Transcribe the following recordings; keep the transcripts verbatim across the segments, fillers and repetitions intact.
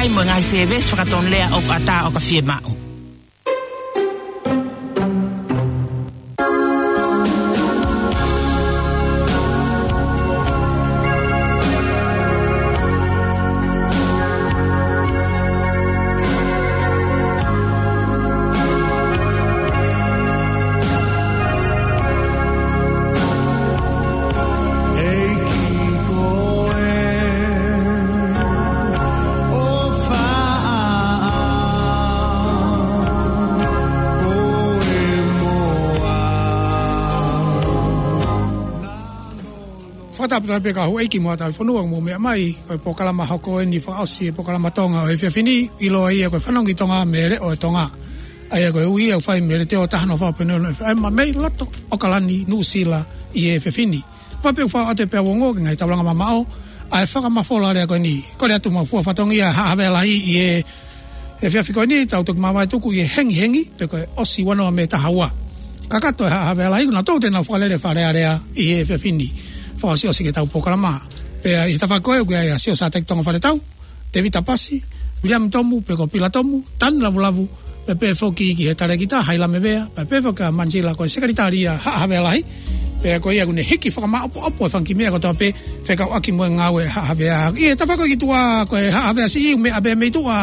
Mo e ngaahi sēvesi fakatonulea ʻoku ʻatā ʻo ka fiemaʻu. ʻEiki ko e ʻofa ko e moa. Fakatapu pē ki he houʻeiki mo e tauhi fonua mo meʻa mai, ko e polokalama hoko eni fakaʻosi e polokalama Tonga ʻo e efiafi ni, ʻiloa ia ko e Fanongo ki Tonga mei he Leʻo ʻo Tonga. ʻA ia ko e ui ʻoku fai mei he Letiō taha noa fā poini ono F M mei loto ʻAokalani, Nuʻusila ʻi he efiafi ni. Pea pehē ʻoku fai atu pē ʻa e ongo ki he ngaahi taulanga mamaʻo ʻa e fakamafola lea ko eni. Kole atu mo e fua fatongia Haʻa Havea Lahi ʻi he efiafi ko eni, tau toki māvae tuku ʻi he hengihengi, pe ko e ʻosi ua noa mei he taha ua. Kakato e Haʻa Havea Lahi, kuo nau toki toe nau fakalele Fale Alea ʻi he efiafi ni. Fakaʻosiʻosi ki heʻetau polokalama. Pea ʻi he tafaʻaki ko ē, ʻoku ʻi ai ʻa Sio Sateki Tonga Faletau, Tevita Pasi, Viliami Tomu, pe ko Pila Tomu, Tanu Lavulavu, pea pehē foki ki he talēkita, Hailame Vea, pea pehē foki kia Manisila ko e sekelitali ia Haʻa Havea Lahi, pea ko ia ʻoku ne hiki fakamaʻopoʻopo e fanga kiʻi meʻa kotoa pē fekauʻaki mo e ngāue Haʻa Havea. ʻI he tafaʻaki ko ē ki tuʻa ko e Haʻa Havea Siʻi, ʻoku meʻa pē mei tuʻa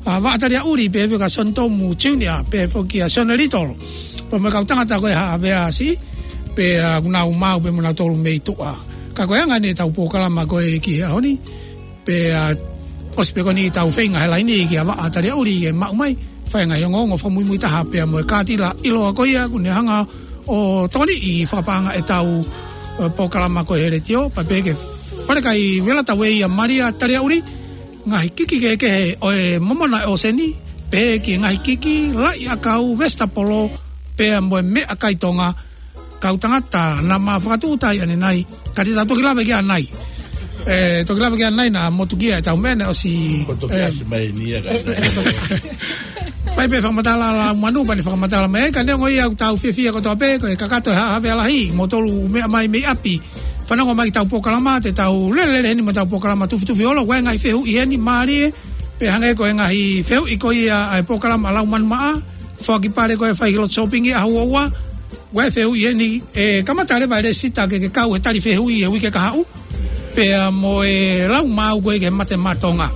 ʻa Vaʻa Taliaʻuli, pehē foki kia Sione Tomu Junior, pehē foki kia Sione Little. Pea mo e kau tangata ko ē Haʻa Havea Siʻi, pea ʻoku nau maʻu pē mo nautolu mei tuʻa. Ka ko e anga eni ʻetau polokalama ko ē ki he ʻaho ni, pea ʻosi pē ko eni ʻetau feinga he laini kia Vaʻa Taliaʻuli ke maʻu mai, fai e ngaahi ongoongo fakamuimui taha pea mo e kātila ʻiloa ko ia, ʻoku ne hanga ʻo tokoniʻi fakapaʻanga ʻetau, ē, polokalama ko ē he Letiō, pea pehē ki he falekai vela tau ʻe ia Malia Taliaʻuli, ngaahi kiki kehekehe ʻo e momona ʻo e ʻōseni, pehē ki he ngaahi kiki, laʻi ʻakau, vesitapolo, pea mo e meʻakai Tonga, kau tangata naʻa ma fakatūʻuta ʻanenai, ka te tau toki lave ki ai ʻanai. Ē, toki lave ki ai ʻanai naʻa motukia ʻetau meʻa naʻe ʻosi, ē, mai ni ia ka fai pē fakamatala lau manu, pea ne fakamatala mai, ka neongo ia ʻoku tau fiefia kotoa pē, ko e kakato e Haʻa Havea Lahi, moutolu ʻoku meʻa mai mei ʻapi, fanongo mai ki heʻetau polokalama, te tau lelelele heni mo ʻetau polokalama Tufitufi Holo, ʻoku ʻi ai e ngaahi fehuʻi heni mālie, pea hangē ko e ngaahi fehuʻi ko ia ʻa e polokalama ʻa Lau Manu Maʻa, foaki pale ko e fai ki loto sōpingi ʻaho ua ua, ʻoku ʻi ai e fehuʻi heni, ʻe kamata leva e lēsisita ke ke kau he tali fehuʻi he uike kahaʻu, pea mo e lau maau ko ē ki he mate maʻa Tonga.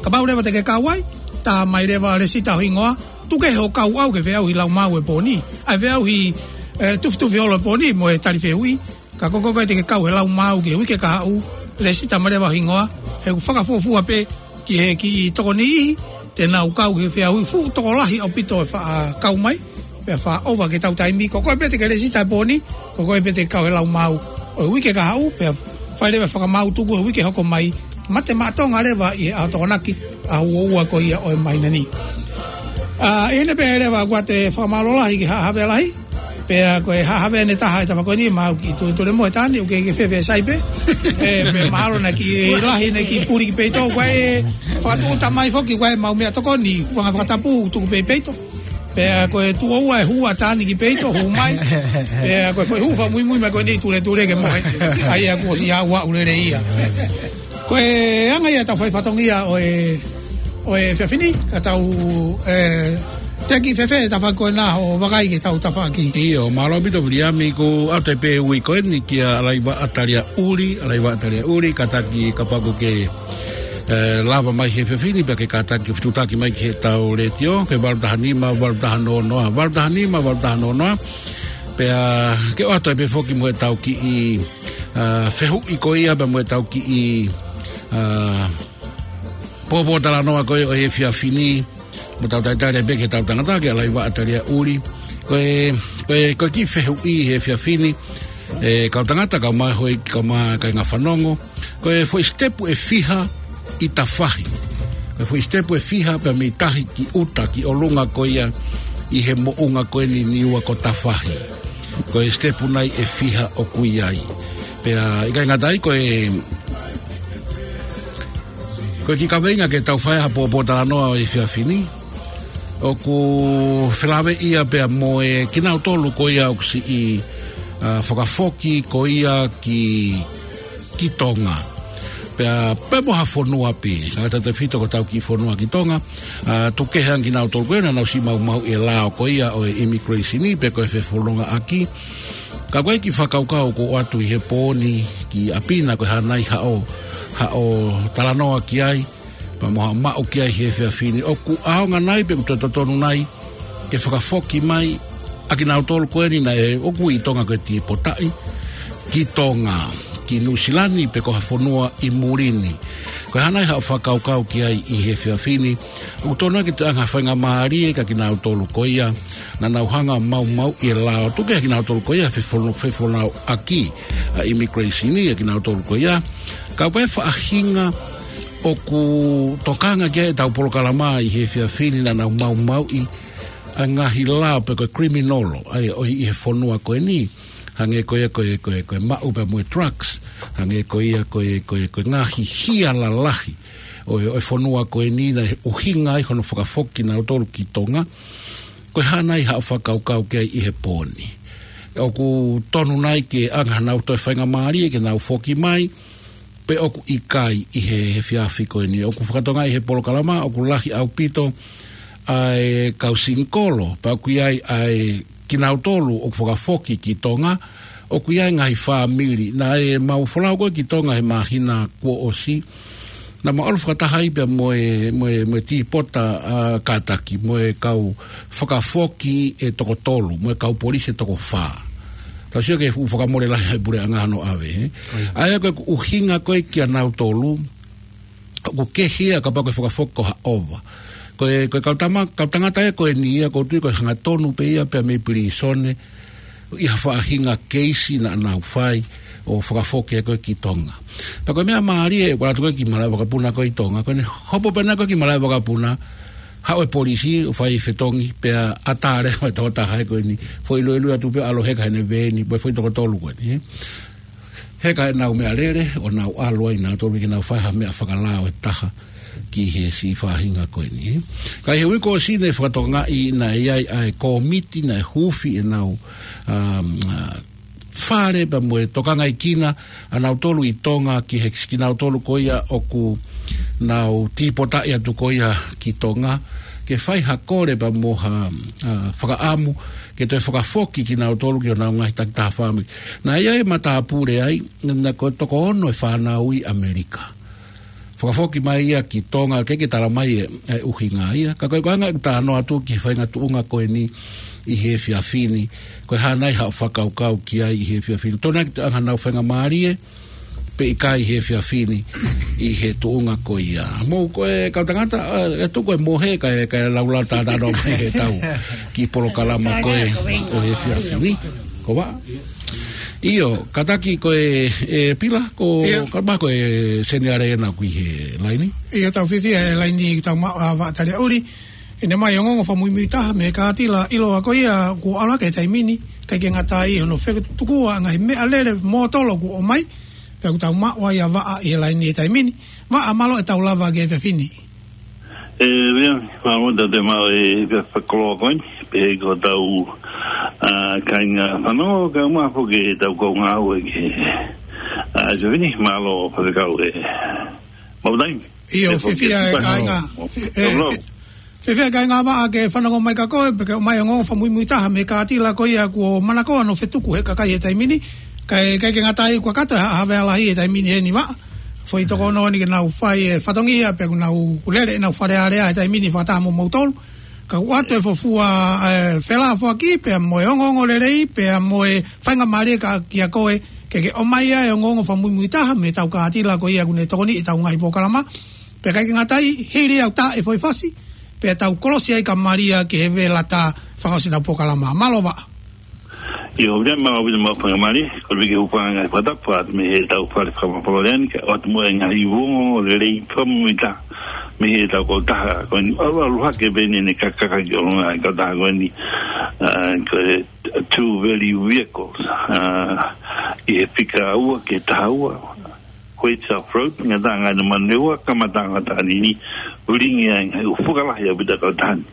Kapau leva te ke kau ai, tā mai leva lēsisita ho hingoa, tuku kehe hoʻo kau ʻau ke feʻauhi lau maau he pō ni. ʻAi feʻauhi, ē, Tufitufi Holo he pō ni mo e tali fehuʻi. Ka ko koe pē te ke kau he lau maau ki he uike kahaʻu, lēsisita mai leva ho hingoa, he ʻoku fakafuofua pē ki he kiʻi tokoni, te nau kau he feʻauhi fuʻu tokolahi ʻaupito ʻe faʻa kau mai, pea faʻa ʻova ki heʻetau taimi. Ko koe pē te ke lēsisita he pō ni, ko koe pē te ke kau he lau maau ʻo e uike kahaʻu, pea fai leva e fakamaau tuku he uike hoko mai, mate maʻa Tonga leva ʻi he ʻaho Tokonaki, ʻaho ua ua ko ia ʻo e māhina ni. ʻA, ʻi heʻene pehē leva ʻoku ʻoatu e fakamālō lahi ki he Haʻa Havea Lahi, pea ko e Haʻa Havea ʻe taha ʻi he tafaʻaki ko eni, maʻu e kiʻi tuletule mohe ʻe taha ni, ʻoku kei fēfē sai pē. Ē, pea mahalo naʻe kiʻi lahi ʻene kiʻi puli ki peito, ko e fakatūʻuta mai foki, ko e maʻu meʻatokoni, hūfanga he fakatapu, tuku pē ʻi peito. Pea ko e tuʻo ua e hū ʻa taha ni ki peito, hū mai. Pea ko e foʻi hū fakamuimui mai ko eni, tuletule ke mohe. ʻA ia kuo ʻosi aʻu aʻu lelei ia. Ko e anga ia ʻetau fai fatongia ʻo e, ʻo e efiafi ni, ka tau, ē, teʻeki fēfē e tafaʻaki ko ena hoʻo vakai ki heʻetau tafaʻaki. ʻIo, mālō ʻaupito Viliami, ʻoku ʻoatu pē ui ko eni kia Alaivaʻa Taliaʻuli, Alaivaʻa Taliaʻuli, kātaki kapau ʻoku ke, ē, lava mai he efiafi ni, pea ke kātaki fetuʻutaki mai ki heʻetau letiō, ko e valu taha nima, valu taha noa noa, valu taha nima, valu taha noa noa. Pea ke ʻoatu pē foki mo ʻetau kiʻi, ā, fehuʻi ko ia pea mo ʻetau kiʻi, ā, pōpōtalanoa ko ē ʻo e efiafi ni, mo ʻetau talitali pē ki heʻetau tangata, kia Alaivaʻa Taliaʻuli. Ko e, ko e, ko e kiʻi fehuʻi he efiafi ni, ē, kau tangata, kaeʻumaʻā e houʻeiki, kaeʻumaʻā e kāinga fanongo, ko e foʻi sitepu ʻe fiha ʻi tafahi. Ko e foʻi sitepu ʻe fiha pea mei tahi ki ʻuta, ki ʻolunga ko ia ʻi he moʻunga ko eni ʻi Niua ko Tafahi. Ko e sitepu nai ʻe fiha ʻoku ʻi ai. Pea ʻikai ngata ai, ko e, ko e kiʻi kaveinga ke tau fai ha pōpōtalanoa ʻo e efiafi ni, ʻoku felāveʻi ia pea mo e kinautolu ko ia ʻoku siʻi, ā, fakafoki ko ia ki, ki Tonga. Pea, pea mo ha fonua pē, ka tautefito ko ʻetau kiʻi fonua ki Tonga, ʻa, tuku kehe ange kinautolu ko ē naʻa nau siʻi maumauʻi e lao ko ia ʻo e immigration pe ko e fefonongaʻaki. Ka ko e kiʻi fakakaukau kuo ʻoatu ʻi he pō ni ki ʻapi na ko e hā nai haʻo, haʻo talanoa ki ai, pea mo haʻo maʻu ki ai he efiafi ni. ʻOku ʻaonga nai pe ʻoku toe totonu nai ke fakafoki mai ʻa kinautolu ko eni naʻe ʻoku ui ʻi Tonga ko e tīpotaʻi ki Tonga, ki Nuʻusila ni pe ko ha fonua ʻi muli ni. Ko e hā nai haʻo fakakaukau ki ai ʻi he efiafi ni. ʻOku tonu ke toe ʻange ha faingamālie kia kinautolu ko ia naʻa nau hanga ʻo maumauʻi e lao, tuku kehe kinautolu ko ia he fefono-, fefonongaʻaki ʻa e immigration ʻa kinautolu ko ia. Ka ko e faʻahinga ʻoku tokanga ki ai ʻetau polokalama ʻi he efiafi ni naʻa nau maumauʻi ʻa e ngaahi lao pe ko e criminal, ʻa ia ʻoku ʻi he fonua ko eni, hangē ko ia ko e, ko e, ko e maʻu pea mo e drugs, hangē ko ia ko e, ko e, ko e ngaahi hia lalahi ʻo e, ʻo e fonua ko eni naʻe ʻuhinga ai hono fakafoki kinautolu ki Tonga. Ko e hā nai haʻo fakakaukau ki ai ʻi he pō ni. ʻOku tonu nai ke ʻange hanau toe faingamālie ke nau foki mai, pe ʻoku ʻikai ʻi he, he efiafi ko eni. ʻOku fakatokangaʻi he polokalama, ʻoku lahi ʻaupito ʻa e kau singikolo, pea ʻoku ʻi ai ʻa e kinautolu ʻoku fakafoki ki Tonga, ʻoku ʻi ai ngaahi fāmili. Naʻe mau folau ko ē ki Tonga he māhina kuo ʻosi, naʻa mau ʻalu fakataha ai pea mo e, mo e, mo e tīpota, ʻa, kātaki, mo e kau fakafoki ʻe toko tolu, mo e kau polisi ʻe toko fā. Tau sio ki he fuʻu fakamole lahi ʻa e puleʻanga hono ʻave, ē? ʻA ia ko e ʻuhinga ko ē kia nautolu, ʻoku kehe ia kapau ko e fakafoki ko ha ʻova. Ko e, ko e kau tama-, kau tangata ia ko eni ia ʻoku ou tui ko e hangatonu pē ia pea mei pilīsone, ʻi ha faʻahinga keisi naʻa nau fai ʻo fakafoki ko ē ki Tonga. Pea ko e meʻa mālie ʻoku ʻalu atu ko ē ki malaʻe vakapuna ko ē ʻi Tonga, ko ʻene hopo pē ena ko ē ki malaʻe vakapuna, haʻu e polisi ʻo fai fetongi pea ʻatā leva e tokotaha ko eni, foʻi luelue atu pē ʻalu ʻo heka heʻene veeni, pea foʻi toko tolu ko eni, ē. Heka ʻenau meʻalele, ʻo nau ʻalu ai nautolu ke nau fai ha meʻa fakalao ʻe taha ki he siʻi faʻahinga ko eni, ē. Ka ʻi he uike kuo ʻosi naʻe fakatokangaʻi naʻe ʻi ai ʻa e kōmiti naʻe huufi ʻenau, um, uh, fale pea mo e tokangaʻi kinautolu ʻi Tonga ki he, kinautolu ko ia ʻoku nau tīpotaʻi atu ko ia ki Tonga, ke fai ha kole pea mo ha, uh, fakaʻamu, ke toe fakafoki kinautolu ki honau ngaahi takitaha fāmili. Naʻe ʻi ai e matāpule ai, naʻe ko e toko ono e fānau ʻi ʻAmelika. Fakafoki mai ia ki Tonga, ʻikai ke tala mai e, e ʻuhinga ia. Ka ko e anga ʻeku talanoa atu ki he faʻahinga tuʻunga ko eni ʻi he efiafi ni. Ko e hā nai haʻo fakakaukau ki ai ʻi he efiafi ni. Tonu ke toe ʻange hanau faingamālie, pe ʻikai ʻi he efiafi ni, ʻi he tuʻunga ko ia. Mou ko e kau tangata, ē, ʻe tuku e mohe, kae, kae laulau talanoa mai heʻetau kiʻi polokalama ko ē ʻo e efiafi ni. Ko Vaʻa. ʻIo, kātaki ko e, ē, Pila, ko, ʻio, ka ma ko e Seniale ena ʻoku ʻi he laini. ʻIo, tau fiefia he laini ʻoku tau maʻu ʻa Vaʻa Taliaʻuli. ʻI heʻene ʻomai e ongoongo fakamuimui taha mei he kātila ʻiloa ko ia kuo ʻalu hake he taimi ni, ʻikai ke ngata ai hono fetukuaʻi e ngaahi meʻalele mōtolo kuo ʻomai, pea ʻoku tau maʻu ai ʻa Vaʻa ʻi he laini he taimi ni. Vaʻa, mālō e tau lava ki he efiafi ni. ʻE, ʻio, mālō ʻetau toe maʻu e efiafi fakakoloa ko eni, pea ko hotau, ʻa, kāinga fanongo, kae ʻumaʻā foki ʻetau kau ngāue ki he, ʻa, efiafi ni, mālō Faifekau e maʻu taimi. ʻIo, ʻe, foki fiefia e kāinga. Mālō. Fi-, ʻe, mālō. Fi-, fiefia e kāinga Vaʻa ke fanongo mai kia koe, pea ke ʻomai e ongoongo fakamuimui taha mei he kātila ko ia kuo manakoa hono fetuku he kakai he taimi ni. Kae, ʻikai ke ngata ai kuo kakato e ha-, havea lahi he taimi ni heni Vaʻa. Foʻi toko ono ni ke nau fai e fatongia, pea kuo nau lele ʻenau Fale Alea he taimi ni fakataha mo moutolu. Ka ʻoku ʻoatu e fuofua, ē, felāfoaki, pea mo e ongoongo lelei, pea mo e faingamālie ka, kia koe, ke ke ʻomai ʻa e ongoongo fakamuimui taha mei heʻetau kātila ko ia kuo ne tokoniʻi ʻetau ngaahi polokalama. Pea ʻikai ke ngata ai, hili au tā e foʻi fasi, pea tau kolosi ai ka malia ki he vela tā fakaʻosi ʻetau polokalama. Mālō Vaʻa. ʻIo, ʻoku ou fiefia maʻu ʻaupito e faingamālie, ko e viki hūfanga ngaahi fakatapu atu mei heʻetau fale fakamafola lea ni, kae ʻoatu mo e ngaahi ongoongo lelei fakamuimui taha mei heʻetau kautaha ko eni, ʻalu, ʻalu hake pē eni ʻene kakaka ki ʻolunga e kautaha ko eni, ʻa, ko e two value vehicles, ʻa, ʻi he fika ua ki he taha ua, Quaitsa Road, ngataʻanga ʻa e Manurewa, kamataʻanga ʻo Taʻanini, ulingi ai ngaahi ʻū fuka lahi ʻaupito ʻa e kautaha ni.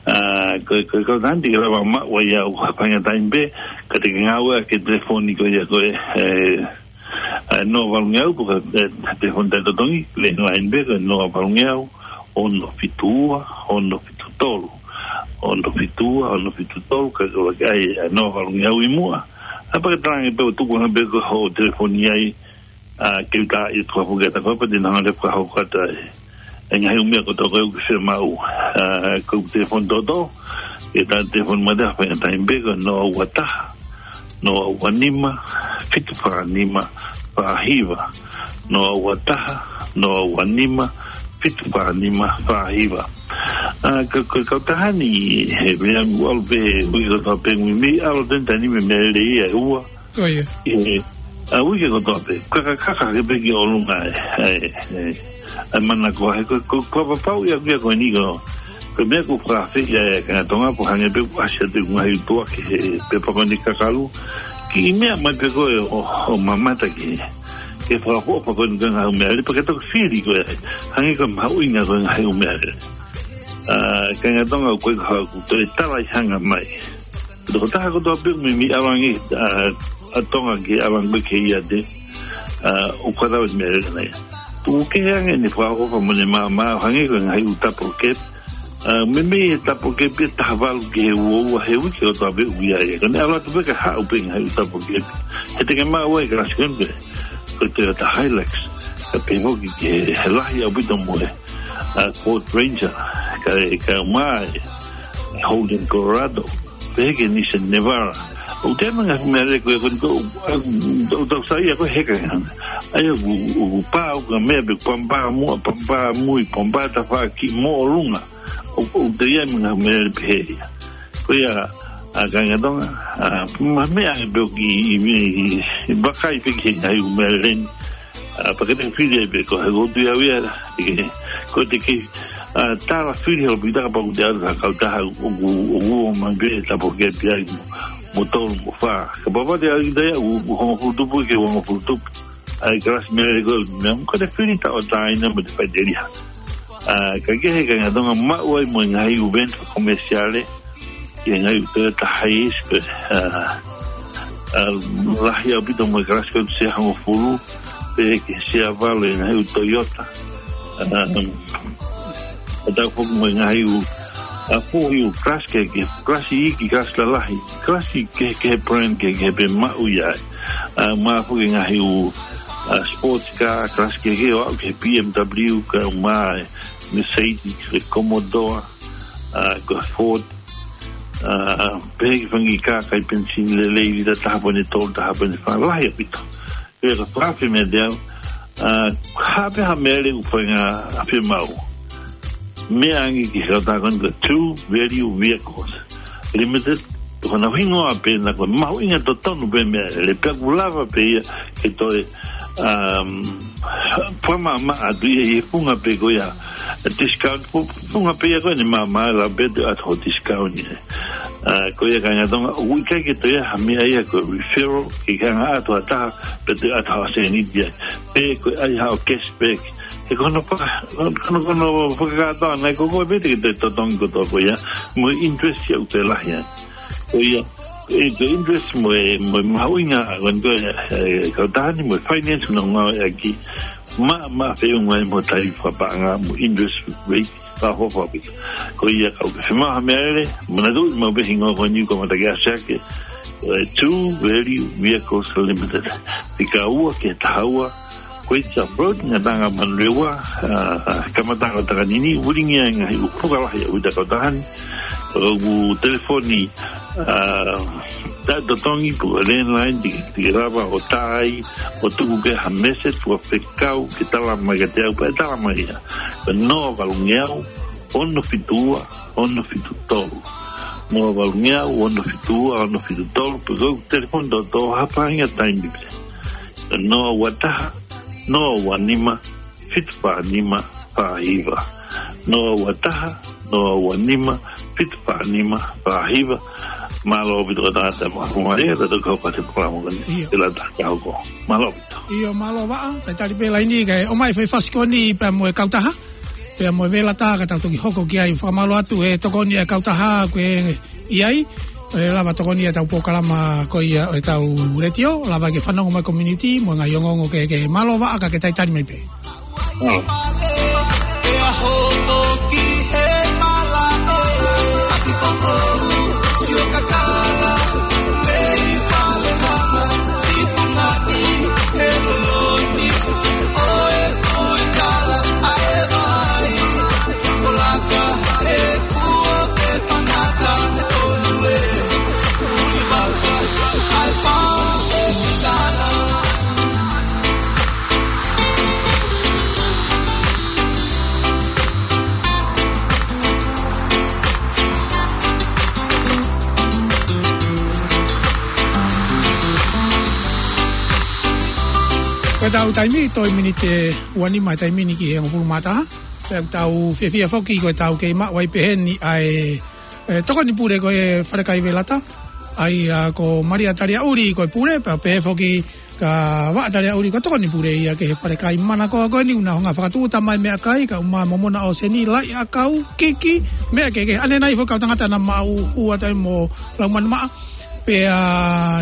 ʻA, ko e, ko e kautaha ni te ke lava maʻu ai ʻa e ʻū faingataʻa pē, ka te ke ngāueʻaki e telefoni ko ia ko e, ē, ʻa ʻe noa valungeau, pe ko e, ʻe, telefoni taʻetotongi, landline pē ko e noa valungeau, ono fitu ua, ono fitu tolu. Ono fitu ua, ono fitu tolu, ka ko e ʻai ʻe noa valungeau ʻi muʻa. ʻA pea ke talaange pē ʻo tuku ange pē ko hoʻo telefoni ai, ʻa, ke uta i kua puke ta kua pati nanga le kua hoko ata e. ʻE ngaahi ʻū meʻa kotoa ko ē ʻoku ke fiemaʻu. ʻA, ko e telefoni toto, ʻe ta telefoni mate a fai ngata i pē ko e noa ua taha, noa ua nima, fitu fā nima, fā hiva. Noa ua taha, noa ua nima, fitu fā nima, fā hiva. ʻA, ka, ka, kautaha ni he vea mu alu pē, ui kotoa pē ngui mei, alo tenta ni me mele ia ua. Ko ia. ʻE, ʻa, ui ke kotoa pē, kaka, kaka ke pē ki ʻolunga e, e, e, e, mana ko he, ko, ko, ko papau ia kia ko ni ko, ko e meʻa ko fakafe ia e kanga Tonga po hangē pē ʻoku ʻasi atu e ngaahi ʻutuʻa ke he, pe pako ni kakalu, ki meʻa mai pē ko e ʻo, ʻo mamata ki he, ke fakafoʻofa ko e ngaahi ʻū meʻalele, pea ke toki fili ko e, hangē ko e mahuʻinga ko e ngaahi ʻū meʻalele. ʻA, kanga Tonga ko e ka ko e toe tala ʻi hanga mai. Ko e tokotaha kotoa pē mei, mei ʻalu ange, ʻa, ʻa Tonga ke ʻalu ange ke ia te, ʻa, ʻoku ʻatā e meʻalele na ia. Tuku kehe ange ʻene fakaʻofoʻofa mo ʻene maama, hangē ko e ngaahi ʻū double cab. ʻA, meimei e double cab ʻe taha valu ki he ua ua he uike kotoa pē ʻoku ʻi ai. Ka ne ʻalu atu pē ka haʻu pē ngaahi ʻū double cab. He te ke maʻu ai e kalasi ko eni pē. Ko e Toyota Hilux. Ka pehē foki ki he, he lahi ʻaupito mo e, ʻa, Ford Ranger. Ka e, ka mai, Holden Colorado. Pehē ki he Nissan Navara. ʻOku te manga meʻalele ko e ko e ko, ʻa, ʻoku tau sai ia ko e heka hana. ʻA ia ʻoku, ʻoku pā ʻoku ka meʻa pē pampa muʻa, pampa mui, pampa tafaʻaki mo ʻolunga. ʻOku, ʻoku te ia manga meʻalele pehē ia. Ko ia, ʻa, kanga Tonga, ʻa, ma meʻa he peo ki, i, i, i, vakai pē ki he ngaahi ʻū meʻalele ni. ʻA, pea ke te fili ai pē ko he ko tu ia ia, ke, ko te ke, ʻa, tala fili holo pita ka pau te ʻalu ha kautaha ʻoku, ʻoku ʻomai pē e double cab ia mo, mo tolu mo fā. Kapau te ʻalu ki tai ʻoku, ʻoku hongofulu tupu ke hongofulu tupu. ʻA e kalasi meʻalele ko e meʻa, ko te fili taʻotaʻa ina mo te faʻiteliha. ʻA, ka ke he kanga Tonga maʻu ai mo e ngaahi ʻū van fakakomesiale, ʻi he ngaahi ʻū Toyota Hiace, ʻa, ʻa, lahi ʻaupito mo e kalasi ko e sia hongofulu, pehē ki he sia valu e ngaahi ʻū Toyota. ʻA, ʻa tau foki mo e ngaahi ʻū, ʻa, foʻi ʻū kalasi ke, ke kalasi iiki, kalasi lalahi, kalasi ke, ke brand ke, ke pē maʻu ia. ʻA, ma foki ngaahi ʻū, ʻa, sports car, kalasi ke, ke ʻo aʻu ki he B M W, ka ma e Mercedes, e Commodore, ʻa, ko e Ford, ʻa, pehē ki he fanga kā kai penisini lelei, lita taha poini tolu, taha poini fā, lahi ʻaupito. Pea ka fakafe meʻa te au, ʻa, ha pē ha meʻalele ʻoku fai ngā fiemaʻu. Meʻa ange ki he kautaha ko eni ko e True Value Vehicles Limited, ko hono hingoa pē na ko e mahuʻinga totonu pē meʻalele pea ʻoku lava pē ia ke toe, um, fakamamaʻa atu ia ʻi he funga pē ko ia discount, fu-, funga pē ia ko eni maama la pē te ʻatu ho discount ia. ʻA, ko ia kanga Tonga, ʻoku ʻikai ke toe ʻi ai ha meʻa ia ko e referral, ke ke hanga ʻo ʻatu ha taha, pea toe ʻatu ha sēniti ia. Pe ko e ʻai haʻo cashback. He ko hono faka-, ko hono, ko hono fakakātoa nai ko koe pē te ke toe totongi kotoa ko ia, mo e interest ia ʻoku toe lahi ai. Ko ia, ʻe ko e interest mo e, mo e mahuʻinga, ko e, ko e, e, kautaha ni mo e finance na ngāueʻaki, ma, ma feʻunga ai mo e tali fakapaʻanga mo e interest rate, ka hofa pika. Ko ia kau ke fiemaʻu ha meʻalele, manatuʻi maʻu pē hingoa ko eni ko Matake Asiake, e True Value Vehicles Limited. Fika ua ki he taha ua, Queens Road, Ngataʻanga Manurewa, ʻa, kamataʻanga ʻo Takanini, ulingi ai ngaahi ʻū puka lahi ʻa e kautaha ni, ʻoku telefoni, ʻa, taʻetotongi pe ko e landline, te, te ke lava ʻo tā ai, ʻo tuku ki ai ha message, ʻo fekau, ke tala mai kiate au, pea tala mai ia. Ko e noa valungeau, ono fitu ua, ono fitu tolu. Noa valungeau, ono fitu ua, ono fitu tolu, pe ko e telefoni toto ha faʻahinga taimi pē. Ko e noa ua taha, noa ua nima, fitu fā nima, fā hiva. Noa ua taha, noa ua nima, fitu fā nima, fā hiva. Mālō ʻaupito ka tangata mo huma e, ka tau kau pate palamu kani. ʻIo. Te lata ka hoko. Mālō ʻaupito. ʻIo, mālō Vaʻa, talitali pē laini kae ʻomai fai fasi ko eni pea mo e kautaha. Pea mo e vela tā ka tau toki hoko ki ai, fakamālō atu he tokoni e kautaha ko ē ʻi ai. ʻe lava tokoni ʻetau polokalama ko ia ʻo ʻetau letiō, lava ke fanongo mai community, mo e ngaahi ongoongo kehekehe. Mālō Vaʻa, ka ke talitali mai pē. Ko ʻetau taimi, toe miniti ʻe ua nima e taimi ni ki he hongofulu mā taha. Pea ʻoku tau fiefia foki ko ʻetau kei maʻu ai pehē ni ʻa e, e, tokoni pule ko e Falekai Velata. ʻA ia ko Malia Taliaʻuli ko e pule, pea pehē foki kia Vaʻa Taliaʻuli ko e tokoni pule ia ki he Falekai. Mana ko eni ʻoku nau hanga ʻo fakatūʻuta mai meʻakai, kau mai momona ʻōseni, laʻi ʻakau, kiki, meʻa kehekehe. ʻAnenai foki kau tangata naʻa maʻu ua taimi mo Laumanu Maʻa. Pea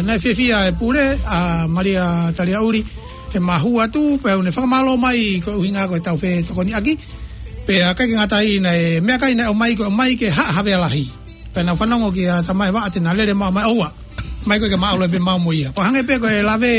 naʻe fiefia e pule ʻa Malia Taliaʻuli he mahua atu, pea ʻoku ne fakamālō mai ko e ʻuhinga ko ʻetau fetokoniʻaki. Pea ʻikai ke ngata ai, naʻe meʻakai naʻe ʻomai, ko e ʻomai ke haʻa havea lahi. Pea naʻa ku fanongo kia Tamae Vaʻa te na lele maʻu mai, ʻoua, ʻomai koe ke ma ʻalu pē maʻu mo ia. Ko e hangē pē ko e lave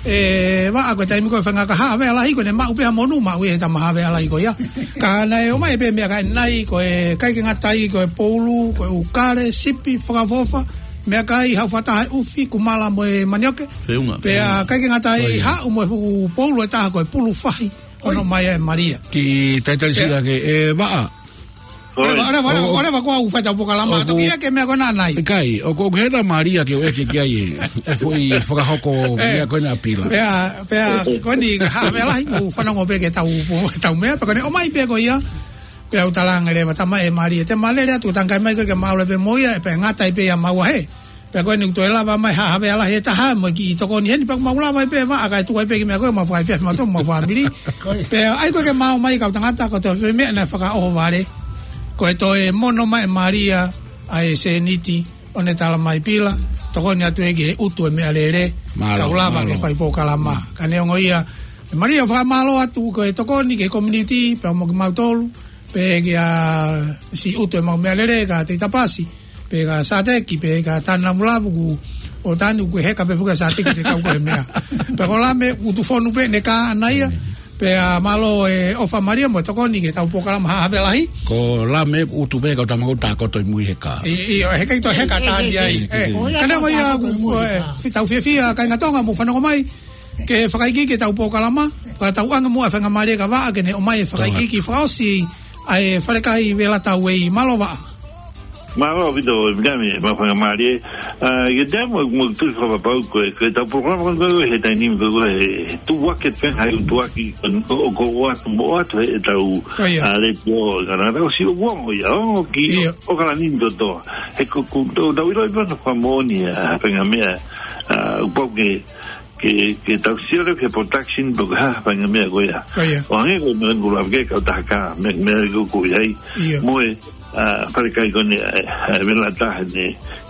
ʻe Vaʻa, ko e taimi ko ē faingataʻa haʻa havea lahi, ko ʻene maʻu pē ha monū, maʻu ia he tama havea lahi ko ia. Ka naʻe ʻomai pē meʻakai ʻanenai, ko e ʻikai ke ngata ai, ko e poulu, ko e ʻū kale, sipi, fakaʻofoʻofa, meʻakai, haʻu fakataha e ʻufi, kumala mo e manioke. Feʻunga. Pea ʻikai ke ngata ai, ʻoi, haʻu mo e fuʻu poulu ʻe taha ko e pulu fahi, ʻoku ʻomai ʻe Malia. Kiʻi talitali siʻi ange, ʻe Vaʻa. ʻOleva, ʻOi. ʻOleva, ʻOku, ʻOleva, ko au fai ʻetau polokalama, ʻoku, toki ʻeke meʻa ko ena ʻanenai. ʻIkai, ʻoku, ʻoku hela Malia ke u ʻeke ki ai e, e foʻi fakahoko, ʻe, meʻa ko ena ʻa Pila. Pea, pea, ko eni haʻa havea lahi, ʻoku fanongo pē ki heʻetau, ʻetau meʻa, pea ko ʻene ʻomai pē ko ia, pea u talaange leva, tama ʻe Malia, te ma lele atu, tangai mai koe ke ma ʻalu pē mo ia, ʻe pea ngata ai pē ia maua he. Pea ko eni ʻoku toe lava mai haʻa havea lahi ʻe taha mo e kiʻi tokoni heni, pea ʻoku mau lava ai pē Vaʻa kae tuku ai pē kiʻi meʻa ko ē, mau fakaefiafi mautolu mo e fāmili. Pea ʻai ko ē ke ma ō mai kau tangata, ko e toe foʻi meʻa naʻe fakaʻohovale, ko e toe mono mai ʻe Malia ʻa e sēniti ʻo ne tala mai, Pila, tokoni atu ē ki he ʻutu e meʻalele, Mālō, kau lava ke mālō. fai polokalama. Ka neongo ia, ʻe Malia, fakamālō atu ko e tokoni ki he community, pea mo kimautolu, pea kia siʻi ʻutu ʻemau meʻalele, kia Teita Pasi, pea kia Sateki, pea kia Tana Mulavu, ʻoku ou tanu ʻoku heka pē fuka Sateki te kau ko e meʻa. Pea ko Lame, ʻutu fonu pē ʻene kā ʻana ia. Pea mālō e ʻofa Malia mo e tokoni ki heʻetau polokalama haʻa havea lahi. Ko Lame ʻutu pē kau tama ko ē ʻoku tākoto ʻi mui he kā. ʻIo, ʻio, he ʻikai toe heka tāni ai. ʻE, ka neongo ia, ʻoku, ʻe, tau fiefia, kāinga Tonga, mou fanongo mai ke fakaikiiki ʻetau polokalama, ka tau ʻoange muʻa e faingamālie kia Vaʻa ke ne ʻomai e fakaikiiki fakaʻosi ʻa e Falekai Velata Way. Mālō Vaʻa. Mālō ʻaupito, ʻe Mikami, mo e faingamālie. ʻA, ke te mo, mo tu fakapapau ko e, ko ʻetau polokalama ko ē he taimi ni ko e, he tuʻu ake pē, hai tuʻu ake, ko, ko, ko ʻoatu mo ʻoatu heʻetau, ʻOia. ʻa, letiō, ka naʻa tau sio kuo mo ia, ʻo ki, ʻIo. ʻo kala ni toto. He ko, ko, tau, tau ʻilo ʻi pē ʻa e fakamoʻoni, ʻa, faingamālie, ʻa, ʻoku pau ke, ke, ke tau sio leva ki he production pe ko e hā e faingamālie ko ia. ʻOia. ʻO hangē ko e meʻa ko ē ʻoku lava ke kau taha kā, meʻa, meʻa ko ē ʻoku ʻi ai. ʻIo. Mo e, ʻa, Falekai ko eni, ʻa, ʻa, Velata ʻene,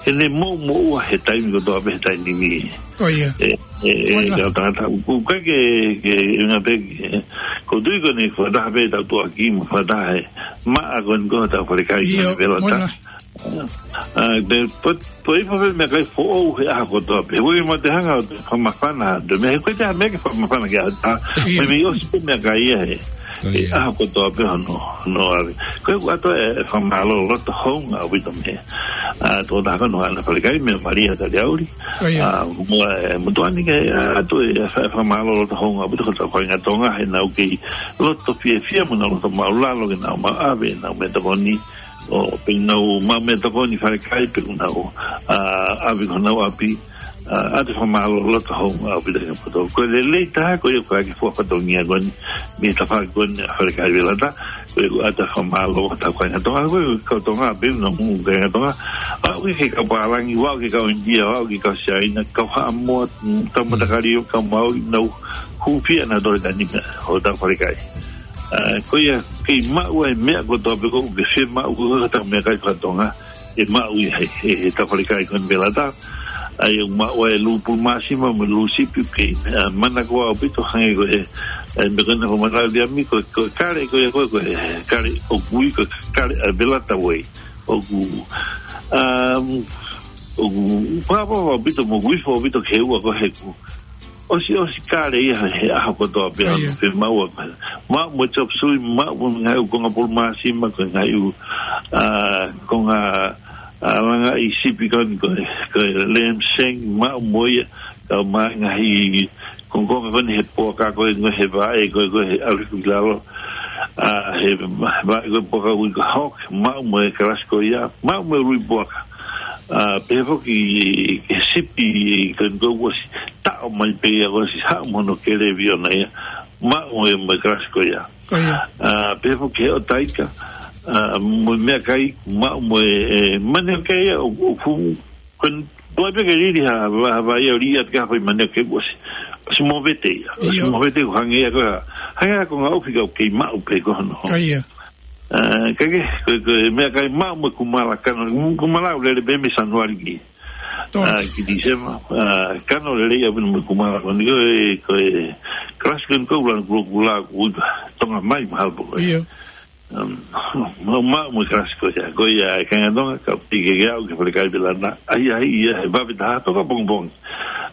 ʻene moʻumoʻua he taimi kotoa pē he taimi ni. ʻOia. ʻE, ʻe, ʻe, Moʻoni lā. Kau tangata, ʻoku ʻikai ke, ke, ʻuhinga pē, ke, ʻoku ou tui ko eni fakataha pē ʻetau tuʻuaki mo fakataha e maʻa ko eni ko hotau Falekai ko eni ʻIo, Velata. Moʻoni lā. ʻA, te, po, po i po pē meʻakai foʻou he ʻaho kotoa pē. He ʻoku ʻikai te u hanga ʻo fakamafana, te u meʻa he ʻoku ʻikai te u meʻa ke fakamafana ki ai ha taha. ʻIo. Meimei ʻosi pē meʻakai ia he, ʻOia. he ʻaho kotoa pē hono, hono ʻave. Ko ia ʻoku ʻoatu e, e fakamālō loto hounga ʻaupito mei he, ʻa, tokotaha ko eni ʻa e Falekai, meia Malia Taliaʻuli. ʻOia. ʻA, mo, e, mo Tuani ke, ʻa, ʻoatu e, e fa-, fakamālō loto hounga ʻaupito ki hotau kāinga Tonga, he naʻa nau kei loto fiefia mo nau loto māʻulalo ke nau maʻu ʻave ʻenau meʻatokoni. ʻO pea nau maʻu meʻatokoni Falekai pea nau, ʻa, ʻave ki honau ʻapi, ʻa, ʻoatu e fakamālō loto hounga ʻaupito ki he poto. Ko e lelei taha ko ia ʻoku ʻai ke fua fatongia ko eni, mei he tafaʻaki ko eni ʻa Falekai Velata, ko ia ʻoku ʻoatu e fakamālō ʻa hotau kāinga Tonga, ko e kau Tonga, pea nau hū kāinga Tonga, ʻo aʻu ki he kau pālangi, ʻo aʻu ki he kau ʻInitia, ʻo aʻu ki he kau Siaina, kau Haʻamoa, kau Matakali, kau Mauli, nau hūfia nautolu he taimi ni, hotau Falekai. ʻA, ko ia, kei maʻu ai e meʻa kotoa pē ʻoku ke fiemaʻu ko hotau meʻakai faka-Tonga. ʻe maʻu ia he, he, he tau falekai ko eni Velata. ʻA ia ʻoku maʻu ai e lū pulu māsima mo e lū sipi, ʻoku kei, ʻa, manako ʻaupito hangē ko e, ʻa e meʻa ko ena ko e manako Liami ko e, ko e kale ko ia ko e, ko e kale ʻoku ui ko e kale ʻa Velata Way. ʻOku, um, ʻoku fakapapau ʻaupito mo ʻoku ifo ʻaupito ki he ua ko e heku. ʻOsi, ʻosi kale ia he ʻaho kotoa pē. ʻA ia. Pe maua pē. Maʻu mo e chop suey, maʻu mo e ngaahi ʻū konga pulu māsima, ko e ngaahi ʻū, ʻa, konga, ʻa, langaʻi sipi ko eni ko e, ko e lamb shank, maʻu mo ia, kau mai ngaahi kongokonga ko eni he puaka ko e, ko e he vaʻe, ko e, ko e he ʻalu ki lalo. ʻA, he vaʻe ko e puaka ui ko e hog, maʻu mo e kalasi ko ia, maʻu mo e ului puaka. ʻA, pehē foki ki he sipi ko eni ko e ʻosi taʻo mai pē ia ʻosi haʻu mo hono kelevi ʻona ia. Maʻu mo e, mo e kalasi ko ia. Ko ia. ʻA, pehē foki ki he ʻotaika, ʻa, mo e meʻakai, maʻu mo e, e, mane ʻoku kei ʻi ai, ʻo, ʻo fu, ko eni, ʻoua pē ke lili ha, ha, ha, ia ʻo lī atu ki ha fai mane ʻoku kei ʻosi. ʻOsi movete ia. ʻOsi movete ʻoku hangē ia ko e, hangē ia ko e ngaahi ʻofi ʻoku kei maʻu pē ko hono. Ko ia. ʻA, ka ke, ko, ko e meʻakai maʻu mo e kumala kano, kumala ʻoku lele pē mei Sānuali ki. Tō. ʻA, ki Tīsema, ʻa, kano lelei ʻaupito mo e kumala ko eni ko e, ko e, kalasi ko eni ko e ʻuluaki kulokula ʻoku ui ko e Tonga Mai mahalo pē ko e. ʻIo. Um, maʻu, maʻu mo e kalasi ko ia, ko ia e kāinga Tonga, kau piki ke aʻu ki he falekai Velata, ʻahiʻahi ia he vave taha toka pongipongi.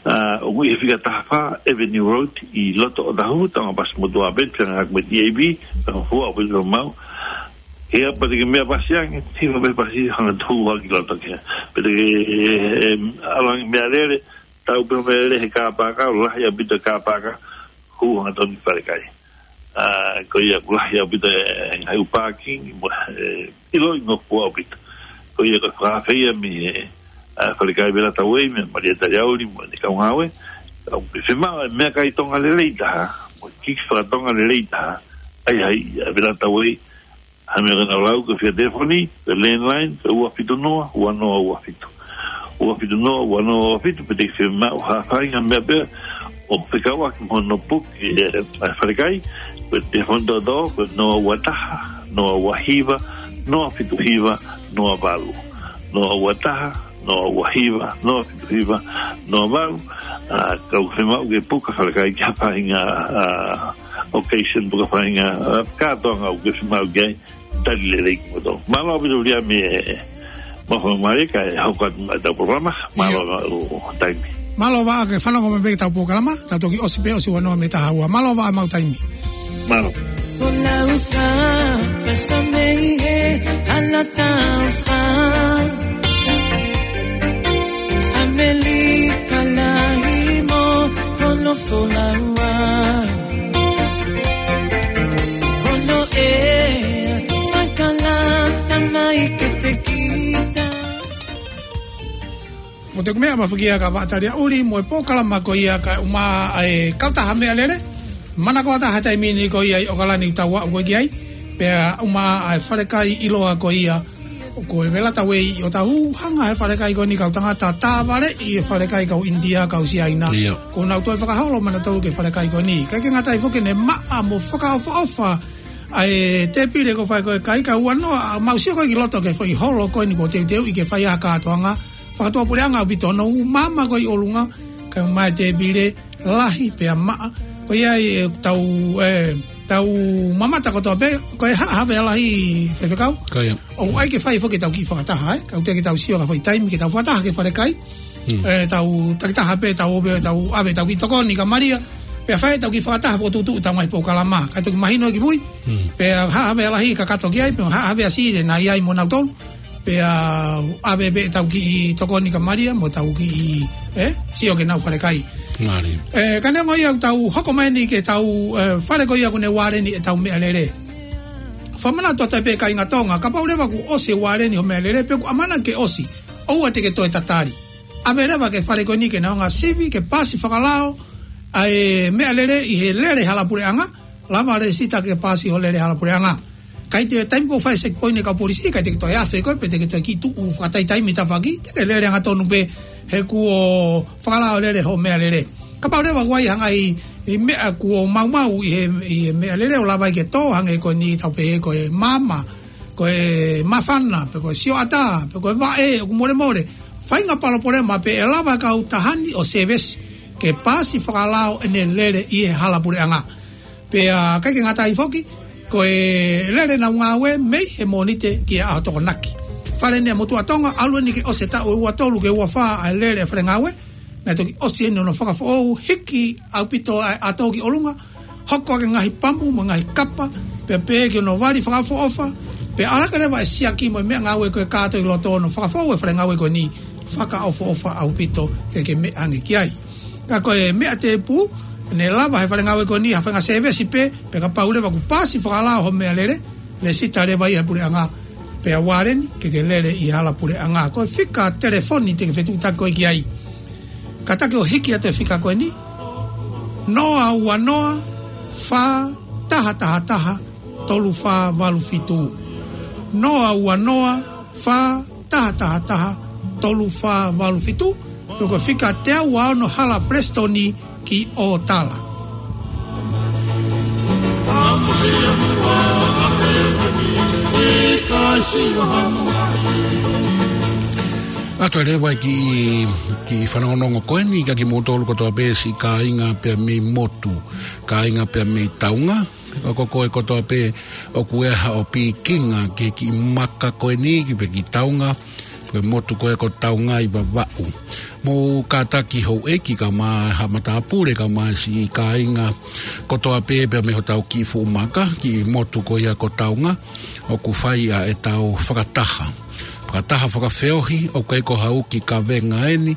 ʻA, ʻoku ʻi he fika taha fā Avenue Road, ʻi loto ʻOtahuhu, Tonga Passeports Authority, pea ngāueʻaki mo e T A B, pea fua ʻo pili mau. Ia, pea te ke meʻa pasi ange, hiva pē pasi, hanga tuʻu hake ki loto ki ai. Pea te ke, em, ʻalu ange meʻalele, tau pē meʻalele he kāpaka, lahi ʻaupito kāpaka, hū hangatonu ki falekai. ʻA, ko ia ʻoku lahi ʻaupito e ngaahi ʻū parking, mo, e, ʻiloʻi ngofua ʻaupito. Ko ia ko e fakafeia mei he, ʻa, falekai Velata Way, meia Malia Taliauli, mo ʻene kau ngāue. ʻOku fiemaʻu e meʻakai Tonga lelei taha, mo e kiki fakatonga lelei taha, ʻahiʻahi, ʻa Velata Way, ha meʻa ko ena ʻoku lau, ko e fika telefoni, ko e landline, ko e ua fitu noa, ua noa ua fitu. Ua fitu noa, ua noa ua fitu, pea te ke fiemaʻu ha faʻahinga meʻa pē ʻoku fekauʻaki mo hono puke, ʻe, ʻa e falekai, ko e telefoni toʻotoʻo, ko e noa ua taha, noa ua hiva, noa fitu hiva, noa valu. Noa ua taha, noa ua hiva, noa fitu hiva, noa valu. ʻA, ka ʻoku fiemaʻu ke puka falekai ki ha faʻahinga, ʻa, occasion, puka faʻahinga, ʻa, kātoanga ʻoku fiemaʻu ki ai, tali lelei kimoutolu. Mālō ʻaupito Liami e, mo e fakamālō kae hoko atu mai ʻetau polokalama. ʻIo. Mālō ʻaupito taimi. Mālō Vaʻa ke fanongo mai pē ki heʻetau polokalama, tau toki ʻosi pē ʻosi ua noa mei he taha ua. Mālō Vaʻa, mau taimi. Mālō. Folau ka pasa mei he hala taufa. ʻAmelika lahi mo hono folau. Hono ʻea fakalata mai ke te kita. Mo te meʻa mafakia ka Vaʻa Taliauli mo e polokalama ko ia kae ʻumaʻā e kautaha meʻalele. Manako ʻa e taha taimi ni ko ia ʻi ʻOkalani ʻoku tau aʻu ko ē ki ai. Pea ʻumaʻā e falekai ʻiloa ko ia ko e Velata Way ʻi ʻOtahuhu, hanga he falekai ko eni kau tangata, tāvaleʻi e falekai kau ʻInitia, kau Siaina. ʻIo. Kuo nau toe fakaholo mai nautolu ki he falekai ko eni. Kae ʻikai ke ngata ai foki ʻene maʻa mo fakaʻofoʻofa ʻa e tēpile ko e fai ko e kai ka ua noa, mau sio ko ē ki loto ki he foʻi holo ko eni kuo teuteuʻi ke fai ai ha kātoanga fakatuʻapuleʻanga ʻaupito, hono maama ko ē ʻi ʻolunga, kae ʻumaʻā e tēpile, lahi pea maʻa. Ko ia ai ʻetau, ʻe, tau mamata kotoa pē, ko e ha-, Haʻa Havea Lahi, Faifekau. Ko ia. ʻOku ʻai ke fai foki ʻetau kiʻi fakataha, ʻe. Ka ʻoku teʻeki ke tau sio ki ha foʻi taimi ke tau fakataha ki he falekai. Hmm. ʻE, tau takitaha pē, tau ō pē, tau ʻave ʻetau kiʻi tokoni kia Malia. Pea fai ʻetau kiʻi fakataha fokotuʻutuʻu ʻetau ngaahi polokalama. Kae toki mahino ki mui. Hmm. Pea Haʻa Havea Lahi kakato ki ai, pea Haʻa Havea Siʻi naʻe ʻi ai mo nautolu. Pea ʻave pē ʻetau kiʻi tokoni kia Malia mo ʻetau kiʻi, ʻe, sio ki heʻenau falekai. Mālie. ʻE, ka neongo ia ʻoku tau hoko mai eni ki heʻetau, ʻe, fale ko ia ʻoku ne ualeni ʻetau meʻalele. Fakamanatu atu pē kāinga Tonga, kapau leva kuo ʻosi e ualeni hoʻo meʻalele, pe ʻoku ʻamanaki ke ʻosi, ʻoua te ke toe tatali. ʻAve leva ki he fale ko eni ke nau hanga ʻo sivi, ke paasi fakalao ʻa e meʻalele ʻi he lele hala puleʻanga, lava lēsisita ke paasi hoʻo lele hala puleʻanga. ʻIkai te taimi ko ē ʻoku fai e checkpoint ʻa e kau polisi, ʻikai te ke toe afe koe, pe te ke toe kiʻi tuʻu fakataitaimi tafaʻaki, te ke lele angatonu pē he kuo fakalao lele hoʻo meʻalele. Kapau leva ʻoku ʻi ai ha ngaahi meʻa kuo maumau ʻi he, ʻi he meʻalele ʻo lava ai ke tō, hangē ko eni tau pehē ko e maama, ko e māfana, pe ko e sioʻata, pe ko e vaʻe, ʻoku molemole. Faʻahinga palopalema pē ʻe lava e kautaha ni ʻo sēvesi ke paasi fakalao ʻene lele ʻi he hala puleʻanga. Pea ʻikai ke ngata ai foki, ko e lele ʻenau ngāue mei he Mōnite ki he ʻaho Tokonaki. Fale ni ʻa e motuʻa Tonga, ʻalu eni ke ʻosi e taʻu ʻe ua tolu ki he ua fā ʻa e lele ʻa e fale ngāue, naʻe toki ʻosi eni hono fakafoʻou, hiki ʻaupito ʻa e ʻato ki ʻolunga, hoko ʻaki e ngaahi pamu mo e ngaahi kapa, pea pehē ki hono vali fakaʻofoʻofa, pea ʻalu hake leva e siaki mo e meʻangāue ko ē kātoa ʻi loto hono fakafoʻou e fale ngāue ko eni, fakaʻofoʻofa ʻaupito ke ke meʻa ange ki ai. Ka ko e meʻa tēpū, naʻe lava he fale ngāue ko eni ha faʻahinga sēvesi pē, pea kapau leva kuo paasi fakalao hoʻo meʻalele, lēsisita leva ia he puleʻanga, pea uale eni ke ke lele ʻi he hala puleʻanga. Ko e fika telefoni te ke fetuʻutaki koe ki ai. Kātaki ʻo hiki atu e fika ko eni, noa ua noa, fā taha taha taha, tolu fā valu fitu. Noa ua noa, fā taha taha taha, tolu fā valu fitu. Pea ko e fika teau ua ono, hala Palesitoni ki ʻOtala. ʻOatu leva e kiʻi, kiʻi fanongonongo ko eni kia kimoutolu kotoa pē siʻi kāinga pea mei motu, kāinga pea mei taunga. Ko koe kotoa pē ʻoku ʻi ai haʻo pikinga ki he kiʻi maka ko eni, ki he kiʻi taunga, ko e motu ko ē ko Taunga ʻi Vavaʻu. Mou kātaki houʻeiki kae ʻumaʻā haʻa matāpule kae ʻumaʻā siʻi kāinga kotoa pē pea mei hotau kiʻi fuʻu maka, kiʻi motu ko ia ko Taunga, ʻoku fai ʻa ʻetau fakataha. Fakataha fakafeohi, ʻoku ʻikai ko ha uki kavenga eni,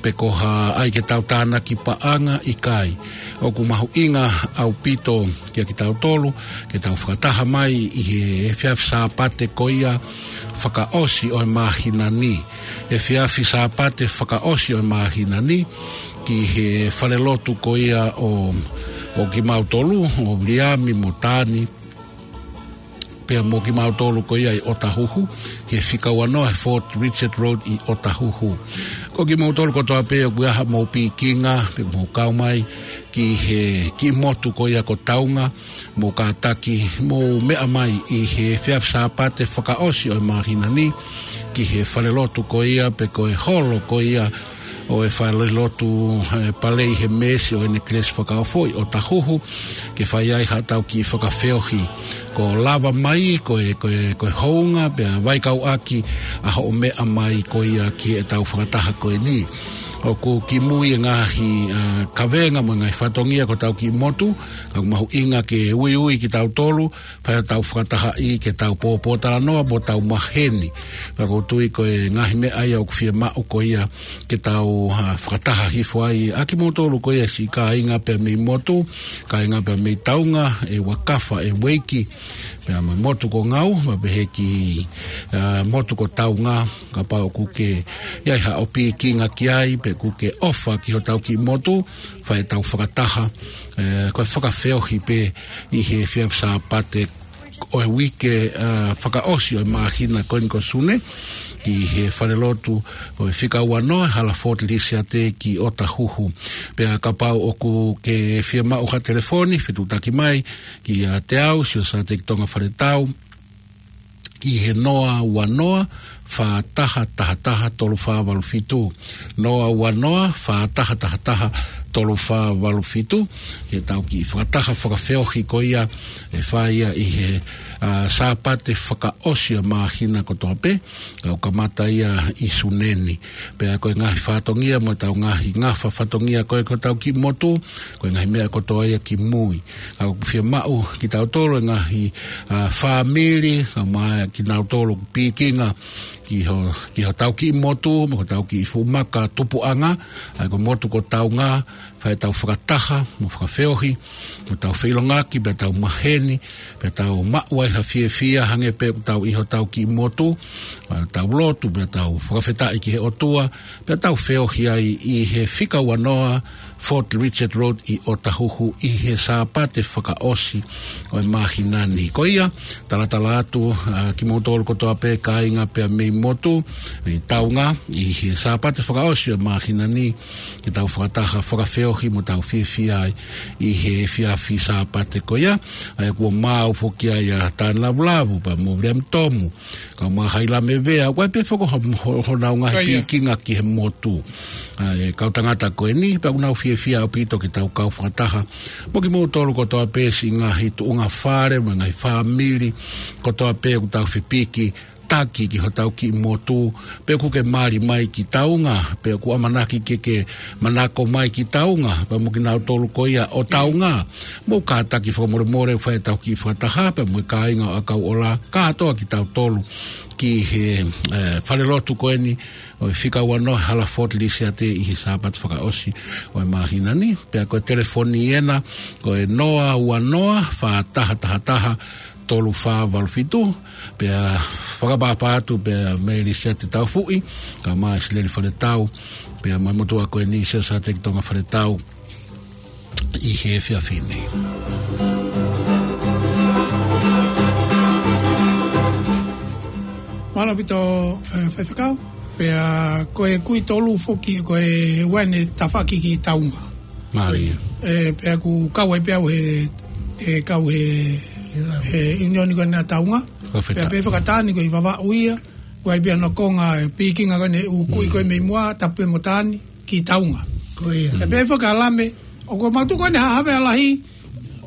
pe ko ha ʻai ke tau tānaki paʻanga, ʻikai. ʻOku mahuʻinga ʻaupito kia kitautolu ke tau fakataha mai ʻi he efiafi Sāpate ko ia fakaʻosi ʻo e māhina ni. Efiafi Sāpate fakaʻosi ʻo e māhina ni, ki he falelotu ko ia ʻo, ʻo kimautolu, ʻo Viliami mo Tani, pea mo kimautolu ko ia ʻi ʻOtahuhu, he fika ua noa he Fort Richard Road ʻi ʻOtahuhu. Ko kimoutolu kotoa pē ʻoku ʻi ai haʻamou pikinga, pe mou kau mai ki he kiʻi motu ko ia ko Taunga, mou kātaki, mou meʻa mai ʻi he efiafi Sāpate fakaʻosi ʻo e māhina ni, ki he falelotu ko ia, pe ko e holo ko ia ʻo e falelotu, e, Palei he Meesi ʻo ʻEne Kelesi Fakaofo ʻi ʻOtahuhu, ke fai ai haʻatau kiʻi fakafeohi. Ko e lava mai, ko e, ko e, ko e hounga, pea vakai atu ʻa hoʻo meʻa mai ko ia ki heʻetau fakataha ko eni. ʻOku kimui e ngaahi, a, kavenga mo e ngaahi fatongia ko hotau kiʻi motu, ka ʻoku mahuʻinga ke uiui kitautolu, pea tau fakatahaʻi ke tau pōpōtalanoa mo tau maheni. Pea ʻoku ou tui ko e ngaahi meʻa ia ʻoku fiemaʻu ko ia ke tau, a, fakataha hifo ai ʻa kimoutolu ko ia siʻi kāinga pea mei motu, kāinga pea mei taunga, ʻe Vakafa, ʻe Ueiki, pea mei motu ko Ngau, pea pehē ki, a, motu ko Taunga, kapau ʻoku ke ʻi ai haʻo pikinga ki ai, pe ʻoku ke ʻofa ki hotau kiʻi motu, fai ʻetau fakataha, e, ko e fakafeohi pē ʻi he efiafi Sāpate ʻo e uike, a, fakaʻosi ʻo e māhina ko eni ko Sune, ki he falelotu ʻo e fika ua noa, hala Fort Lisiate ki ʻOtahuhu. Pea kapau ʻoku ke fiemaʻu ha telefoni, fetuʻutaki mai kiate au, Siosiua Teki Tonga Faletau, ki he noa ua noa, fā taha taha taha, tolu fā valu fitu. Noa ua noa, fā taha taha taha, tolu fā valu fitu. Ke tau kiʻi fakataha fakafeohi ko ia ʻe fai ia ʻi he, a, Sāpate fakaʻosi ʻo e māhina kotoa pē, ʻoku kamata ia ʻi Sune ni. Pea ko e ngaahi fatongia mo ʻetau ngaahi ngafa fatongia ko ē ko hotau kiʻi motu, ko e ngaahi meʻa kotoa ia kimui. Ka ʻoku fiemaʻu kitautolu e ngaahi, a, fāmili, kae ʻumaʻā kinautolu ʻoku pikinga ki ho, ki hotau kiʻi motu, mo hotau kiʻi fuʻu maka tupuʻanga, ʻa ia ko e motu ko Taunga, fai ʻetau fakataha, mo fakafeohi, mo tau feʻiloaki, pea tau maheni, pea tau maʻu ai ha fiefia, hangē pē ʻoku tau ʻi hotau kiʻi motu, pea tau lotu, pea tau fakafetaʻi ki he ʻOtua, pea tau feohi ai ʻi he fika ua noa, Fort Richard Road ʻi Otahuhu ʻi he Sāpate fakaʻosi ʻo e māhina ni. Ko ia, talatala atu, ā, kimoutolu kotoa pē kāinga pea mei motu, ʻi Taunga, ʻi he Sāpate fakaʻosi ʻo e māhina ni, ke tau fakataha fakafeohi mo tau fiefia ai ʻi he efiafi Sāpate ko ia, ʻa ia kuo maau foki ai ʻa Tāne Lavulavu pea mo Viliami Tomu, kae ʻumaʻā Hailame Vea, ʻoku ʻi ai pē foki ho, ho, honau ngaahi Ko ia. pīkinga ki he motu. ʻA e kau tangata ko eni, pea ʻoku nau fiefia ʻaupito ke tau kau fakataha mo kimoutolu kotoa pē siʻi ngaahi tuʻunga fale, mo e ngaahi fāmili kotoa pē ʻoku tau fepiki taki ki hotau kiʻi motu, pe ʻoku ke mali mai ki Taunga, pe ʻoku ʻamanaki ke ke manako mai ki Taunga, pea mo kinautolu ko ia ʻo Taunga. Mou kātaki fakamolemole ʻoku fai ʻetau kiʻi fakataha, pea mo e kāinga ʻo ʻAkauʻola, kātoa kitautolu ki he, ē, falelotu ko eni, ʻo e fika uanoa Hala Fort Lisiate ʻi he Sāpate fakaʻosi ʻo e māhina ni, pea ko e telefoni ena, ko e noa ua noa, fā taha taha taha, tolu fā valu fitu, pea fakapapau atu pea mei Lisiate Taufuʻi, kae ʻumaʻā Sileli Faletau, pea mo e motuʻa ko eni Siaosi Sāteki Tonga Faletau, ʻi he efiafi ni. Mālō ʻaupito, ē, faifekau. Pea ko e kui tolu foki, ko e ua eni tafaʻaki ki Taunga. Mālie. Ē, pea ʻoku kau ai pē au he, he kau he, he ʻiunioni ko ena Taunga. Ko e feta. Pea pē fakatāni ko e ʻi Vavaʻu ia. Ko e ʻi ai pē hono konga e pīkinga ko ena ʻū kui ko ē mei muʻa, tapu pē mo Tāne ki Taunga. Ko ia. Pea pehē foki ʻa Lame, ʻoku mau tuʻu ko ena Haʻa Havea Lahi,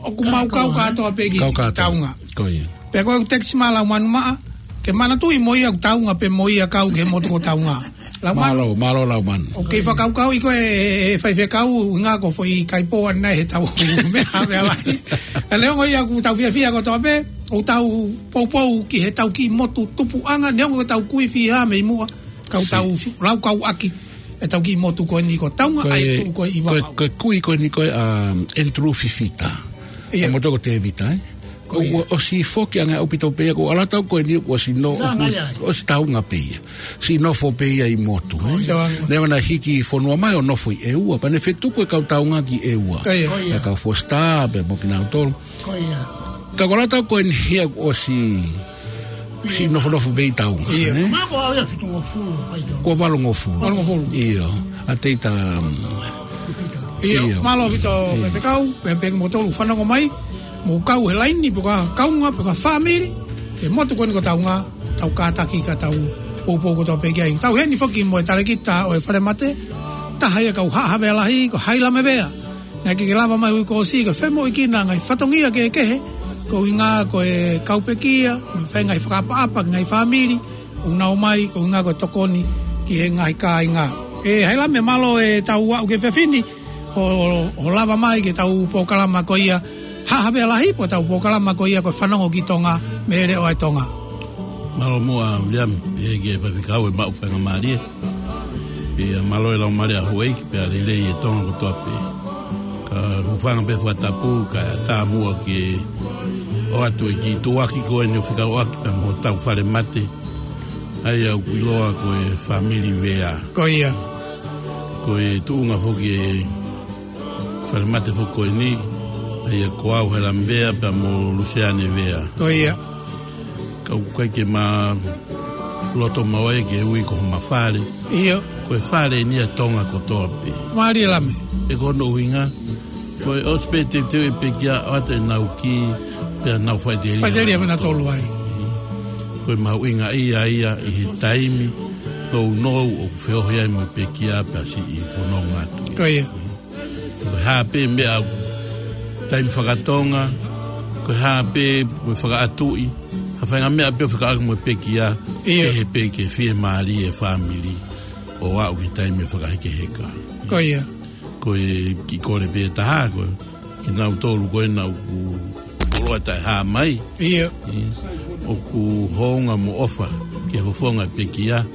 ʻoku mau kau kātoa pē ki, Kau ki kātoa. Taunga. Ko ia. Pea ko e text mai Laumanu Maʻa, ke manatuʻi mo ia ʻoku Taunga pē mo ia kau ki he motu ko Taunga. Laumanu. Mālō, mālō Laumanu. ʻOku kei fakakaukauʻi koe ʻe, ʻe, ʻe faifekau, ʻuhinga ko e foʻi kaipō ʻanenai heʻetau meʻa Havea Lahi. Ka neongo ia ʻoku tau fiefia kotoa pē, ʻoku tau poupou ki heʻetau kiʻi motu tupuʻanga, neongo ʻoku tau kui fiha mei muʻa, ka ʻoku tau fi-, laukau ʻaki ʻetau kiʻi motu ko eni ko Taunga, Ko ʻa e e, tuʻu ko ē ʻi ko e, Vavaʻu. Ko e kui ko eni ko e, um, Andrew Fifita. Ia. ʻA e motu ko Tēvita, ē? Ko ia. Kuo ʻosi foki ange ʻaupito pē ia, ko e ʻalu atu ko eni kuo ʻosi no-, Nā, kuo nā, ia. ʻosi Taunga pē ia. Siʻi nofo pē ia ʻi motu, ē? Sio ange. Naʻe ʻoua naʻa hiki fonua mai ʻo nofo ʻi ʻEua, pea ne fetuku e kau Taunga ki ʻEua. Ko ia. Ko ia. E kau Foster, pea mo kinautolu. Ko ia. Ka ko e ʻalu atu ko eni ia kuo ʻosi, siʻi nofonofo pē ʻi Taunga, Ia. ē? Mako au ia fitungofulu, pai tau. Kuo valungofulu. Valungofulu. ʻIo. ʻA Teita, um, Ia, ʻIo. mālō ʻaupito Ia. faifekau, pea pehē kimoutolu fanongo mai, mou kau he laini, pe ko e kaungā, pe ko e fāmili, he motu ko eni ko Taunga, tau kātaki ka tau poupou kotoa pē ki ai. Tau ʻi heni foki mo e talēkita ʻo e falemate, taha ia kau Haʻa Havea Lahi, ko Hailame Vea. Naʻe ʻikai ke lava mai ʻi he uike kuo ʻosi, ko e femoʻuekina e ngaahi fatongia kehekehe, ko e ʻuhinga ko e kau pekia, mo e fai e ngaahi fakaʻapaʻapa ki he ngaahi fāmili, ʻoku nau ō mai, ko e ʻuhinga ko e tokoni ki he ngaahi kāinga. ʻE Hailame, mālō ʻetau aʻu ki he efiafi ni, hoʻo, hoʻo lava mai ki heʻetau polokalama ko ia Haʻa Havea Lahi, pea ko ʻetau polokalama ko ia ko e Fanongo ki Tonga, mei he Leʻo ʻa e Tonga. Mālō muʻa Viliami, ʻe ki he faifekau ʻe maʻu faingamālie. Pea mālō e laumālie ʻa houʻeiki, pea lelei e Tonga kotoa pē. Ka hūfanga pē he fakatapu, kae ʻatā muʻa ke ʻoatu e kiʻi tuʻuaki ko eni ʻo fekauʻaki pea mo hotau falemate. ʻA ia ʻoku ʻiloa ko e fāmili Vea. Ko ia. Ko e tuʻunga foki e falemate foki ko eni, ʻa ia ko au Hailame Vea pea mo Luseane Vea. Ko ia. Ka ʻoku ʻikai ke ma loto maʻu ai ke ui ko homa fale. ʻIo. Ko e fale eni ʻa Tonga kotoa pē. Mālie Lame. ʻE ko hono ʻuhinga, ko e ʻosi pē teuteu e pekia ʻo ʻoatu ʻenau kī, pea nau faʻiteliha. Faʻiteliha pē nautolu ai. Ko e mahuʻinga ia ia ʻi he taimi nounou ʻoku feohi ai mo e pekia pea siʻi fononga atu. Ko ia. Ko e hā pē meʻa taimi fakatonga, ko e hā pē mo e fakaʻatuʻi, ha faʻahinga meʻa pē ʻoku fekauʻaki mo e pekia, ʻIo. ʻe he pē ke fiemālie e fāmili, ʻo aʻu ki he taimi ʻo e fakahekeheka. Ko ia. Ko e kiʻi kole pē taha, ko kinautolu ko ena ʻoku fuoloa taʻehā mai. ʻIo. ʻIo. ʻOku hounga mo ʻofa ke fofonga e pekia.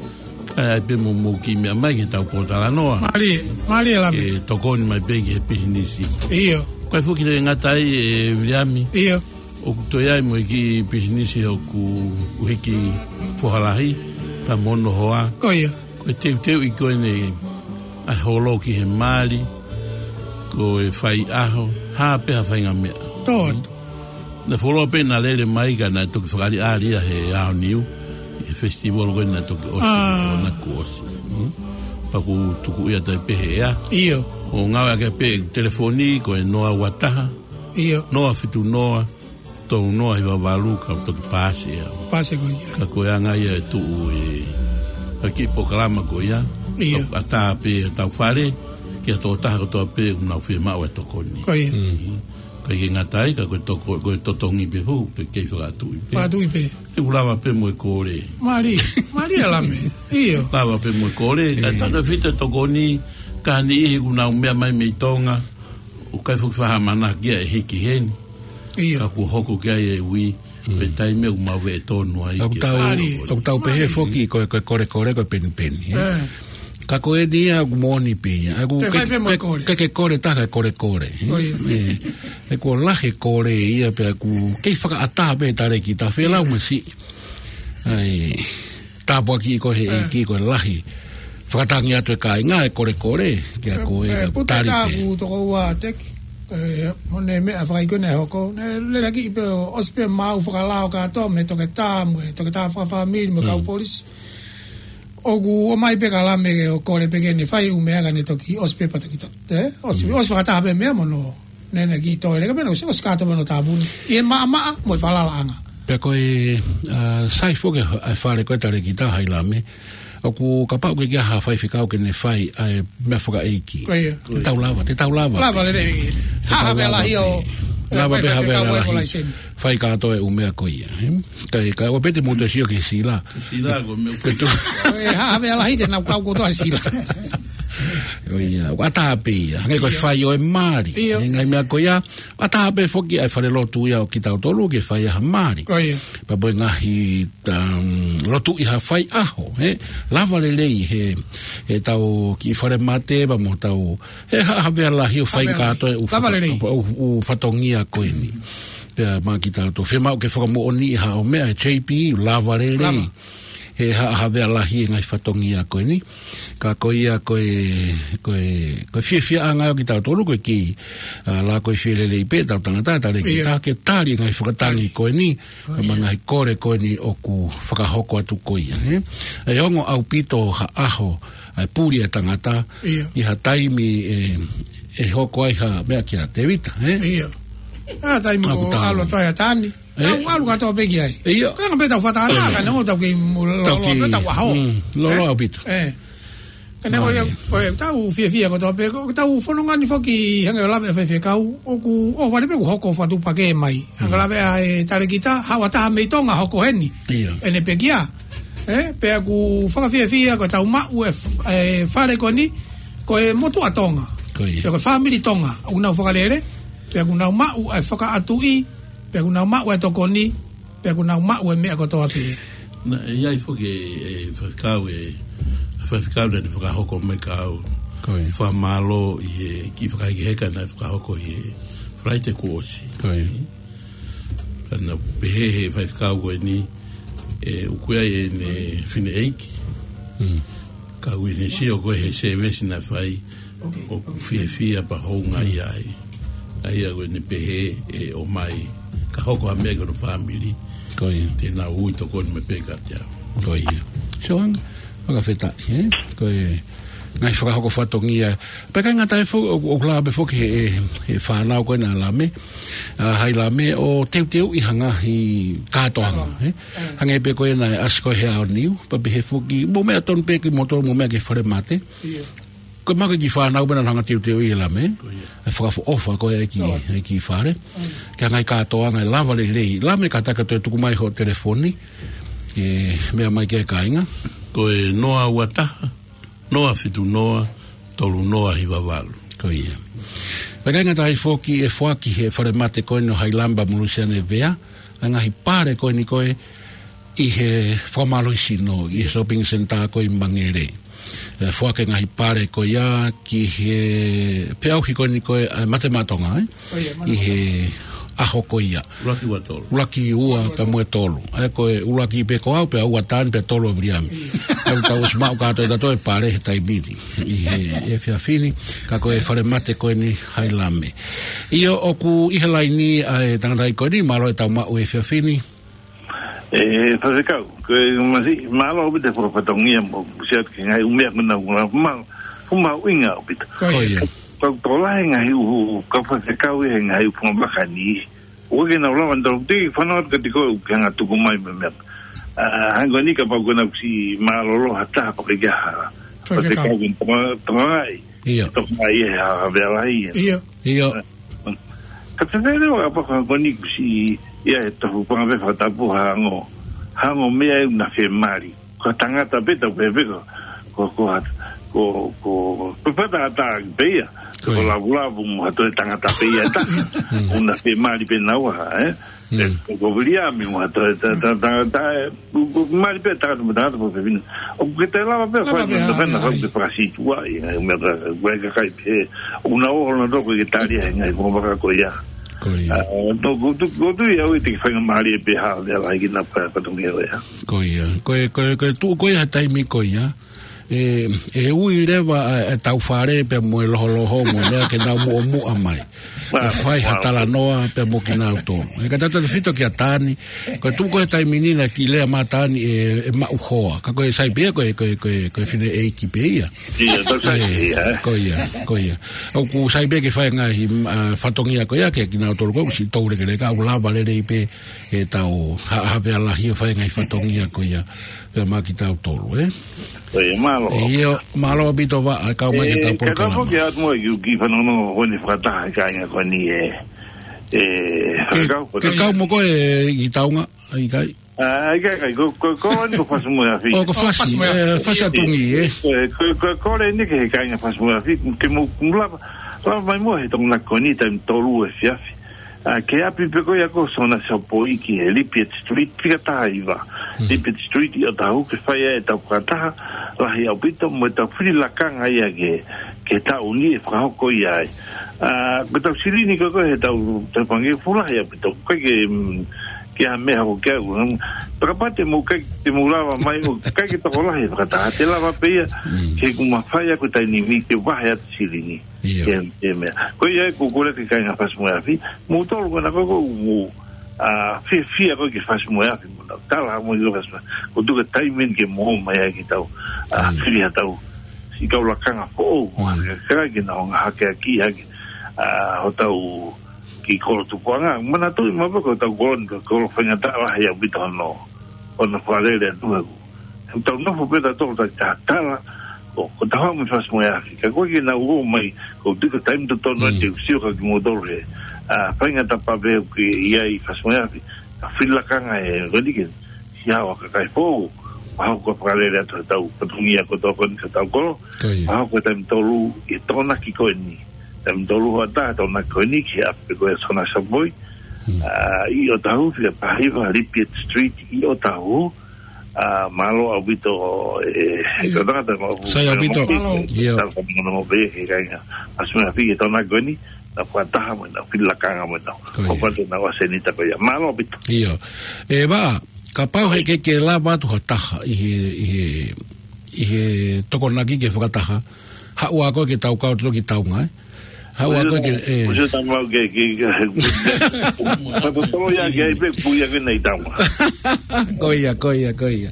Kae ʻai pē mo mou kiʻi meʻa mai ke tau pōtalanoa. Mālie, mālie Lame. Ke tokoni mai pē ki he pisinisi. ʻIo. Kae foki le ngata ai ʻe Viliami. ʻIo. ʻOku toe ʻi ai mo e kiʻi pisinisi ʻoku ʻuhiki foha lahi, ka mo hono hoa. Ko ia. Ko e teuteuʻi ko eni ʻa e holo ki he mali. ko e faiʻaho, hā pē ha faʻahinga meʻa. Tō atu. Naʻe fuoloa pē naʻa lele mai ka naʻe toki fakaʻaliʻali ia he aoniu, he festival ko ē naʻe toki ʻosi ʻo naʻa ku ʻosi. Hmm? Pea ʻoku tuku ia tai pē he ʻea. ʻIo. ʻO ngāueʻaki pē telefoni ko e noa ua taha, ʻio, noa fitu noa, tolu noa hiva valu ka toki paasi ia. Paasi ko ia. Ka ko e anga ia e tuʻu e, ʻa e kiʻi polokalama ko ia. ʻIo. ʻA tā pē ʻa e tau fale, ki he tokotaha kotoa pē ʻoku nau fiemaʻu e tokoni. Ko ia. Mm. Ka ʻikai ke ngata ai, ka ko e toko-, ko e totongi pē foki, ke kei fakaʻatuʻi pē. Fakaʻatuʻi pē. Te u lava pē mo e kole. Mālie, mālie ʻa Lame. ʻIo. Lava pē mo e kole. Mm. Ka tata fita tokoni, ka niʻihi ʻoku nau meʻa mai mei Tonga, ʻoku ʻikai foki faʻa manako ia ʻe hiki heni. ʻIo. Ka kuo hoko ki ai e ui, mm, pe taimi ʻoku mau veʻe tonu ai. ʻOku ke tau, fai. ʻOku tau pehē, mālie, foki ko e, ko e kolekole, ko e penipeni, ē? Ē. Ka ko eni ia ʻoku moʻoni pē ia. ʻOku ke fai ke, pē mo e ke, kole. Ke, ke kole taha e kolekole, ē? ʻO ia. Ē. He kuo lahi e kole ia pea ʻoku kei fakaʻatā pē talēkita, felau, ē, masiʻi. ʻAi, tāpuaki ko ē he, ē, ʻEiki ko e lahi. Fakatangi atu e kāinga e kolekole, kia, ē, ko e, ē, ka puta tali tā pē. Ku toko ua teki, ē, mo e meʻa fakaʻikone hoko, ne lelaki pē ʻo ʻosi pē mau fakalao kātoa, mo e toketā, mo e toketā fakafāmili, mo e kau, mm, polisi. ʻOku ō mai pē ʻa Lame ke ʻo kole pē ke ne fai ʻū meʻa ka ne toki ʻosi pē pea toki to-, ē? ʻOsi, mm, ʻosi fakataha pē meʻa mo hono, ne, ne kiʻi toe leka pē ne ʻosi, ʻosi kātoa pē hono tāpuni. ʻI he maʻamaʻa mo e falalaʻanga. Pea ko e, ʻa, sai foki e fale ko ē talēkita hai Lame. ʻOku kapau ʻoku ʻikai ha faifekau ke ne fai ʻa e meʻa fakaʻeiki. Ko ia. Te tau lava, te tau lava. Lava lelei. Te tau lava pē. Haʻa havea lahi ʻo, lava pē, ē, havea faifekau lahi. Ko e laiseni. Fai kātoa e ʻū meʻa ko ia, ē? Ka, ka ʻoua pē te mou toe sio ki he sila. Sila ko e meʻa. Ke tu- ʻE, haʻa havea lahi te nau kau kotoa he sila. ʻO ia, ʻoku ʻatā pē ia. Hangē ko e, ʻio, fai ʻo e mali. ʻIo. He ngaahi meʻa ko ia, ʻatā pē foki ʻa e falelotu ia ʻo kitautolu ke fai ʻa e mali. Ko ia. Pea mo e ngaahi, um, lotu ʻi ha faiʻaho, ē? Lava lelei he, he tau kiʻi falemate, pea mo tau, he haʻa havea lahi ʻo fai, havea lahi, kātoa e ʻū, lava faka-, lelei, ʻū, ʻū fatongia ko eni. Pea maʻa kitautolu, fiemaʻu ke fakamoʻoniʻi ha ʻū meʻa, J P, lava lelei. Lava. He haʻa havea lahi e ngaahi fatongia ko eni. Ka ko ia ko e, ko e, ko e fiefiaʻanga ʻo kitautolu ko e kiʻi, ʻa, lākoifie lelei pē ʻetau tangata, talēkita, ʻio, ke tali e ngaahi fakatangi, tali, ko eni, ʻio, mo e ngaahi kole ko eni ʻoku fakahoko atu ko ia, ē? ʻE ongo ʻaupito ha ʻaho, ʻa e puli e tangata, ʻio, ʻi ha taimi ʻe, ʻe hoko ai ha meʻa kia Tēvita, ē? ʻIo. ʻA, taimi ʻoku ʻoku tau ʻalu atu ai ʻa Tani. Ē? Tau ʻalu kātoa pē ki ai. ʻIo. Ko e anga pē ʻetau fakatātā, ē, ka neongo tau kei mu-, lo-, tau lo-, kei, pē tau ʻaho. Mm, loloa, ē? ʻAupito. Ē. Ka neongo ia, ʻio, ko ʻetau fiefia kotoa pē, ko ʻetau fononga ni foki hangē ʻo lave ʻa e faifekau, ʻoku, ʻo vale pē ʻoku hoko fakatuʻupakē mai. Hangē, mm, lave ʻa e talēkita, haʻu ha taha mei Tonga hoko heni. ʻIo. ʻEne pekia. Ē, pea ʻoku fakafiefia ko ʻetau maʻu e f-, e fale ko eni, ko e motuʻa Tonga. Ko ia. Pea ko e fāmili Tonga, ʻoku nau fakalele, pea ʻoku nau maʻu e fakaʻatuʻi, pea ʻoku nau maʻu e tokoni, pea ʻoku nau maʻu e meʻa kotoa pē. Naʻe ʻi ai foki e, e faifekau e, faifekau naʻe fakahoko mai ka u, ko ia, fakamālō ʻi he kiʻi fakahekeheka naʻe fakahoko ʻi he Falaite kuo ʻosi. Ko ia. Pea naʻe pehē he faifekau ko eni, ē, ʻoku ʻi ai ʻene fineʻeiki. Mm. Ka ʻoku ne sio ko ē he sēvesi naʻe fai, ʻoku fiefia pea houngaʻia ai. ʻA ia ʻoku ne pehē ʻe ʻomai, ka hoko ha meʻa ki hono fāmili. Ko ia. Te nau ui tokoni mai pē kiate au. Ko ia. Sio ange, fakafetaʻi, ē? Ko e ngaahi fakahoko fatongia. Pea ʻikai ngata ai fo-, ʻo, ʻo lava pē foki he, he, he fānau ko ena ʻa Lame. ʻA, hai Lame ʻo teuteuʻi ha ngaahi kātoanga, ē? Hangē pē ko ena ʻe ʻasi ko ē he aoniu, pea pehē foki, mo e meʻa tonu pē kimoutolu mo e meʻa ki he falemate. ʻIo. Ko e maʻu e kiʻi fānau pē naʻa nau hanga ʻo teuteuʻi ʻe Lame. Ko ia. ʻE fakaʻofoʻofa ko ē e kiʻi, ʻio, e kiʻi fale. Mm. Ki he ngaahi kātoanga ʻe lava lelei. Lame kātaki ʻo toe tuku mai hoʻo telefoni. Ke meʻa mai ki he kāinga. Ko e noa ua taha, noa fitu noa, tolu noa hiva valu. Ko ia. Pea ʻikai ngata ai foki ʻe foaki he falemate ko eni ʻo hai Lame pea mo Lusiane Vea, ʻa e ngaahi pale ko eni ko ē ʻi he fakamālohisino, ʻi he shopping centre ko ē ʻi Mangere. ʻE foaki e ngaahi pale ko ia ki he peau hi ko eni ko ē, ʻa e Mate Maʻa Tonga, ē? ʻO ia, Mate Maʻa Tonga. ʻI he ʻaho ko ia. ʻUluaki ua tolu. ʻUluaki ua pea mo e tolu. ʻA ia ko e ʻuluaki pē ko au pea ua Tani pea tolu ʻa Viliami. ʻA ia tau ʻosi maʻu kātoa ʻe tautolu e pale he taimi ni. ʻI he efiafi ni, ka ko e falemate ko eni Hailame. ʻIo ʻoku ʻi he laini ʻa e tangataʻeiki ko eni, mālō e tau maʻu efiafi ni. ʻE, Faifekau, ko e masi, mālō ʻaupito e fakafatongia mo, siat ke ngai umea kuna kuna, ma, kuma uinga ʻaupito. Ko ia. Ko ia. Ko, ko lahi ngaahi ʻū, ka Faifekau e ngaahi ʻū fungavaka ni. ʻOku ke nau lava ʻo tau te fanau ka tiko ke ngā tuku mai me mea. ʻA, hangē ko eni kapau ko ena kuo ʻosi mālōlō ha taha pea ke ʻi ai ha. Faifekau. Faifekau ke tama, tama ai. ʻIo. Toka ai e ha, ha vea lahi. ʻIo. ʻIo. Ka te tele wa pa ka ko eni kuo ʻosi ia e tofu panga pe fakatapu hango. Hango meʻa ʻoku na fiemālie. Ko e tangata pē tau pehē pē ko, ko, ko, ko, ko, ko pata ata pē ia. Ko ia. Ko lavulavu mo ha toe tangata pē ia ta. Mm. ʻOku na fiemālie pē naua, ē? Mm. Ē, ko, ko Viliami mo ha toe ta, ta, ta, ta, ē, ko, ko mālie pē tangata mo tangata pē pē. ʻOku ke te lava pē Lava fai pē, mo ʻa, fai na ʻa, fai ʻa, pē fakasītuʻa, ʻi, ʻi, meʻa ka, ʻoku ʻikai ke kai pē. ʻOku na ō na toko ke tali ai ngaahi fungavaka ko ia. Ko ia. ʻA, tō, ko tu, ko tu ia ʻoku te faingamālie pē ha, lea lahi ki na pa, pa tongi ʻo ia. Ko ia. Ko e, ko e, ko e tuʻu ko ia he taimi ko ia. ʻE, ʻe ui leva ʻa, ʻa e tau fale pea mo e loholohonga, meʻa ke nau muʻomuʻa mai. ʻE fai ha talanoa pea mo kinautolu. ʻE ka tautefito kia Tani, ko e tuʻu ko e taimi ni naʻe kiʻi lea mai Tani ʻe, ʻe maʻu hoa. Ka ko e sai pē ia, ko e, ko e, ko e, ko e fineʻeiki pē ia. ʻIo, tau sai ʻE, pē ia, ē? Ko ia, ko ia. ʻOku sai pē ke fai ngaahi, ʻa, fatongia ko ia, ke kinautolu ko, ʻosi tau lekeleka, ʻoku lava lelei pē, ʻe tau, ha, ha pea lahi ʻo fai ngaahi fatongia ko ia. Pea mo kitautolu, ē? Ko ia, mālō. ʻIo, mālō ʻaupito Vaʻa, kau mai ke tau polokalama. Ka kau ke atu mo e kiʻi fanongo ko eni fakataha e kāinga ko eni ē. Ke, ke kau mo koe ʻi Taunga, ʻikai? ʻA, ʻikai, ʻikai, ko, ko, ko eni ko Fasi mo e Afi. ʻO, ko Fasi, Fasi mo e Afi. ʻE, Fasi ʻa Tungi, ē? Ko, ko, ko, ko eni ke he kāinga Fasi mo e Afi, ke mou, mou lava, lava mai mo e he Taunga ko eni taimi tolu efiafi. ʻA, ke ʻapi pē ko ia ko Sona Sopoi ki he Lipiet Street, fika taha hiva. Mm. Lipiet Street ʻi ʻOtahuhu ke fai ai e tau fakataha, lahi ʻaupito mo e tau fili lakanga ia ke, ke taʻu ni ʻe fakahoko ia ai. ʻA, ko e tau silini ko ko he tau, tau pange fulahi ʻaupito, ko e ke, mm, ke a meʻa hoko ke au, mm, takapate mo kai, te mo lava mai ʻo kai ke tokolahi fakataha, te lava pē ia, Mm. ke kuma fai aku taimi ni ke vahe atu silini. ʻIo. Ke, ke meʻa. Ko ia ʻoku ou kole ki he kāinga Fasi mo e Afi, mou tolu ko ena ko, ko, mou, ʻa, fiefia ko ē ki he Fasi mo e Afi, mou nau tala mo e Fasi mo e Afi. ʻOku tuku e taimi ni ke mou mai ai ke tau, ʻa, Mm. fili ha tau, siʻi kau lakanga foʻou, Mm. ke, ke, ke nau ngaahi hakeakiʻi hake, ʻa, hotau kiʻi kolo tupuʻanga. Manatuʻi maʻu pē ko hotau kolo ni, ko e kolo faingataʻa lahi ʻaupito hono, hono fakalele atu ē. He tau nofo pē tautolu ʻo tau tatala, ko, ko e tau haʻu mei he Fasi mo e Afi. Ka ko e ke nau ō mai, ʻoku tuku e taimi totonu Mm. te u sio kia kimoutolu he, ʻa, faingataʻa pē ʻoku ʻi ai Fasi mo e Afi. Ka fili lakanga ē, ko eni ke, siʻi haʻu ha kakai foʻou, ʻo hoko ko e fakalele atu hotau fatongia ko e tau ko eni ko hotau kolo. Ko ia. ʻO hoko ko e taimi tolu, ʻi he Tokonaki ko eni. Taimi tolu hoʻatā, Tokonaki ko eni, ki he ʻapi ko ē Sona Sopoi. Mm. ʻA, ʻi ʻOtahuhu, fika taha hiva, Lipiet Street, ʻi ʻOtahuhu. ʻA, mālō ʻaupito, ʻe, ʻIo. ko e tangata mo, Sai ʻaupito. mo, ʻIo. tau ka mo mo pē, ke kāinga. Fasi mo e Afi he Tokonaki ko eni, nau fakataha mo, nau fili lakanga mo, nau. Ko ia. Ko e patu nau ʻa e senita ko ia. Mālō ʻaupito. ʻIo. ʻE, Vaʻa, kapau he ke ke lava atu ha taha, ʻi he, ʻi he, ʻi he Tokonaki ke fakataha, haʻu ā koe ke tau kau atu ki Taunga, ē? Haʻu ā koe ke, ʻe. Kuo ʻosi ʻa e tama ke, ke, ke, fakatotolo ia ke ai pē, pui ia ke nei Taunga. Ko ia, ko ia, ko ia.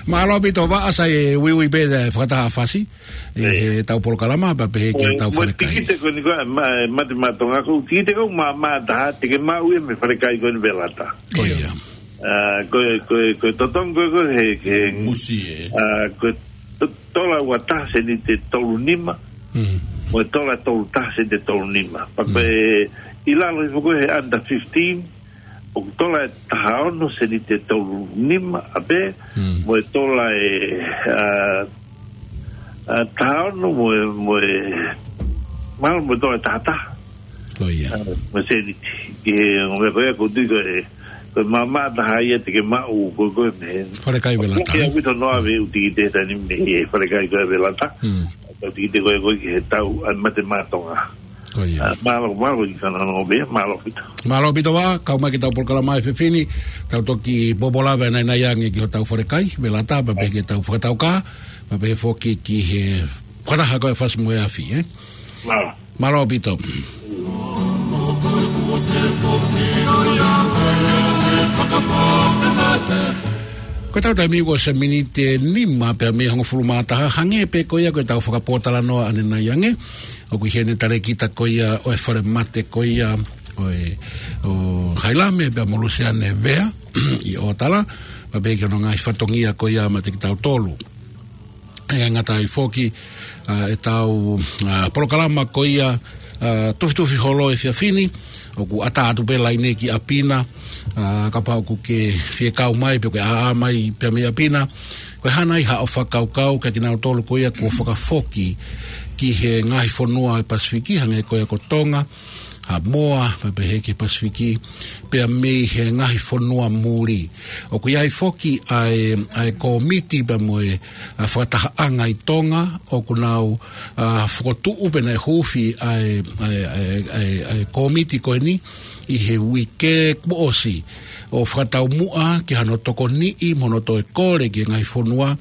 Mālō ʻaupito Vaʻa, sai e uiui pē e fakataha Fasi, ʻi ʻIo. he tau polokalama, pea pehē ki he Mo, tau mo falekai. tikite ko eni ko e, ma, Mate Maʻa Tonga ko, tikite ko e maʻamaʻa taha, te ke maʻu ia mei he falekai ko eni Velata. Ko ʻIo. ia. ʻA, ko e, ko e, ko e totongi ko e, ko e he, he, Musi ē. ʻA, ko e to-, tola ua taha seniti ʻe tolu nima, Mm. mo e tola tolu taha seniti ʻe tolu nima. Pea ko Mm. e ʻi lalo hifo ko e he under fifteen, ʻoku tola ʻe taha ono seniti ʻe tolu nima, ʻa pē, Mm. mo e tola ʻe, ʻa, ʻa, taha ono mo e, mo e, mahalo mo e tola ʻe taha taha. Ko ia. ʻA, mo e seniti. Ke, mo e ko ia ʻoku ou tui ko e, ko e maʻamaʻa taha ia te ke maʻu, ko, ko e mei he. Falekai Velata. Ko e au ito noa ve uti ki te tani mei he falekai ko e Velata. Mm. Tau tikite ko e ko e ki he tau, ʻa e Mate Maʻa Tonga. Ko ia. Mālō, mālō ʻi he talanoa pē, mālō ʻaupito. Mālō ʻaupito Vaʻa, kau mai ki heʻetau polokalama he efiafi ni, tau toki poupou leva ʻanai ange ki hotau falekai, Velata, pea pehē ki heʻetau fakataukaʻa, pea pehē foki ki he fakataha ko ē Fasi mo e Afi, ē? Mālō. Mālō ʻaupito. Ko ʻetau taimi kuo ʻosi e miniti ʻe nima pea mei he hongofulu mā taha, hangē pē ko ia ko ʻetau fakapōtalanoa ʻanenai ange, ʻoku ʻi heni e talēkita ko ia ʻo e falemate ko ia ʻo e, ʻo Hailame pea mo Luseane Vea ʻi ʻOtala, pea pehē ki hono ngaahi fatongia ko ia maʻa kitautolu. ʻE ngata ai foki, ʻa, ʻetau, ʻa, polokalama ko ia, ʻa, Tufitufi Holo he efiafi ni, ʻoku ʻatā atu pē laine ki ʻapi na, ʻa, kapau ʻoku ke fie kau mai, pe ʻoku ke ʻaʻa mai pē mei ʻapi na, ko e hā nai haʻo fakakaukau kia kinautolu ko ia kuo fakafoki ki he ngaahi fonua ʻo e Pasifiki, hangē ko ia ko Tonga, Haʻamoa, pea pehē ki he Pasifiki, pea mei he ngaahi fonua muli. ʻOku ʻi ai foki ʻa e, ʻa e kōmiti pea mo e, ʻa, fakatahaʻanga ʻi Tonga, ʻoku nau, ʻa, fokotuʻu pea naʻe huufi ʻa e, ʻa e, ʻa e, ʻa e, ʻa e kōmiti ko eni ʻi he uike kuo ʻosi, ʻo fakataumuʻa ki hano tokoniʻi mo hono toe kole ki he ngaahi fonua,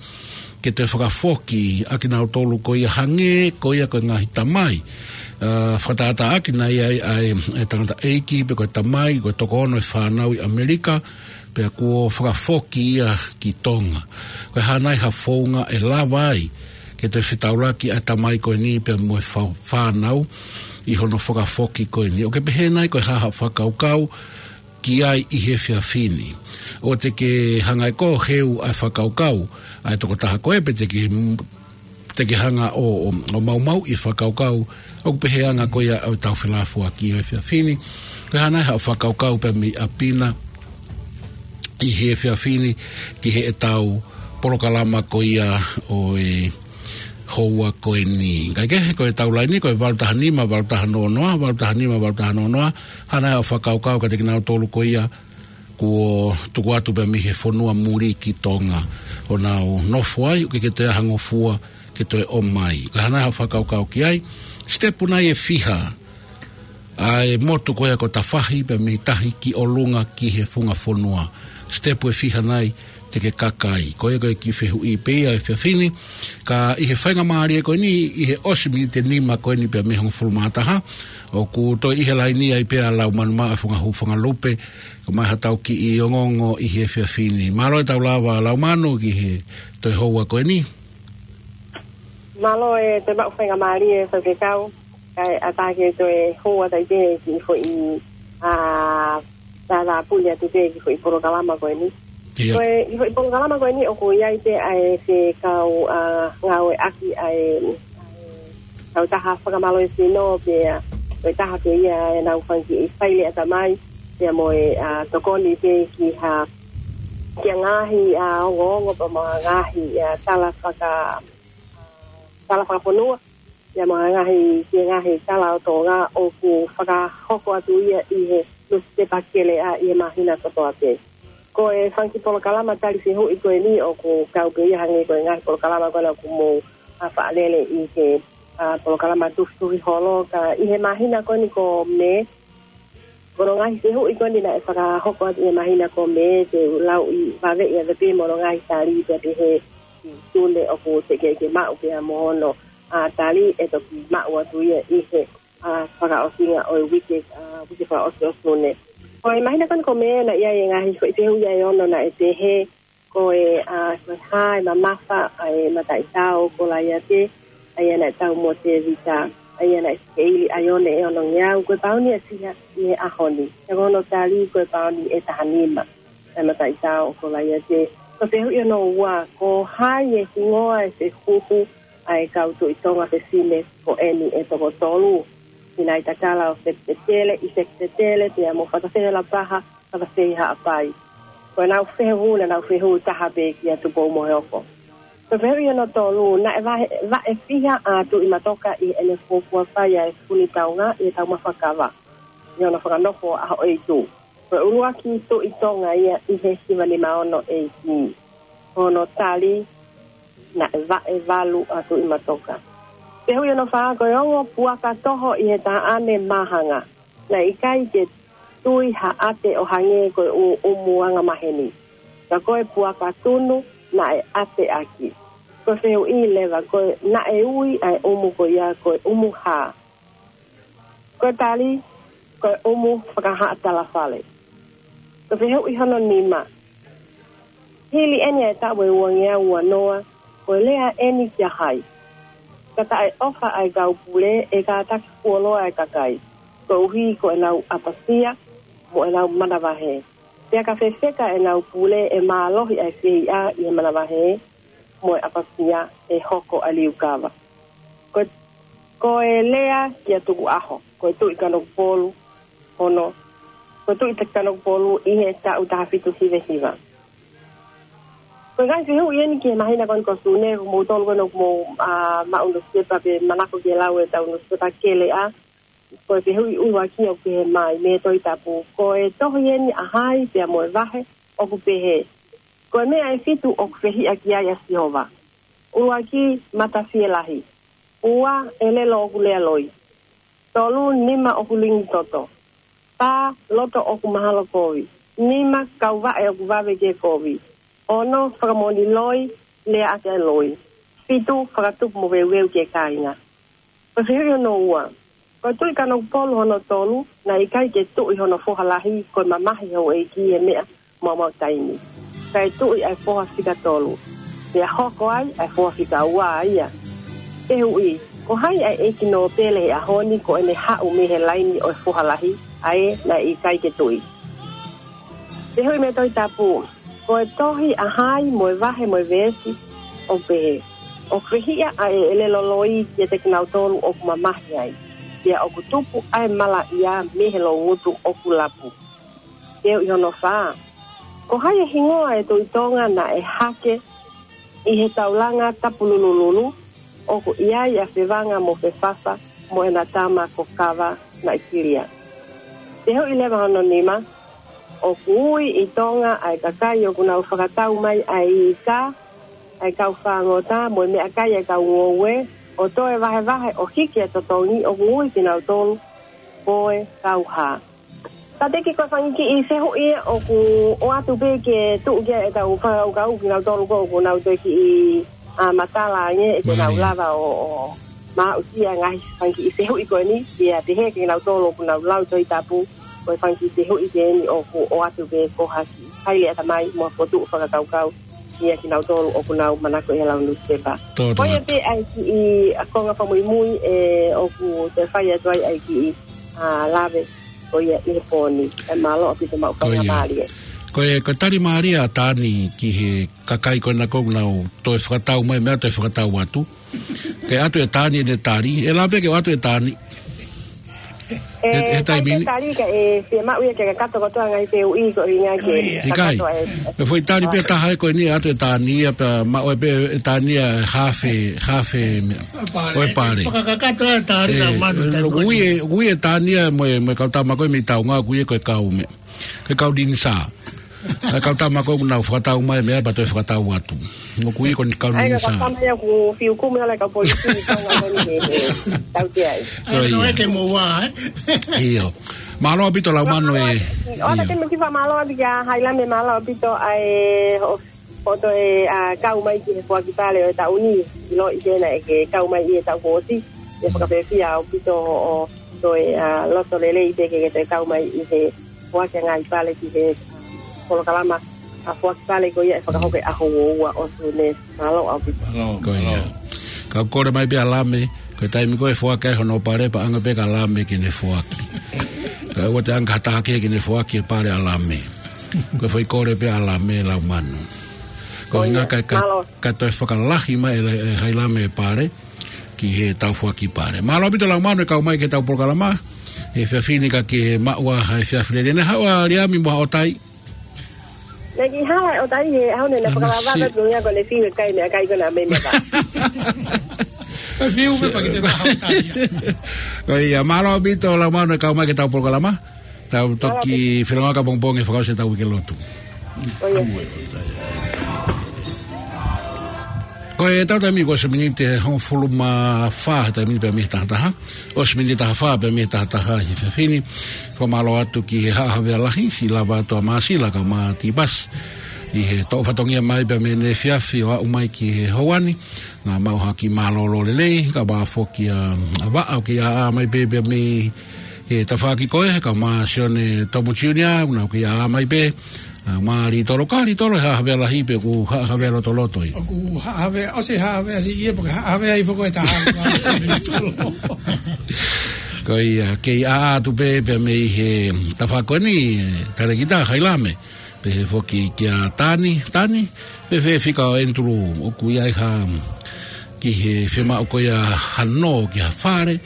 ke toe fakafoki ʻa kinautolu ko ia hangē ko ia ko e ngaahi tamai, ʻa, fakatātā ʻaki naʻe ʻi ai ʻa e, ʻa e tangataʻeiki pe ko e tamai, ko e toko ono e fānau ʻi ʻAmelika, pea kuo fakafoki ia ki Tonga. Ko e hā nai ha founga ʻe lava ai ke toe fetaulaki ʻa e tamai ko eni pea mo e fa-, fānau ʻi hono fakafoki ko eni. ʻOku ke pehē nai ko e hā haʻo fakakaukau ki ai ʻi he efiafi ni? ʻOua te ke hanga ʻe koe ʻo heu ʻa e fakakaukau ʻa e tokotaha ko ē, pe te ke, te ke hanga ʻo, ʻo, ʻo maumauʻi e fakakaukau ʻoku pehē ange ko ia ʻo ʻetau felāfoaki ʻo e efiafi ni. Ko e hā nai haʻo fakakaukau pea mei ʻapi na ʻi he efiafi ni ki heʻetau polokalama ko ia ʻo e houa ko eni. Kae kehe, ko ʻetau laine, ko e valu taha nima, valu taha noa noa, valu taha nima, valu taha noa noa, hā nai haʻo fakakaukau kiate kinautolu ko ia kuo tuku atu pē mei he fonua muli ki Tonga, ʻo nau nofo ai, ʻoku ʻikai ke toe ʻi ai ha ngofua ke toe ʻomai. Ko e hā nai haʻo fakakaukau ki ai? Sitepu nai ʻe fiha ʻa e motu ko ia ko Tafahi pea mei tahi ki ʻolunga ki he funga fonua? Sitepu ʻe fiha nai te ke kaka ai? Ko ia ko e kiʻi fehuʻi pē ia he efiafi ni. Ka ʻi he faingamālie ko eni, ʻi he ʻosi miniti ʻe nima ko eni pea mei he hongofulu mā taha, ʻoku toe ʻi he laine ai pē ʻa Laumanu Maʻa Fungahū Fangalupe, kau mai haʻatau kiʻi ongoongo ʻi he efiafi ni. Mālō e tau lava Laumanu ki he toe houa ko eni. Mālō e toe maʻu faingamālie Faifekau, kae ʻatā ke toe houa tai pē ki he foʻi, ʻa, tātāpuni atu pē ki he foʻi polokalama ko eni. ʻIo. Ko e, ki he foʻi polokalama ko eni ʻoku ʻi ai pē ʻa e fekau, ʻa, ngāueʻaki ʻa e, ʻa e kautaha fakamālohisino pea ko e taha pē ia ʻenau fanga kiʻi faile ʻatamai, pea mo e, ʻa, tokoni pē ki ha, ki ha ngaahi, ʻa, ongoongo pea mo ha ngaahi, ʻa, tala faka-, tala fakafonua, pea mo ha ngaahi, ki he ngaahi tala ʻo Tonga ʻoku fakahoko atu ia ʻi he nusipepa kele ʻa ʻi he māhina kotoa pē. Ko e fanga kiʻi polokalama tali fehuʻi ko eni ʻoku kau pē ia hangē ko e ngaahi polokalama ko ena ʻoku mou, ʻa, faʻa lele ʻi he, ʻa, polokalama Tufitufi Holo, ka ʻi he māhina ko eni ko Mē, ko hono ngaahi fehuʻi ko eni naʻe fakahoko atu ʻi he māhina ko Mē, te u lau ʻi vave ia te pē mo hono ngaahi tali pea pehē ki Sune ʻoku teʻeki ke maʻu pea mo hono, ʻa, tali ʻe toki maʻu atu ia ʻi he, ʻa, fakaʻosinga ʻo e uike, ʻa, uike fakaʻosi ʻo Sune. Ko e māhina ko eni ko Mē naʻe ʻi ai e ngaahi foʻi fehuʻi ia ʻe ono naʻe pehē, ko e, ʻa, ko e hā e mamafa ʻa e mataʻitao ʻo Kolaiate, ʻa ia naʻe tau mo Tēvita, ʻa ia naʻe sikeili ʻa e one ʻe onongeau, ko e pauni ʻe fiha ʻi he ʻaho ni? Pea ko hono tali ko e pauni ʻe taha nima ʻa e mataʻitao ʻo Kolaiate. Ko e fehuʻi hono ua, ko hai e hingoa e fehuhu ʻa e kau Tuʻi Tonga fefine ko eni ʻe toko tolu? Sinaitakala ʻo Fekipetele, ʻi Fekipetele, pea mo Fatafehi Lapaha, Fatafehi Haʻapai. Ko ʻenau fehuhu naʻa nau fehuhu taha pē kia Tupoumoheofo. Ko e fehuʻi hono tolu, naʻe vahe-, vaʻe fiha ʻa Tuʻi Matoka ʻi heʻene fuofua fai ʻa e fuli taunga ʻi he taumafa kava ʻi hono fakanofo ʻa Hoʻoitu? Ko e ʻuluaki Tuʻi Tonga ia ʻi he hiva nima ono A D. Ko hono tali, naʻe vaʻe valu ʻa Tuʻi Matoka. Fehuʻi hono fā, ko e ongo puaka toho ʻi he taʻane māhanga, naʻe ʻikai ke tui ha ʻate ʻo hangē ko e ʻu-, ʻumu angamaheni. Ka ko e puaka tunu naʻe ʻateʻaki. Ko e fehuʻi leva, ko e naʻe ui ʻa e ʻumu ko ia ko e ʻumu hā? Ko e tali, ko e ʻumu fakahaʻa talafale. Ko e fehuʻi hono nima, hili eni ʻa e taʻu ʻe uangeau uanoa, ko e lea eni kia hai? Ka taʻeʻofa ʻa e kau pule, ʻe kātaki fuoloa ʻa e kakai, koeʻuhi ko ʻenau ʻapasia mo ʻenau manavahē. Pea ka fefeka ʻenau pule, ʻe mālohi ʻa e feiʻa ʻi he manavahē mo e ʻapasia, ʻe hoko ʻa e liukava. Ko, ko e lea kia Tukuʻaho, ko e Tuʻi Kanokupolu hono, ko e Tuʻi Kanokupolu ʻi he taʻu taha fitu hiva hiva. Ko e ngaahi fehuʻi eni ki he māhina ko eni ko Sune, ko moutolu ko eni ʻoku mou, ā, maʻu nusipepa pe manako ke lau ʻetau nusipepa keleʻa. Ko e fehuʻi ʻuluaki ʻoku pehē mai mei he Tohi Tapu, ko e tohi eni ʻa hai pea mo e vahe ʻoku pehē: Ko e meʻa ʻe fitu ʻoku fehiʻa ki ai ʻa Sihova. ʻUluaki, mata fielahi. Ua, ʻelelo ʻoku lea loi. Tolu, nima ʻoku lingi toto. Fā, loto ʻoku mahalo kovi. Nima, kauvaʻe ʻoku vave ke kovi. Ono, fakamoʻoni loi, lea ʻaki ʻa e loi. Fitu, fakatupu moveuveu ki he kāinga. Ko e fehuʻi hono ua, ko e Tuʻi Kanokupolu hono tolu, naʻe ʻikai ke tuʻi hono foha lahi ko e mamahi houʻeiki he meʻa maumau taimi. Kae tuʻi ʻa e foha fika tolu, pea hoko ai ʻa e foha fika ua ia. Fehuʻi, ko hai ʻa e ʻeiki nōpele he ʻaho ni ko ʻene haʻu mei he laini ʻo e foha lahi, ʻa ē naʻe ʻikai ke tuʻi? Fehuʻi mei he Tohi Tapu, ko e tohi ʻa hai mo e vahe mo e veesi ʻoku pehē, ʻoku fehiʻa ʻa e ʻelelo loi kiate kinautolu ʻoku mamahi ai, pea ʻoku tupu ʻa e malaʻia mei he loungutu ʻoku lapu? Fehuʻi hono fā, ko hai ʻa e hingoa ʻo e Tuʻi Tonga naʻe hake ʻi he taulanga tapululululu, ʻoku ʻi ai ʻa Fevanga mo Fefafa mo ʻena tama ko Kava naʻe kilia? Fehuʻi leva hono nima, ʻoku ui ʻi Tonga ʻa e kakai ʻoku nau fakatau mai ʻa e ika, ʻa e kau fāngota mo e meʻakai ʻa e kau ngoue, ʻo toe vahevahe ʻo hiki ʻa e totongi, ʻoku ui kinautolu ko e kau hā? Tateki, ko e fanga kiʻi fehuʻi ʻoku ʻoatu pē ke tuʻu ki ai ʻetau fakakaukau kinautolu ko ē ʻoku nau toe kiʻi, ā, matala ange, ʻe te nau Mālie. lava ʻo, ʻo maʻu ki he ngaahi fanga kiʻi fehuʻi ko eni, pea pehē kinautolu ʻoku nau lau Tohi Tapu, ko e fanga kiʻi fehuʻi ko eni ʻoku ʻoatu pē ko ha kiʻi haile ʻatamai mo ha fokotuʻu fakakaukau ia kinautolu ʻoku nau manako ʻi he lau nusipepa. Tō Ko ia tō. pē ʻa e kiʻi konga fakamuimui ē ʻoku toe fai atu ai ʻa e kiʻi, ā, lave ko ia ʻi he pō ni. ʻE mālō ʻaupito, maʻu Ko ia. faingamālie. Ko e, ko e tali mālie ʻa Tani ki he kakai ko ena ʻoku nau toe fakatau mai, meʻa toe fakatau atu. Ke ʻoatu ʻe Tani ʻene tali, ʻe lava pē ke ʻoatu ʻe Tani. ʻE, He, he ʻe taimi ni. tali ka ʻe fiemaʻu ia ke kakato kotoa ngaahi fehuʻi ko ʻuhinga ke Ko ia. ʻIkai. kakato e. Ko e foʻi tali pē taha ē ko eni ʻoatu ʻe Tani ia pea maʻu ai pē ʻe Tani ia hafe, hafe meʻa. Pale. ʻO e pale. Fakakakato e tali Ē, ka manu taimi ko ui eni. ʻe, ui ʻe Tani ia mo e, mo e kau tama ko ē mei Taungā, ui ʻe ko e kau meʻa. Ko e kau Ninisā. ʻA e kau tama ko ē ʻoku nau fakatau mai meʻa pea toe fakatau atu. ʻOku ui ko eni kau ʻAi, ka Ninisā. tama ia ʻoku fiu kumi ʻa e kau polisi ʻi Tonga ko eni he, he tautea ai. ʻAi, Ko no ia. ʻeke mo ua, ē? ʻIo. Mālō ʻaupito Laumanu ē. ʻOatu ʻIo. ke me kifa mālō ʻaupito kia Hailame, mālō ʻaupito ʻa e ho-, hoʻo toe, ā, kau mai ki he foaki pale ʻo e taʻu ni. ʻIloʻi ke naʻe ke kau mai ʻi he taʻu kuo ʻosi. ʻIo, Mm. fakafiefia ʻaupito hoʻo toe, ā, loto lelei pē ke ke toe kau mai ʻi he foaki ʻa e ngaahi pale ki he, ā, polokalama, ā, foaki pale ko ia ʻe fakahoko he ʻaho uaua ʻo Sune. Mālō ʻaupito. Mālō, Ko ia. mālō. Ka kole mai pē ʻa Lame, ko e taimi ko ē ʻe foaki ai hono pale, paʻanga pē kia Lame ke ne foaki. Ka ʻoua te anga ha taha kehe ke ne foaki e pale ʻa Lame. Ko e foʻi kole pē ʻa Lame Laumanu. Ko Ko ia. ʻuhinga ka, ka, Mālō. ka toe fakalahi mai ʻe, ʻe Hailame e pale ki heʻetau foaki pale. Mālō ʻaupito Laumanu e kau mai ki heʻetau polokalama he efiafi ni, ka ke maʻu ā ha efiafi lelei. Naʻe haʻu ʻa Liami mo haʻo tai. Naʻe kiʻi hala ʻo tai he ʻaho ni, naʻe Ana fakalava si- atu ia ko ʻene fiu e kai meʻakai ko ena mei mata. E fiu pē pea ke te maʻu tai ia. Ko ia, mālō ʻaupito Laumanu e kau mai ki heʻetau polokalama. Tau toki Mālō ʻaupito. felongoaki pongipongi he fakaʻosi ʻetau uike lotu. Ko ia. Ko e tau taimi ko e ʻosi miniti ʻe hongofulu mā fā he taimi ni pea mei he taha taha. ʻOsi miniti ʻe taha fā pea mei he taha taha he efiafi ni. Ko e mālō atu ki he Haʻa Havea Lahi, ʻi lava atu ʻa Māsila kae ʻumaʻā Tipasi. ʻI he toʻo fatongia mai pea mei he efiafi ʻo aʻu mai ki he houa ni. Naʻa mau ha kiʻi mālōlō lelei, kae ʻumaʻā foki ʻa, ʻa Vaʻa ʻoku kei ʻāʻā mai pē pea mei he tafaʻaki ko ē, kae ʻumaʻā Sione Tomu Junior, naʻa ʻoku kei ʻāʻā mai pē, ʻa, ʻumaʻā Litolo, ka Litolo he Haʻa Havea Lahi pe ʻoku Haʻa Havea Lotoloto ia. ʻOku Haʻa Havea, ʻosi Haʻa Havea siʻi ia, pe ko e Haʻa Havea hifo ko e taha. Ko ia, kei ʻāʻā atu pē, pea mei he tafaʻaki ko eni, Talekita Hailame. Pehē foki kia Tani, Tani, fēfē fika ʻo Andrew, ʻoku ʻi ai ha, ki he fiemaʻu ko ia ha nō ki ha fale,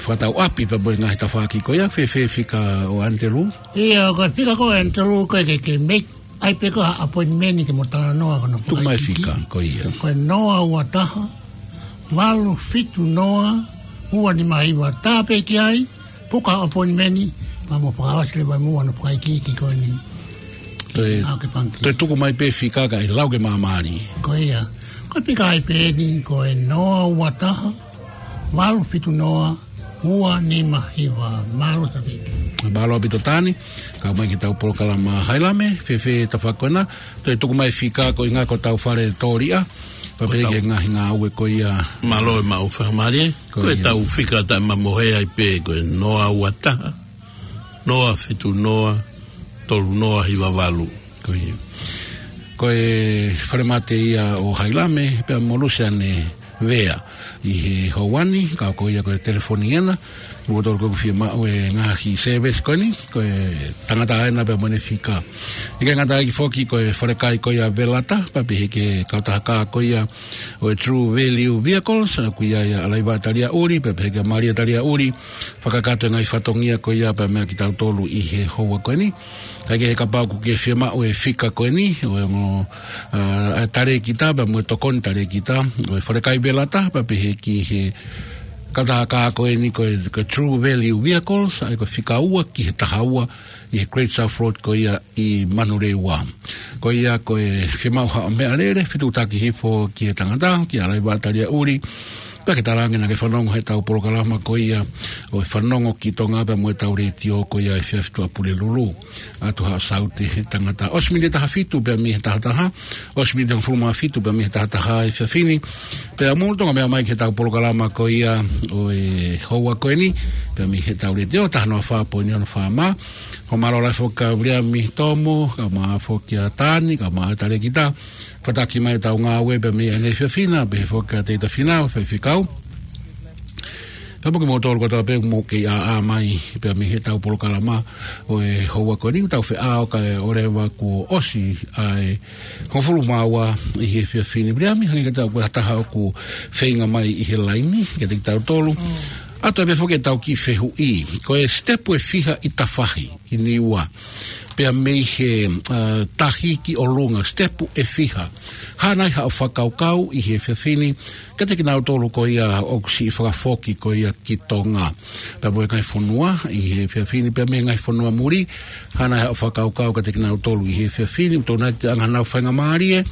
fakatau ʻapi pea mo e ngaahi tafaʻaki ko ia, fēfē fika ʻo Andrew? ʻIo, ko e fika ko ē ʻo Andrew ko e ke, ke make, ʻai pē ko ha appointment ke mo talanoa ko hono Tuku mai fika, ko ia. Ko e noa ua taha, valu fitu noa, ua nima hiva, tā pē ki ai, puka appointment, pea mo fakaʻosi leva muʻa hono fakaikiiki ko eni. Toe, ʻAo ke pangki. Toe tuku mai pē fika kae lau ke māmālie. Ko ia. Ko e fika ʻai pē eni, ko e noa ua taha, valu fitu noa, ua nima hiva. Mālō ʻaupito. Mālō ʻaupito Tani, kau mai ki heʻetau polokalama Hailame, fēfē tafaʻaki ko ena, toe tuku mai fika ko e ʻuhinga ko hotau fale tōliʻa, pea pehē ki he ngaahi ngāue ko ia. Mālō e maʻu fakamālie, Ko ko ia. ʻetau fika taʻemamohe ai pē, ko e noa ua taha, noa fitu noa, tolu noa hiva valu. Ko ia. Ko e falemate ia ʻo Hailame, pea mo Lusiane Vea. ʻI he houa ni, ka ko ia ko e telefoni ena, ʻoku totonu ke fiemaʻu e ngaahi service ko eni, ko e tangata ena pea mo ʻene fika. ʻIkai ngata ai foki ko e falekai ko ia Velata, pea pehē ki he kautaha kā ko ia ʻo e True Value Vehicles, ʻoku ʻi ai ʻa ʻAlaiva Taliaʻuli, pea pehē kia Malia Taliaʻuli, fakakakato e ngaahi fatongia ko ia pea meia kitautolu ʻi he houa ko eni. Kae kehe kapau ʻoku ke fiemaʻu e fika ko eni, ʻo e ongo, ʻa, ʻa e talēkita, pea mo e tokoni talēkita, ʻo e falekai Velata, pea pehē ki he kautaha kā ko eni ko e, ko e True Value Vehicles, ʻa ia ko e fika ua ki he taha ua, ʻi he Great South Road ko ia ʻi Manurewa. Ko ia ko e fiemaʻu haʻo meʻalele, fetuʻutaki hifo ki he tangata, kia ʻAlaiva Taliaʻuli, pea ke talaange naʻa ke fanongo heʻetau polokalama ko ia ʻo e Fanongo ki Tonga pea mo ʻetau letiō ko ia ʻi he efiafi Tuʻapulelulu. ʻAtu haʻo saute he tangata. ʻOsi miniti ʻe taha fitu pea mei he taha taha, ʻosi miniti ʻe hongofulu mā fitu pea mei he taha taha he efiafi ni. Pea mou toki meʻa mai ki heʻetau polokalama ko ia ʻo e houa ko eni, pea mei heʻetau letiō, taha noa fā poini ono FM. Ko e mālō lahi foki kia Viliami Tomo, kae ʻumaʻā foki ʻa Tani, kae ʻumaʻā e talēkita. Fakataki mai ʻetau ngāue pea mei ai he efiafi na, pehē foki kia Teita Fina, faifekau. Pea mo kimoutolu kotoa pē ʻoku mou kei ʻāʻā mai pea mei heʻetau polokalama ʻo e houa ko eni, ʻoku tau feʻao kae ʻoua leva kuo ʻosi ʻa e hongofulu mā ua ʻi he efiafi ni. Viliami, hangē kiate au ko e taha ʻoku feinga mai ʻi he laini kiate kitautolu. ʻAtu pē foki ʻetau kiʻi fehuʻi. Ko e sitepu ʻe fiha ʻi tafahi ʻi Niua, pea mei he, ʻa, tahi ki ʻolunga, sitepu ʻe fiha. Hā nai haʻo fakakaukau ʻi he efiafi ni kiate kinautolu ko ia ʻoku siʻi fakafoki ko ia ki Tonga pea mo e ngaahi fonua ʻi he efiafi ni, pea mei he ngaahi fonua muli, hā nai haʻo fakakaukau kiate kinautolu ʻi he efiafi ni, ʻoku totonu ke ʻi ai hanau faingamālie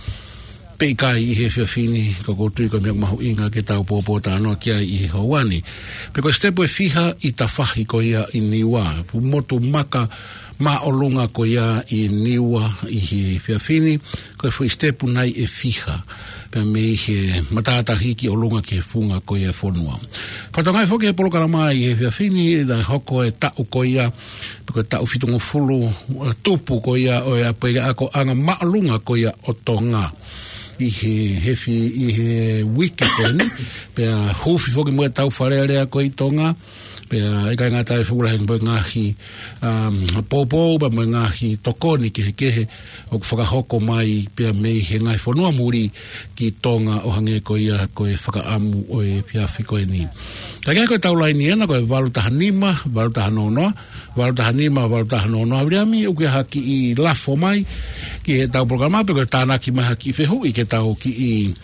pe ʻikai ʻi he efiafi ni, ka ʻoku ou tui ko e meʻa mahuʻinga ke tau pōpōtalanoa ki ai ʻi he houa ni. Pea ko e sitepu ʻe fiha ʻi tafahi ko ia ʻi Niua, pu motu maka māʻolunga ko ia ʻi Niua ʻi he efiafi ni, ko e foʻi sitepu nai ʻe fiha pea mei he matātahi ki ʻolunga ki he funga ko ia e fonua. Fakatokangaʻi foki he polokalama ʻi he efiafi ni, naʻe hoko e taʻu ko ia, pe ko e taʻu fitungofulu, ʻa, tupu ko ia ʻo e ʻapiako ʻanga māʻolunga ko ia ʻo Tonga ʻi he, he fi-, ʻi he uike ko eni, pea huufi foki mo ʻetau Fale Alea ko ē ʻi Tonga, pea ʻikai ngata ai, fuʻu lahi mo e ngaahi, um, poupou, pea mo e ngaahi tokoni kehekehe ʻoku fakahoko mai pea mei he ngaahi fonua muli ki Tonga ʻo hangē ko ia ko e fakaʻamu ʻo e efiafi ko eni. Kae kehe ko ʻetau laini ena ko e valu taha nima, valu taha noa noa, valu taha nima, valu taha noa noa, Viliami, ʻoku ʻi ai ha kiʻi lafo mai ki heʻetau polokalama pe ko e tānaki mai ha kiʻi fehuʻi ke tau kiʻi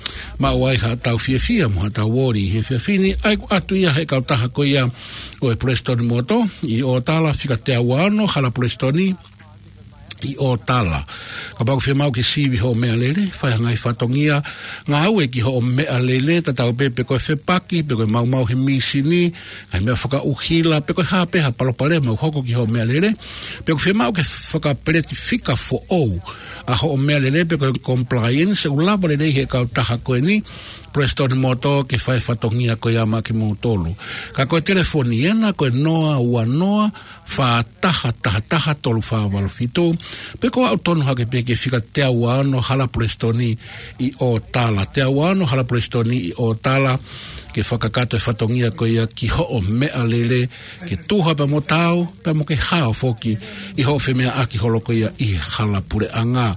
maʻu ai haʻatau fiefia mo haʻatau ʻoli he efiafi ni, ʻa ia ʻoku ʻatu ia he kautaha ko ia ʻo e Prestoni Motor ʻi ʻOtala, fika teau ua ono, Hala Prestoni, ʻi ʻOtala. Kapau ʻoku fiemaʻu ke sivi hoʻo meʻalele, fai ha ngaahi fatongia ngāue ki hoʻo meʻalele, tatau pē pe ko e fepaki, pe ko e maumau he mīsini, ngaahi meʻa fakaʻuhila, pe ko e hā pē ha palopalema ʻoku hoko ki hoʻo meʻalele, pe ʻoku fiemaʻu ke fakapeleti fika foʻou ʻa hoʻo meʻalele, pe ko e compliance, ʻoku lava lelei he kautaha ko eni, Prestone Motor, ke fai fatongia ko ia maʻa kimoutolu. Ka ko e telefoni ena, ko e noa ua noa, fā taha taha taha tolu fā valu fitu, pe ko e aʻu tonu hake pē ki he fika teau ua ono Hala Prestone ʻi ʻOtala. Teau ua ono Hala Prestone ʻi ʻOtala, ke fakakakato e fatongia ko ia ki hoʻo meʻalele, ke tuha pea mo taau, pea mo ke hao foki ʻi hoʻo femeʻaʻaki holo ko ia ʻi he hala puleʻanga.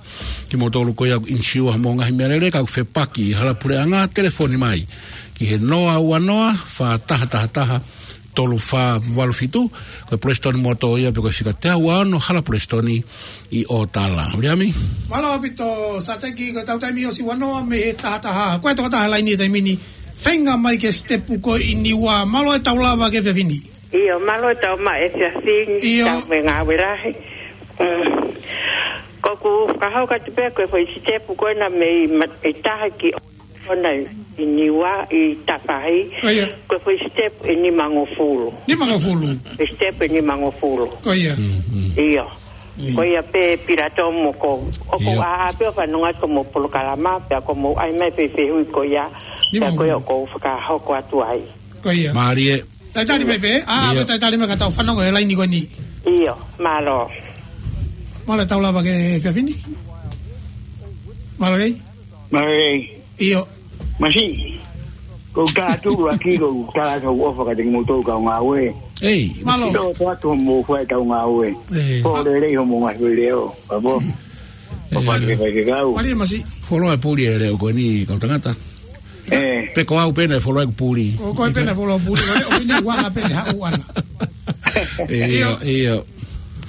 Kimoutolu ko ia ʻoku insiua hoʻomou ngaahi meʻalele, ka ʻoku fepaki ʻi he hala puleʻanga, telefoni mai ki he noa ua noa, fā taha taha taha, tolu fā valu fitu, ko e Prestone Motor ia pe ko e fika teau ua ono Hala Prestone ʻi ʻOtala. Viliami? Mālō ʻaupito, Sateki, ko e tau taimi ʻosi ua noa mei he taha taha. Ko e tokotaha laini he taimi ni, feinga mai ki he sitepu ko eni ua, mālō e tau lava ki he efiafi ni. ʻIo, mālō e tau maʻu e efiafi ni, ʻio, tau mei ngāue lahi. Mm. ʻOku ou fakahoko atu pē ko e foʻi sitepu ko ena mei ma-, mei taha ki ʻOna ʻi Niua ʻi Tafahi. Ko ia. Ko e foʻi sitepu ʻe nimangofulu. Nimangofulu. Foʻi sitepu ʻe nimangofulu. Ko ia. Mm, mm. ʻIo. Mm. Ko ia pē Pilatomo ko. ʻOku ou, ʻio, ʻā pē ʻo fanongo atu ki hoʻomou polokalama, pea ko hoʻomou ʻai mai e fehuʻi ko ia. Pea ko ia nimangofulu ʻoku ou fakahoko atu ai. Ko ia. Mālie. Talitali mai pē, ʻā, ʻio, pē talitali mai ka tau fanongo he laini ko eni. ʻIo, mālō. Mālō e tau lava ki he efiafi ni. Mālō lelei. Mālō lelei. ʻIo. Masiʻi. Ko u tā atu ʻuluaki, ko u tā atu hoku ʻofa kiate kimoutolu kau ngāue. Ei. Mālō. Tō atu hoʻomou fai e kau ngāue. Ei. Pō lelei hoʻomou ngaahi leʻo. Pea pō. Ei, pō, ʻio, pāke, pāke kau. Mālō Masiʻi. Fuoloa e puli e leʻo ko eni kau tangata. ʻE. Pe ko au pē naʻe fuoloa ʻeku puli. Ko, ko e pē naʻe fuoloa puli. ʻO, ʻo ʻene uanga pē naʻe haʻu ʻana. ʻIo, ʻio. ʻIo.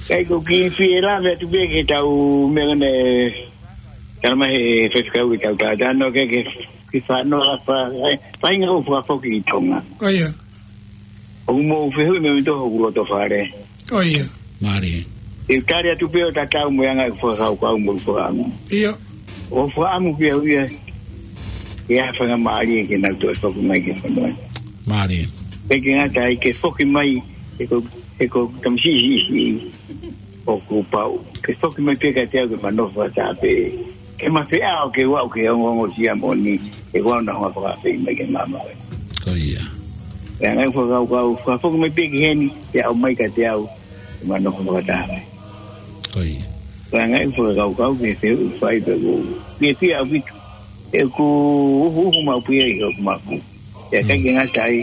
Kae ʻoku ou kiʻi fie lave atu pē ki he tau meʻa naʻe tala mai he faifekau ki he tau tata, no ke, ke, ke fa-, no, fa-, e, faʻahinga ʻoku fakafoki ʻi Tonga. Ko ia. ʻOku mou fehuʻi mai mei hoku loto fale. Ko ia. Mālie. ʻE tali atu pē ʻo tatau mo e anga ʻeku fakakaukau mo e fakaʻamu. ʻIo. ʻOku ou fakaʻamu pē au ia, ʻe ʻi ai ha faingamālie ke nau toe foki mai ki he fonua. Mālie. Pea ʻikai ngata ai ke foki mai, he ko, he ko tamasiʻi siʻisiʻi ʻoku pau. Ke foki mai pē kiate au ke ma nofo fakataha pē. Ke ma feʻao ke u aʻu ki he ongoongosia moʻoni, he ʻoku ou ʻalu ʻo fakaafeʻi mai ki he maama. Ko ia. Pea ʻi ai ʻeku fakakaukau, fakafoki mai pē ki heni, ke ʻomai kiate au, ke ma nofo fakataha. Ko ia. Pea ʻi ai ʻeku fakakaukau, ke fehuʻi fai pē ʻoku ou fiefia ʻaupito. ʻOku ou uhu, uhu maʻu pē ia ʻi hoku mapu. Pea ʻikai ke ngata ai,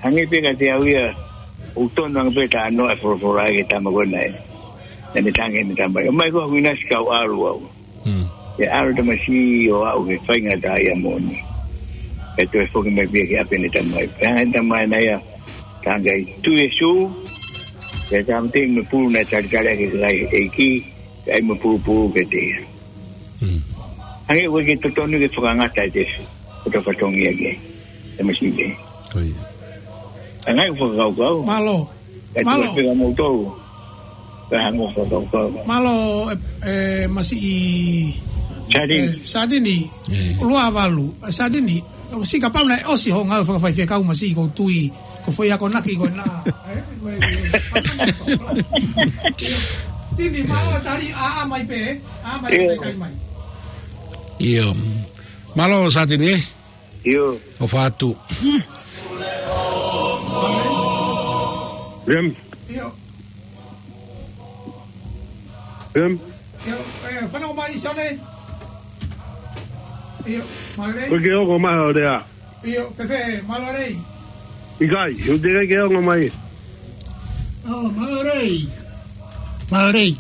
hangē pē kiate au ia, ʻoku tonu ange pē talanoa e folofola ki he tama ko ena ē. Naʻa ne tangi ʻene tamai. ʻOmai koe hoku ʻinasi kau ʻalu au. Mm. ʻE ʻalu e tamasiʻi ʻo aʻu ki he faingataʻaʻia moʻoni. Pea toe foki mai pē ia ki ʻapi ʻene tamai. Pea hanga ʻe he tamai ʻana ia, tangi ai, Tui Sīsū. Pea tāmateʻi mo e pulu naʻe talitali ʻaki ʻe he ʻEiki, pea ʻai mo e pulupulu kiate ia. Mm. Hangē ʻoku ʻikai ke totonu ke fakangata ʻete, ʻete fatongia ki ai. Tamasiʻi. Ko ia. Hangē ʻeku fakakaukau. Mālō. Mālō. Mālō. Mālō, e, e, Masiʻi, Satini. E, Satini. E. Lua valu. E, Satini. Masiʻi kapau naʻe ʻosi hoʻo ngāue fakafaifekau Masiʻi ʻoku ou tui. Ko e foʻi akonaki ko ena. E, e, e. Tini, mālō tali, ʻā, ʻā mai pē, ʻā mai pē tali mai. ʻIo. Mālō Satini, e? ʻIo. ʻOfa atu. Rem. ʻIo. Rem. ʻIo, e, fanongo mai, Sione. ʻIo, mālō. Ko ke ongo mai ʻo lea. ʻIo, Pepe, mālō lelei. ʻIkai, ʻoku teʻeki ke ongo mai. ʻO, mālō lelei. Mālō lelei.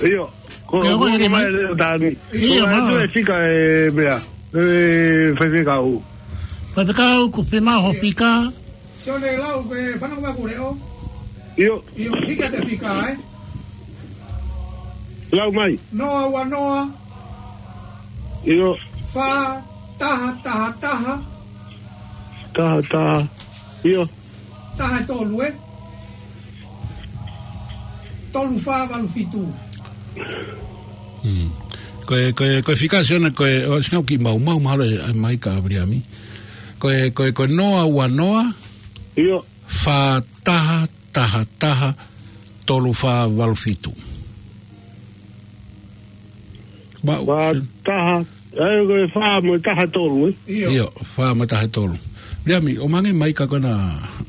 ʻIo. Ko, ʻio, ko, ko, ko, mai lelei. Leo Tani. ʻIo, ko, mālō. Atu e fika e meʻa. E, faifekau. Faifekau, ko e fē mai hoʻo fika. Sione lau, ko e fanongo mai ʻeku leʻo. ʻIo. ʻIo, hiki atu e fika, e. Lau mai. Noa ua noa. ʻIo. Fā taha taha taha. Taha taha. ʻIo. Taha tolu, e. Tolu fā valu fitu. Hmm. Ko e, ko e, ko e fika Sione, ko e, ʻosi ngau ki mau, mau, mahalo e, ʻai mai ka Viliami. Ko e, ko e, ko e noa ua noa, ʻIo. fā taha taha taha, tolu fā valu fitu. Ma-, Fā taha, ʻe, ko e fā mo e taha tolu, ē? ʻIo, fā mo e taha tolu. Viliami, ʻomai ange mai ka ko ena,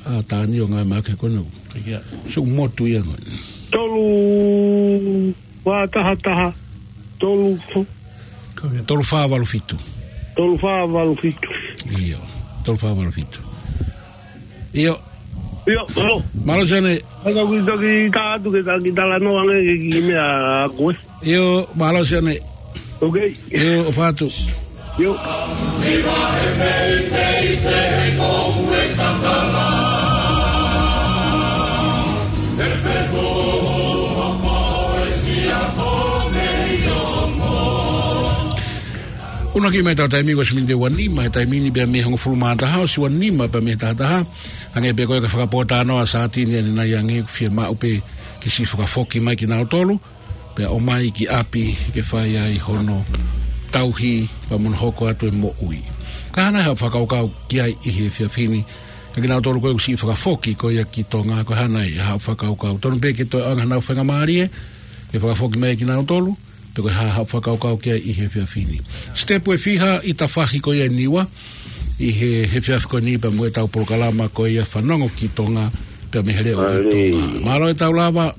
ʻa Tani ʻo ngāue mai ke ko ena. Ia. Sio motu ia ko ē. Tolu, fā taha taha, tolu, Tolu fā valu fitu. Tolu fā valu fitu. ʻIo, tolu fā valu fitu. ʻIo. ʻIo, mālō. Mālō Sione. Ka u kiʻi toki tā atu ke ta kiʻi talanoa ange ki he kiʻi meʻa ko ē. ʻIo, mālō Sione. Ok. ʻIo, ʻofa atu. ʻIo. ʻUluaki mai ʻetau taimi ko e ʻosi miniti ua nima he taimi ni pea mei he hongofulu mā taha, ʻosi ua nima pea mei he taha taha. Hangē pē ko e fakapōtalanoa ʻa Satini ʻanenai ange, fiemaʻu pē ke siʻi fakafoki mai kinautolu, pea ʻomai ki ʻapi ke fai ai hono tauhi pea mo hono hoko atu e moʻui. Ko e hā nai haʻo fakakaukau ki ai ʻi he efiafi ni, ʻa kinautolu ko ē ʻoku siʻi fakafoki ko ia ki Tonga, ko e hā nai haʻo fakakaukau? Tonu pē ke toe ʻoange haʻanau faingamālie ke fakafoki mai kinautolu, pe ko e hā haʻo fakakaukau ki ai ʻi he efiafi ni? Sitepu ʻe fiha ʻi he tafahi ko ia ʻi Niua, ʻi he, he efiafi ko eni pea mo ʻetau polokalama ko ia Fanongo ki Tonga, pea mei he leʻo ʻo Tonga. Mālō ʻetau lava.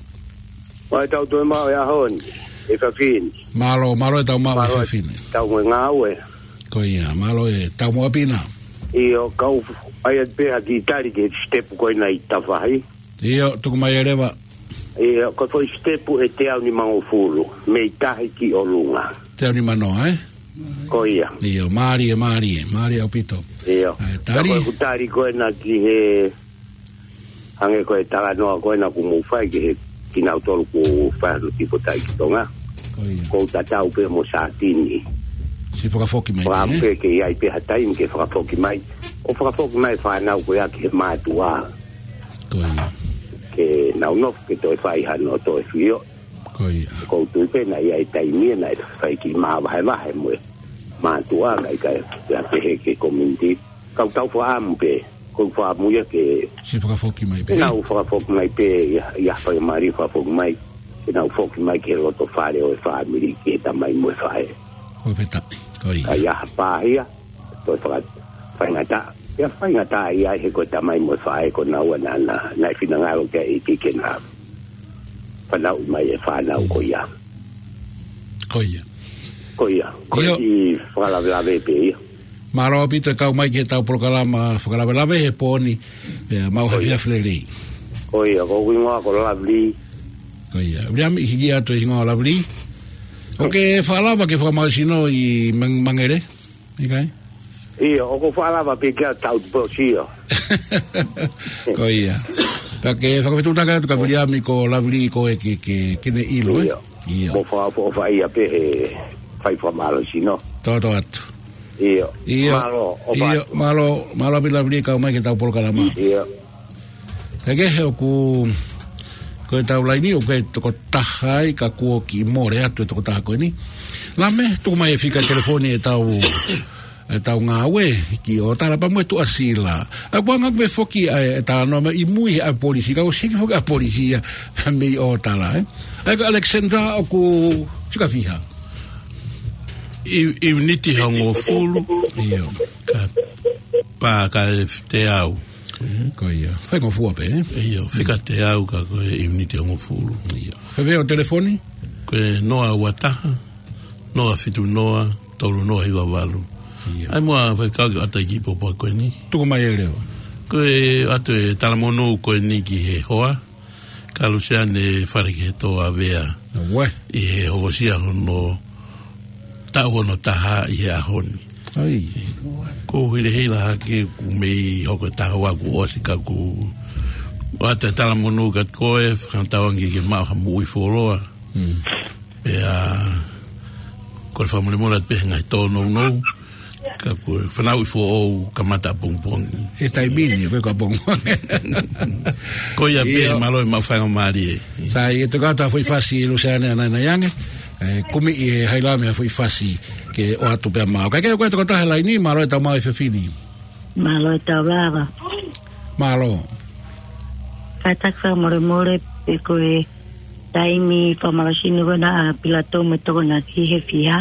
Mālō ʻetau toe maʻu e ʻaho ni, efiafi ni. Mālō, mālō ʻetau maʻu e efiafi ni. Mālō ʻetau ngāue. Ko ia, mālō ʻetau moʻui pē na. ʻIo, kau ʻai atu pē ha kiʻi tali ki he sitepu ko ena ʻi he tafahi. ʻIo, tuku mai ʻe leva. ʻIo, ko e foʻi sitepu ʻe teau nimangofulu, mei tahi ki ʻolunga. Teau nimanoa, ē? Ko ia. ʻIo, mālie, mālie, mālie ʻaupito. ʻIo. ʻAi, tali. Ko e kutali ko ena ki he, hangē ko e talanoa ko ena kuo mou fai ki he kinautolu kuo fai hono tifo tai ki Tonga. Ko ia. Ko u tatau pē mo Satini. Siʻi fakafoki mai pē, ē? Fakaʻamu pē ke ʻi ai pē ha taimi ke fakafoki mai. ʻO fakafoki mai fānau ko ia ki he mātuʻa. Ko ia. Ke nau nofo ke toe fai hano toe fio. Ko ia. Ko u tui pē naʻe ʻi ai e taimi ia naʻe fai kiʻi māvahevahe mo e mātuʻa, kae ʻikai ke pehē ki he community. Ka u tau fakaʻamu pē, ko u fakaʻamu ia ke siʻi fakafoki mai pē. Ke nau fakafoki mai pē, ʻi ha, ʻi ha faingamālie fakafoki mai, ke nau foki mai ki he loto fale ʻo e fāmili, ki he tamai mo e faʻē. Ko e fetaʻi, ko ia. Ka ʻi ai ha pāhia, toe faka-, faingataʻa. ʻIo, faingataʻa ia he ko e tamai mo e faʻē ko naua naʻa, naʻe finangalo ke ʻi ai ke na fanauʻi mai e fānau ko ia. Ko ia. Ko ia. Ko ia. Ko e kiʻi fakalavelave pē ia. Mālō ʻaupito e kau mai ki heʻetau polokalama fakalavelave he pō ni, pea maʻu ha efiafi lelei. Ko ia, ko hoku hingoa ko Lavili. Ko ia. Viliami, hiki atu e hingoa Lavili. ʻOkú ke fakalava ke fakamālohisino ʻi Mang-, Mangere? ʻIkai? ʻIo, ʻoku ou fakalava pē ke tau tupu sio. Ko ia. Ka ke fakafetuʻutaki atu kia Viliami ko Lavili ko e ke, ke, ke ne ʻilo, ē? ʻIo. ʻIo. Mo fakaʻofoʻofa ia pē he fai fakamālohisino. Toto atu. ʻIo. ʻIo. Mālō, ʻofa atu. Mālō, mālō ʻaupito Lavili kau mai ki heʻetau polokalama. ʻIo. He kehe ʻoku, ko ʻetau laini ʻoku ʻi ai e toko taha ai ka kuo kiʻi mole atu e toko taha ko eni. Lame, tuku mai e fika telefoni ʻetau, ʻetau ngāue ki ʻOtala pea mo e Tuʻasila. ʻA, kuo anga pē foki ʻa e talanoa mai ʻi mui he ʻa e polisi, ka ʻoku siki foki ʻa e polisi ia mei ʻOtala, ē. ʻA ia ko Alexandra ʻoku sika fiha. ʻI, ʻiuniti hongofulu. ʻIo. Ka, pea ka e teau. Mhm, ko ia. Faingofua pē, ē? ʻIo, fika teau ka ko e ʻiuniti hongofulu. ʻIo. Fēfē hoʻo telefoni? Ko e noa ua taha, noa fitu noa, tolu noa hiva valu. ʻIo. ʻAi muʻa faikau ke ʻata e kiʻi pōpoaki ko eni. Tuku mai ʻe leva. Ko e ʻoatu e talamonū ko eni ki he hoa. Ka Luseane Falekehetoa Vea. Auē. ʻI he hokosia hono taʻu ono taha ʻi he ʻaho ni. ʻAi. Ko u hilahila hake kuo mei hoko e taha ua kuo ʻosi ka kuo ʻoatu e talamonū kiate koe, fakatauange ke maʻu ha moʻui fuoloa. Mm. Pea, ko e fakamolemole atu pē he ngaahi tōnounou. Ka ko e fanauʻi foʻou kamata ʻapongipongi. ʻI he taimi ni, ko e ka pongipongi. Ko ia pē, mālō e maʻu faingamālie. Sai, ʻe toki ʻatā foʻi fasi Luseane ʻanai ange. ʻE, kumi ʻi he Hailame ha foʻi fasi ke ʻoatu pē maʻau. Kae kehe ko e tokotaha he laini, mālō e tau maʻu e efiafi ni. Mālō e tau lava. Mālō. Kātaki fakamolemole, pe ko e taimi fakamālohisino ko ena ʻa Pilato mo Tokonaki he fiha.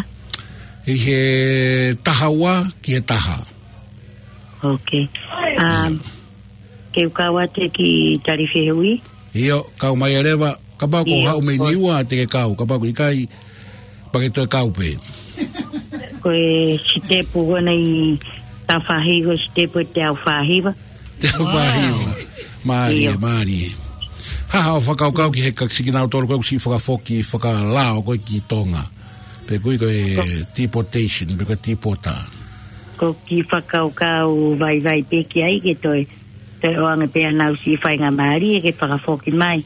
ʻI he taha ua ki he taha. Ok. Um, ke u kau atu ki tali fehuʻi? ʻIo, kau mai ʻe leva, kapau ko e haʻu mei Niua te ke kau, kapau ko e ʻikai, pea ke toe kau pē. Ko e sitepu ko ena ʻi he faʻahi, ko e sitepu ʻe teau fāhiva. Teau fāhiva. Mālie, mālie. Hā haʻo fakakaukau ki he ka siki nau tolo ko e ʻosi fakafoki, fakalao ko e ki Tonga. Pe ko e ko e deportation, pe ko e tipota. Ko e kiʻi fakakaukau vaivai pē ki ai ke toe, toe ʻoange pē ʻa e nau siʻi faingamālie ke fakafoki mai.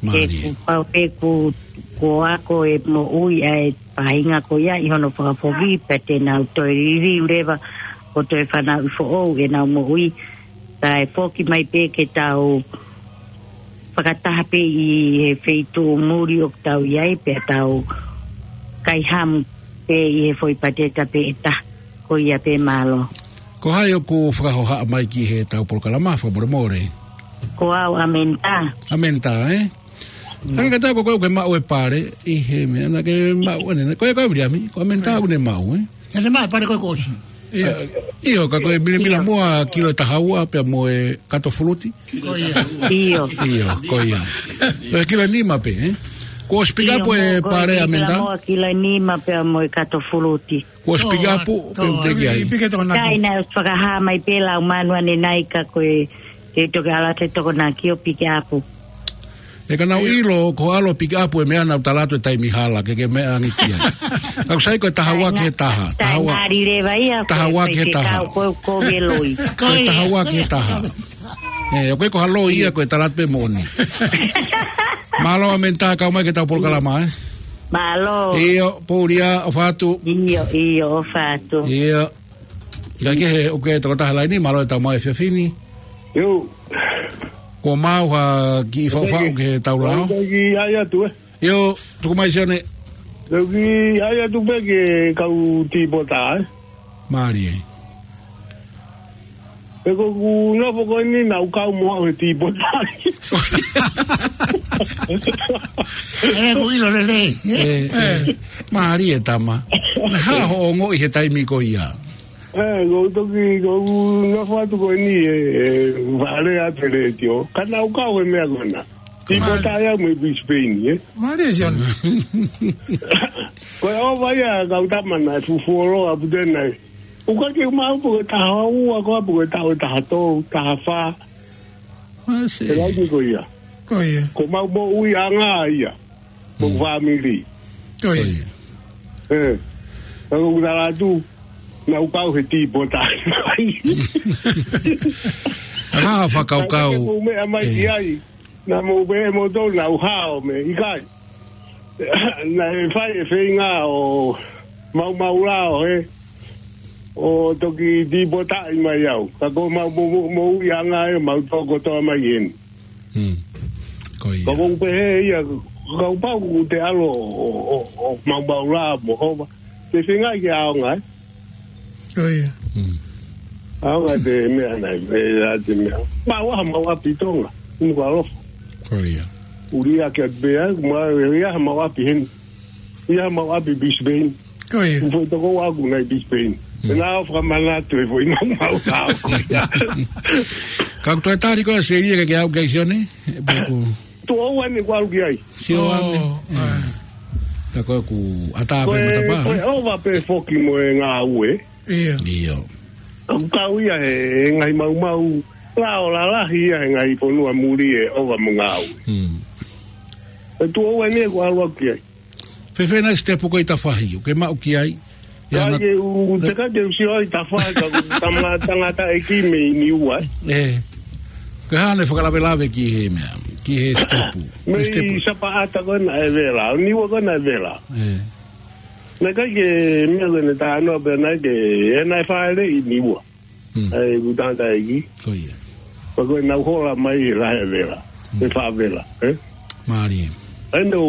Mālie. He kuo pau pē kuo, kuo ako e moʻui ʻa e faʻahinga ko ia ʻi hono fakafoki, pea te nau toe liliu leva ʻo toe fanauʻi foʻou ʻenau moʻui. Kae foki mai pē ke tau fakataha pē ʻi he feituʻu muli ʻoku tau ʻi ai, pea tau kaihamu pē ʻi he foʻi pateta pē ʻe taha. Ko ia pē, mālō. Ko hai ʻoku fakahohaʻa mai ki he tau polokalama, fakamolemole? Ko au, ʻAmenta. ʻAmenta, ē? Hangē ka tau ko koe ke maʻu e pale, ʻi he meʻa naʻa ke maʻu ʻanenai. Ko e ko e Viliami, ko ʻAmenta ʻoku ne maʻu, ē? Ē, ne maʻu e pale ko e ko ʻosi. ʻIo. ʻIo, ka ko e milamila muʻa kilo ʻe taha ua pea mo e kato fuluti. Ko ia. ʻIo. ʻIo, ko ia. Ko e kilo ʻe nima pē, ē? Kuo ʻosi pick up e pale, ʻAmenta? Milamila muʻa kilo ʻe nima pea mo e kato fuluti. Kuo ʻosi pick up pe ʻoku teʻeki ai? Piki toko naki. Kai naʻe fakahā mai pē lau manu ʻanenai ka ko e, ke toki ʻalu atu e Tokonaki ʻo pick up. ʻE ka nau ʻilo ko e ʻalu ʻo pick up e meʻa naʻa ku tala atu e taimi hala ke ke meʻa ange ki ai. Ka ʻoku sai ko e taha ua ki he taha. Taha ua. Taha ua ki he taha. Ko e, ko e loi. Ko e taha ua ki he taha. ʻE, ʻoku ʻikai ko ha loi ia, ko e tala atu pē moʻoni. Mālō ʻAmenta, kau mai ki he tau polokalama, ē? Mālō. ʻIo, Poulia, ʻofa atu. ʻIo, ʻio, ʻofa atu. ʻIo. Kae kehe, ʻoku ke tokotaha he laini, mālō e tau maʻu e efiafi ni. ʻIo. Kuo maʻu ha kiʻi faʻufaʻu ki he tau lao? Ko e kiʻi ʻai atu, ē? ʻIo, tuku mai Sione. Ko e kiʻi ʻai atu pē ki he kau tipota, ē? Mālie. He ko ʻeku nofo ko eni naʻa ku kau mo au he tipota. ʻE, ko e ʻilo lelei. ʻE, ʻe. Mālie tama. Naʻe hā hoʻo ongoʻi he taimi ko ia? ʻE, ko e toki, ko ʻeku nofo atu ko eni ʻe, ʻe, vale atu he letiō. Ka naʻa ku kau he meʻa ko ena. Tipota ia mo e Brisbane, ē? Mālie, Sione. Ko e ʻova ia, kau tama, naʻe fufuoloa ʻaupito ena. ʻOku ʻikai ke u maʻu pe ko e taha ua, ko e pe ko e taha, taha tolu, taha fā. Mālie. He laini ko ia. Ko ia. Ko ʻemau moʻuiʻanga ia. Mo e fāmili. Ko ia. Ko ia. ʻE. Ka ko ʻeku tala atu, naʻa ku kau he tipota. ʻA e fakakaukau. Ka ke mou meʻa mai ki ai. Naʻa mou pehē ʻe moutolu naʻa ku hao mei he ʻikai. Naʻe fai e feinga ʻo maumau lao, ē. ʻO toki tipotaʻi mai au. Ka ko ʻemau mo, mo, moʻuiʻanga ē, mau toko kotoa mai eni. Hmm. Ko ia. Ka ʻoku ou pehē ia, kapau ʻoku te ʻalu ʻo, ʻo, ʻo, ʻo maumau lao mo hova. Te feinga ke ʻaonga, ē. Ko ia. Hmm. ʻAonga te meʻa nai, meʻa te meʻa. Mau ʻaha mau ʻapi Tonga, ʻumu ka alofa. Ko ia. ʻUlia ke atu pea, mau ia ʻaha mau ʻapi heni. Ia mau ʻapi Brisbane. Ko ia. ʻUmu foʻi toko ua ʻaku nai Brisbane. Hmm. Pea naʻa ku fakamanatu e foʻi maumau lao ko ia. Ka ʻoku toe tali koe ʻa Selia ke ke aʻu ki ai Sione? Pe ʻoku Tuʻo ua eni ʻoku ou ʻalu ki ai. Sio ange. Oh, ʻa. Ka ko ʻeku ʻatā pē matapā. Ko e ʻova pē foki mo e ngāue. ʻIo. ʻIo. ʻOku kau ia he, he ngaahi maumau. Lao lalahi ia he ngaahi fonua muli e ʻova mo e ngāue. Hmm. Ko e tuʻo ua eni ʻoku ou ʻalu ki ai. Fēfē nai sitepu ko ē ʻi tafahi, ʻoku ke maʻu ki ai? Ia, ka ke u, te ka ke u sio ai tafahi ka ʻoku tama tangataʻeiki mei Niua. ʻE. Ko e hā nai fakalavelave ki he meʻa, ki he sitepu? Mei sitepu. Sapaʻata ko ena ʻe vela, Niua ko ena ʻe vela. ʻE. Naʻe ʻikai ke meʻa ko ē ne tānoa pē naʻe ke, ʻe naʻe fāʻeleʻi Niua. Hmm. ʻAi, ʻoku tangataʻeiki. Ko ia. Pea ko e nau hola mai he lahi vela. Hmm. He faʻa vela, ē? Mālie. ʻAi, nau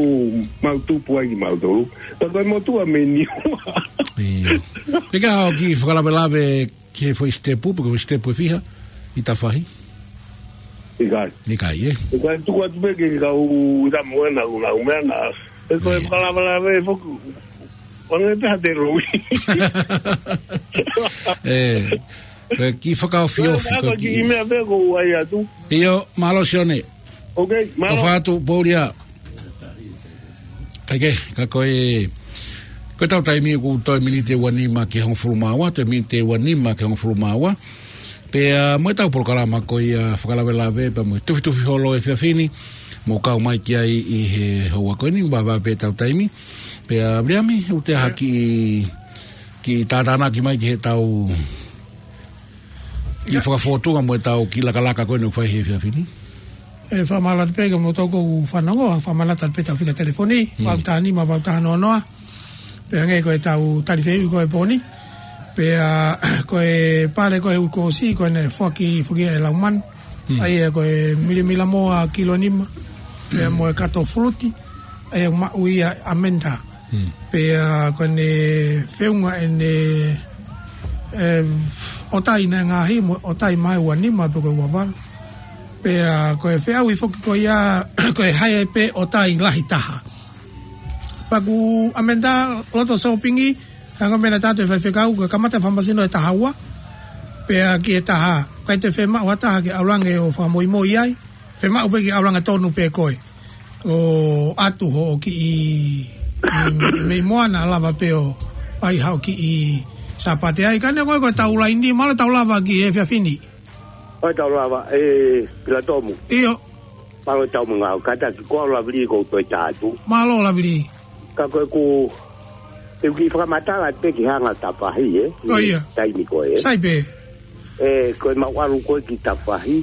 mau tupu ai kimautolu. Pea ko e motuʻa mei Niua. Ia. Pea ka ʻoku ke fakalavelave ki he foʻi sitepu, pe ko e foʻi sitepu ʻe fiha ʻi Tafahi? ʻIkai. ʻIkai, ē? ʻIkai, tuku atu pē ke kau ʻi Tamuena, ʻoku nau meʻa na. Ē, ko e Ia. fakalavelave foki. Wange pē ha te rui. Ē, ko e kiʻi fakaofiofi, Ko e ko e kiʻi kiʻi meʻa pē ko ʻai atu. ʻIo, mālō Sione. Ok, mālō. ʻOfa atu, Poulia. Kae kehe, ka ko e, ko ʻetau taimi ʻoku toe miniti ʻe ua nima ki he hongofulu mā ua, toe miniti ʻe ua nima ki he hongofulu mā ua. Pea mo ʻetau polokalama ko ia fakalavelave, pea mo e tufitufi holo ʻo e efiafi ni, mou kau mai ki ai ʻi he houa ko eni, vave pē ʻetau taimi. Pea Viliami, ʻoku te ʻai ha kiʻi, kiʻi tātānaki mai ki heʻetau kiʻi fakafōtunga mo ʻetau kiʻi lakalaka ko eni ʻoku fai he efiafi ni. ʻE, fakamālō atu pē kimoutolu ʻoku fanongo, fakamālō atu pē ʻetau fika telefoni, Hmm. valu taha nima, valu taha noa noa. Pea hangē ko ʻetau tali fehuʻi ko ē he pō ni. Pea, ko e pale ko ē ʻoku ʻosi, ko ʻene foaki, foaki ʻe Laumanu. Hmm. ʻAi, ko e milamila moa kilo nima. Pea mo e kato fuluti. ʻAi, maʻu ia ʻe Amanda. Hmm. Pea ko ʻene feʻunga ʻene, ē, ʻotai naʻe ngaahi mo ʻotai mai ua nima pe ko e ua valu. Pea ko e feʻauhi foki ko ia, ko e hae pē ʻotai lahi taha. Pea ko Amanda loto sōpingi, hanga mena tātou e faifekau, ko e kamata fakamasino ʻe taha ua. Pea ki he taha, ʻikai te fiemaʻu ha taha ke ʻalu ange ʻo fakamoimoi ai. Fiemaʻu pē ke ʻalu ange tonu pē koe. ʻO ʻatu hoʻo kiʻi, ʻi, ʻi mei Moana lava pē ʻo ʻai haʻo kiʻi Sāpate ai. Ka neongo ko ʻetau laini, mālō ʻetau lava ki he efiafi ni. ʻOi, tau lava, ē, Pilatomu. ʻIo. Mālō ʻetau mangao, kātaki ko au Lavili ʻoku ou toe tā atu. Mālō Lavili. Ka ko e ku, te u kiʻi fakamatala pē ki he anga Tafahi, ē? ʻO ia. Taimi ko ē. Sai pē. Ē, ko e mau ʻalu ko ē ki Tafahi.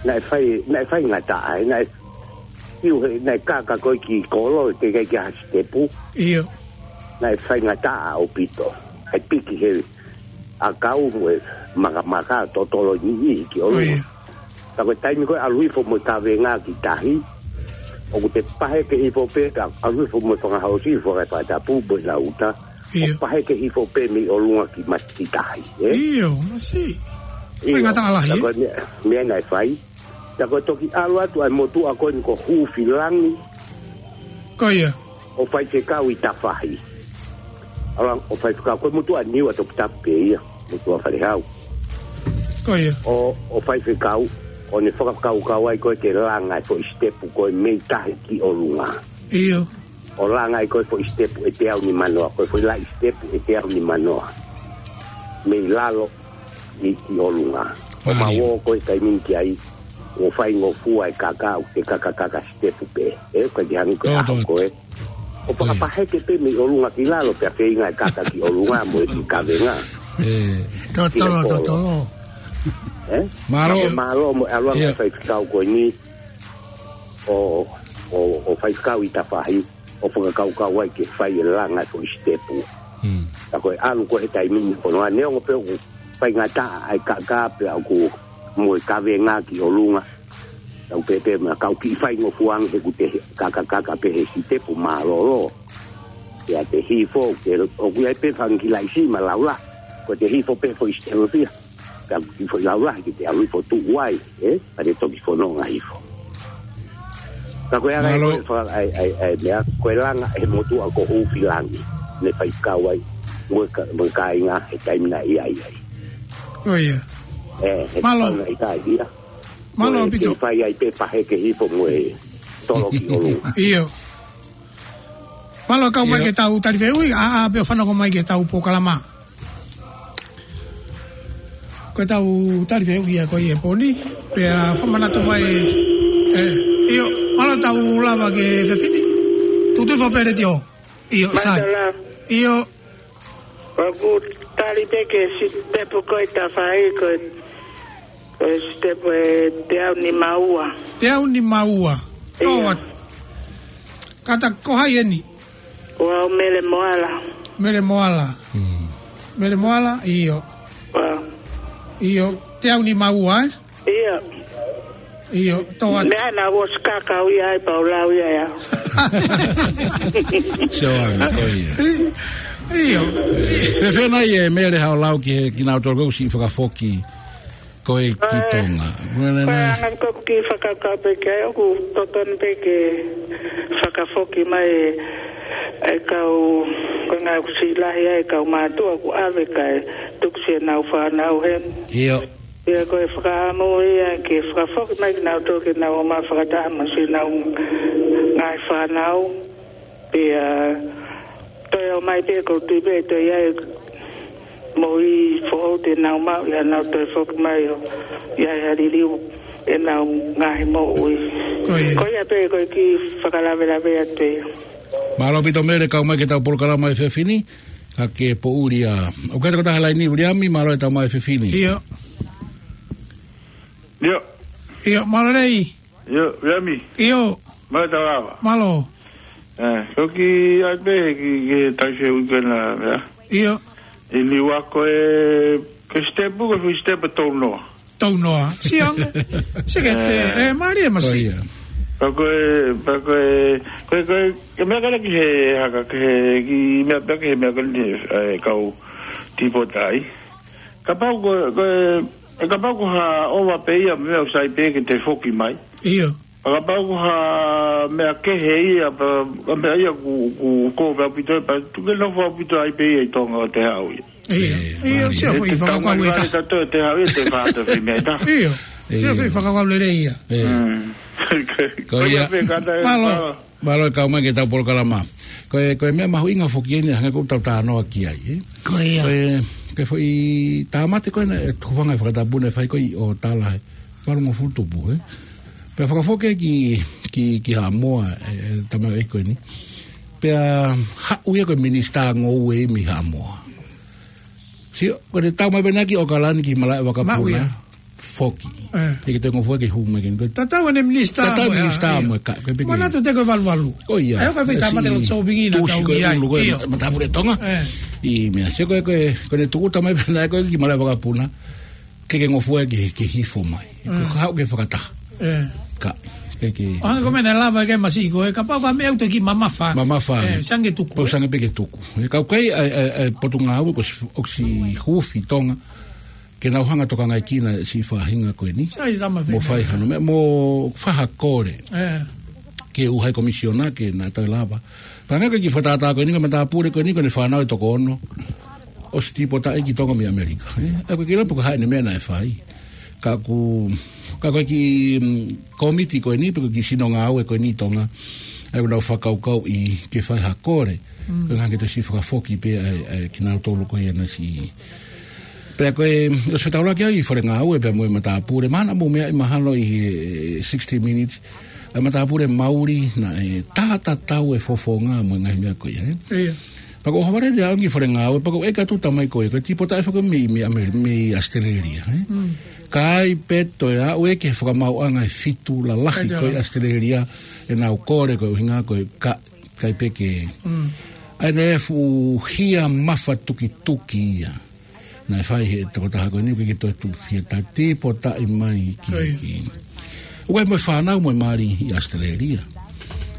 Naʻe fai, naʻe faingataʻa, ē, naʻe, ʻiu he, naʻe kaka ko ē ki kolo, teʻeki ai ke ʻi ai ha sitepu. ʻIo. Naʻe faingataʻa ʻaupito. ʻAi piki he ʻakau mo e makamaka totolo niʻihi ki ʻolunga. ʻIo. Ka ko e taimi ko ē ʻalu hifo mo e kavenga ki tahi. ʻOku te paheke hifo pē, ka ʻalu hifo mo e fanga housi, fanga fakatapu, mo e lauta. ʻIo. ʻO paheke hifo pē mei ʻolunga ki mati ki tahi, ē? ʻIo, masiʻi. ʻIo. Faingataʻa lahi, Ka ē? ko e meʻa, meʻa naʻe fai. Ka ko e toki ʻalu atu ʻa e motuʻa ko eni ko Hufilangi. Ko ia. ʻO faifekau ʻi Tafahi. ʻAlu ange ʻo faifekau ko e motuʻa Niua Toputapu pē ia. Motuʻa Falehau. Ko ia. ʻO, ʻo faifekau, ʻo ne fakakaukau ai ko ē ke langa e foʻi sitepu ko ē mei tahi ki ʻolunga. ʻIo. ʻO langa ai ko e foʻi sitepu ʻe teau nimanoa, ko e foʻi laʻi sitepu ʻe teau nimanoa. Mei lalo ʻi, ki ʻolunga. ʻO Mālie. mau ō ko e taimi ni ki ai, ʻo faingofua e kaka, ʻo te kakakaka sitepu pē. Ē, ko e ki hangi ko e Tō, aho tō. ko ē. ʻO Ko ia. fakapaheke pē mei ʻolunga ki lalo, pea feinga e kaka ki ʻolunga mo e ki kavenga. Ē. Totolo, Ki he kolo. totolo. Ē? Mālō. Ka ko e mālō mo e ʻalu ange Ia. faifekau ko eni, ʻo, ʻo, ʻo faifekau ʻi Tafahi, ʻo fakakaukau ai ke fai e langa e foʻi sitepu. Hmm. Ka ko e ʻalu ko ē he taimi ni ko ē neongo pē ʻoku faingataʻa ʻa e kaka pea ʻoku mo e kavenga ki ʻolunga. Tau pēpē ma kau kiʻi faingofua ange he ʻoku te kakakaka pē he sitepu mālōlō. Pea te hifo, ke, ʻoku ʻi ai pē fanga kiʻi laʻi siʻi ma laulahi. Ko e te hifo pē foʻi sitepu pē ia. Ka ki foʻi laulahi ki te ʻalu hifo tuʻu ai, ē? Ka te toki fononga hifo. Ka ko e anga Mālō. ko e fa-, ʻai, ʻai, ʻai, meʻa, ko e langa ʻe he motuʻa ko Hufilangi. Ne faifekau ai, mo e ka-, mo e kāinga he taimi naʻe ʻi ai ai. Ko ia. Ē, he Mālō. tau naʻe ʻi ai ia. Mālō Ko e ʻaupito. kei fai ai pē paheke hifo mo e tolo ki ʻolunga. ʻIo. Mālō kau mai ʻIo. ke tau tali fehuʻi, ʻa, ʻa, pea fanongo mai ke tau polokalama. Ko e tau tali fehuʻi ia ko ia he pō ni, pea fakamanatu mai, ē, ʻio, mālō tau lava ki he efiafi ni. Tuʻu tuʻi fakapēleti ʻo. ʻIo, sai. Mālō. ʻIo. ʻOku tali pē ki he sitepu ko ē Tafahi ko e, ko e sitepu ʻe teau nima ua. Teau nima ua. ʻIo. Tō atu. Kātaki ko hai eni? Ua o Mele Moala. Mele Moala. Mele Moala, ʻio. Ua. ʻIo, teau nima ua, ē? ʻIo. ʻIo, toa. Meʻa naʻa ku ʻosi kakau ia ai pea u lau ia ia. Sio ange, ko ia. ʻIo. Fēfē nai ʻe Mele haʻo lau ki he, kinautolu ʻoku siʻi fakafoki ko ē ki Tonga. Ko e anga ko ē ʻeku kiʻi fakakaukau pē ki ai, ʻoku totonu pē ke fakafoki mai ʻe, ʻe kau, ko e ngaahi ʻoku siʻi lahi ai ʻe kau mātuʻa ʻoku ʻave kae tuku siʻenau fānau heni. ʻIo. Pea ko e fakaʻamu ia ke fakafoki mai kinautolu ke nau ō mai fakataha mo siʻenau ngaahi fānau. Pea toe ō mai pē ʻoku ou tui pē toe ʻi ai moʻui foʻou te nau maʻu ia nau toe foki mai ʻo ʻi ai ha liliu ʻenau ngaahi moʻui. Ko ia. Ko ia pē ko e kiʻi fakalavelave atu ia. Mālō ʻaupito Mele kau mai ki heʻetau polokalama he efiafi ni, ka ke poʻuli ā. ʻOku ʻi ai ha taha he laini, Uliami, mālō e tau mai he efiafi ni. ʻIo. ʻIo. ʻIo, mālō lelei. ʻIo, Uliami. ʻIo. Mālō e tau lava. Mālō. ʻE, ko e kiʻi ʻai pē ki, ki he tau se uike na, ia. ʻIo. ʻI Niua ko e, ko e sitepu, ko e foʻi sitepu tau noa. Tau noa. Sio ange. Sio ki he, ʻe, mālie masi. Ko ia. Pea ko e, pea ko e, ko e, ko e, ko e meʻa ka leki he haka, ki he, kiʻi meʻa pea ki he meʻa ka ni, ʻe, kau tīpotaʻi. Kapau ko, ko e, ʻe kapau ko ha ʻova pē ia meʻa ʻoku sai pē ke te foki mai. ʻIo. Pea kapau ko ha meʻa kehe ia, pea, ka meʻa ia ku, ku, ko pē ʻaupito, pea tuku ke nofo ʻaupito ai pē ia ʻi Tonga ʻo te haʻu ia. ʻIo. ʻIo, ʻio, mālie. Sio foʻi fakakaukau ʻe taha. Te haʻu ia te fata fai meʻa ʻe taha. ʻIo. Sio foʻi fakakaukau lelei ia. Mm. Ko ia. Ko ia pē kātaki. Mālō. Mālō e kau mai ki heʻetau polokalama. Ko e, ko e meʻa mahuʻinga foki eni, hangē ko ʻetau talanoa ki ai, ē? Ko ia. Ko e, ko e foʻi tāmate ko ena, ʻe hūfanga he fakatapu naʻe fai ko ē ʻi ʻOtala he valungofulu tupu, ē? Pea fakafoki ki, ki, ki Haʻamoa, ē, ē, tamaioʻeiki ko eni. Pea haʻu ia ko e minisitā ngoue mei Haʻamoa. Sio, ko ʻene tau mai pē naʻe ki ʻOkalani ki malaʻe vakapuna. Maʻu ia. Foki. ʻE. ʻIkai ke toe ngofua ke hū mai ke ni. Tatau ʻene minisitā. Tatau mo e minisitā ia. Mo e ka, ko e peke. Manatu te ko e valuvalu. Ko ia. ʻAi, ʻoku ʻikai fai tāmate ʻo shopping ina tau ki ai. Tuʻusi ko e ʻulu ko e matāpule Tonga. ʻE. ʻI meʻa. Sio ko e, ko e, ko ʻene tuku tamai pē naʻe ko ē ki malaʻe vakapuna. ʻIkai ke ngofua ke, ke hifo mai. Ko e haʻu ke fakataha. ʻE. Ka, ke, ke. ʻO hangē ko e meʻa naʻe lava ke masi ko e kapau ko ha meʻa ʻoku toe kiʻi mamafa. Mamafa. ʻE, sai ange tuku. Pau sai ange pē ke tuku. ʻE, ka ʻoku ʻi ai, ʻa e, ʻa e, ʻa e potungāue ko si, ʻoku siʻi huufi Tonga. Ke nau hanga tokangaʻi kinautolu e siʻi faʻahinga ko eni. Sai tama mo fai hano meʻa, mo fai ha kole. ʻE. Ki he ʻū high commissioner ke na toe lava. Pea hangē ko e kiʻi fakatātā ko eni, ko e matāpule ko eni, ko ʻene fānau ʻe toko ono. ʻOsi tīpotaʻi ki Tonga mei ʻAmelika, ē? ʻOku ʻikai ke ʻilo pe ko e hā ʻene meʻa naʻe fai. Ka ʻoku, ka ko e kiʻi, mm, kōmiti ko eni, pe ko e kiʻi sino ngāue ko eni ʻi Tonga. ʻOku nau fakakaukauʻi ke fai ha kole. Mm. Ko e ngaahi ke toki siʻi fakafoki pē ʻa e, ʻa e kinautolu ko ia naʻe siʻi. Pea ko e, ʻosi fetaulaki au ʻi he fale ngāue pea mo e matāpule. Mahalo naʻa mou meaʻi mahalo ʻi he, ē, sixty Minutes. ʻA e matāpule Mauli naʻe tatatau e fofonga mo e ngaahi meʻa ko ia, ē? ʻIo. Pea ko e ʻohovale ʻeni au ki he fale ngāue, pea ko e ʻeke atu tamai ko ē, ko e tīpotaʻi foki mei, mei ʻAme-, mei ʻAositelēlia, ē? Mm. Ka ʻi ai pē toe aʻu ē ki he fakamaauʻanga ʻe fitu lalahi ko ē ʻAositelēlia, ʻenau kole ko e ʻuhinga ko e ka, ʻikai pē ke. Mm. ʻA ia naʻe fuʻu hia mafatukituki ia. Naʻe fai he tokotaha ko eni ʻoku ʻikai ke toe tuʻu fie ta tīpotaʻi mai ki, ʻIo. ki. ʻOku ʻi ai mo e fānau mo e mali ʻi ʻAositelēlia.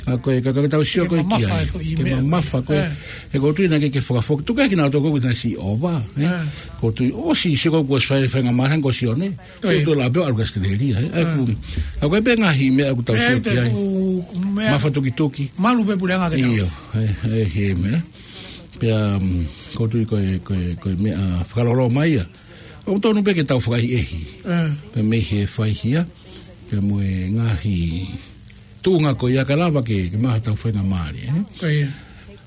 ʻA ko e ka, ka tau sio ko ē ki ai. Ke mamafa e foʻi meʻa. Ke mamafa ko ē. ʻE. He ʻoku ou tui naʻe ʻikai ke fakafoki. Tuku ē kinautolu ko ē naʻe siʻi ʻova, ē? ʻE. ʻOku ou tui ʻosi sio ko ē kuo ʻosi fai e faingamālie hangē ko Sione. ʻIo. Ko e tuʻu la pē ʻalu ki ʻAositelēlia, ē? ʻA ʻIo. ʻoku, ʻa ʻoku ʻi ai pē ngaahi meʻa ʻoku tau sio ki ai. Meʻa. Mafatukituki. Malu pē puleʻanga ke tau. ʻIo, ʻe, ʻe, he meʻa. Pea, mm, ʻoku ou tui ko e, ko e, ko e meʻa fakalolo mai ia. ʻOku tonu pē ke tau fakaʻehiʻehi. ʻE. Pea mei he faihia, pea mo e ngaahi tuʻunga ko ia ka lava ke, ke maʻu haʻatau faingamālie, ē? Ko ia.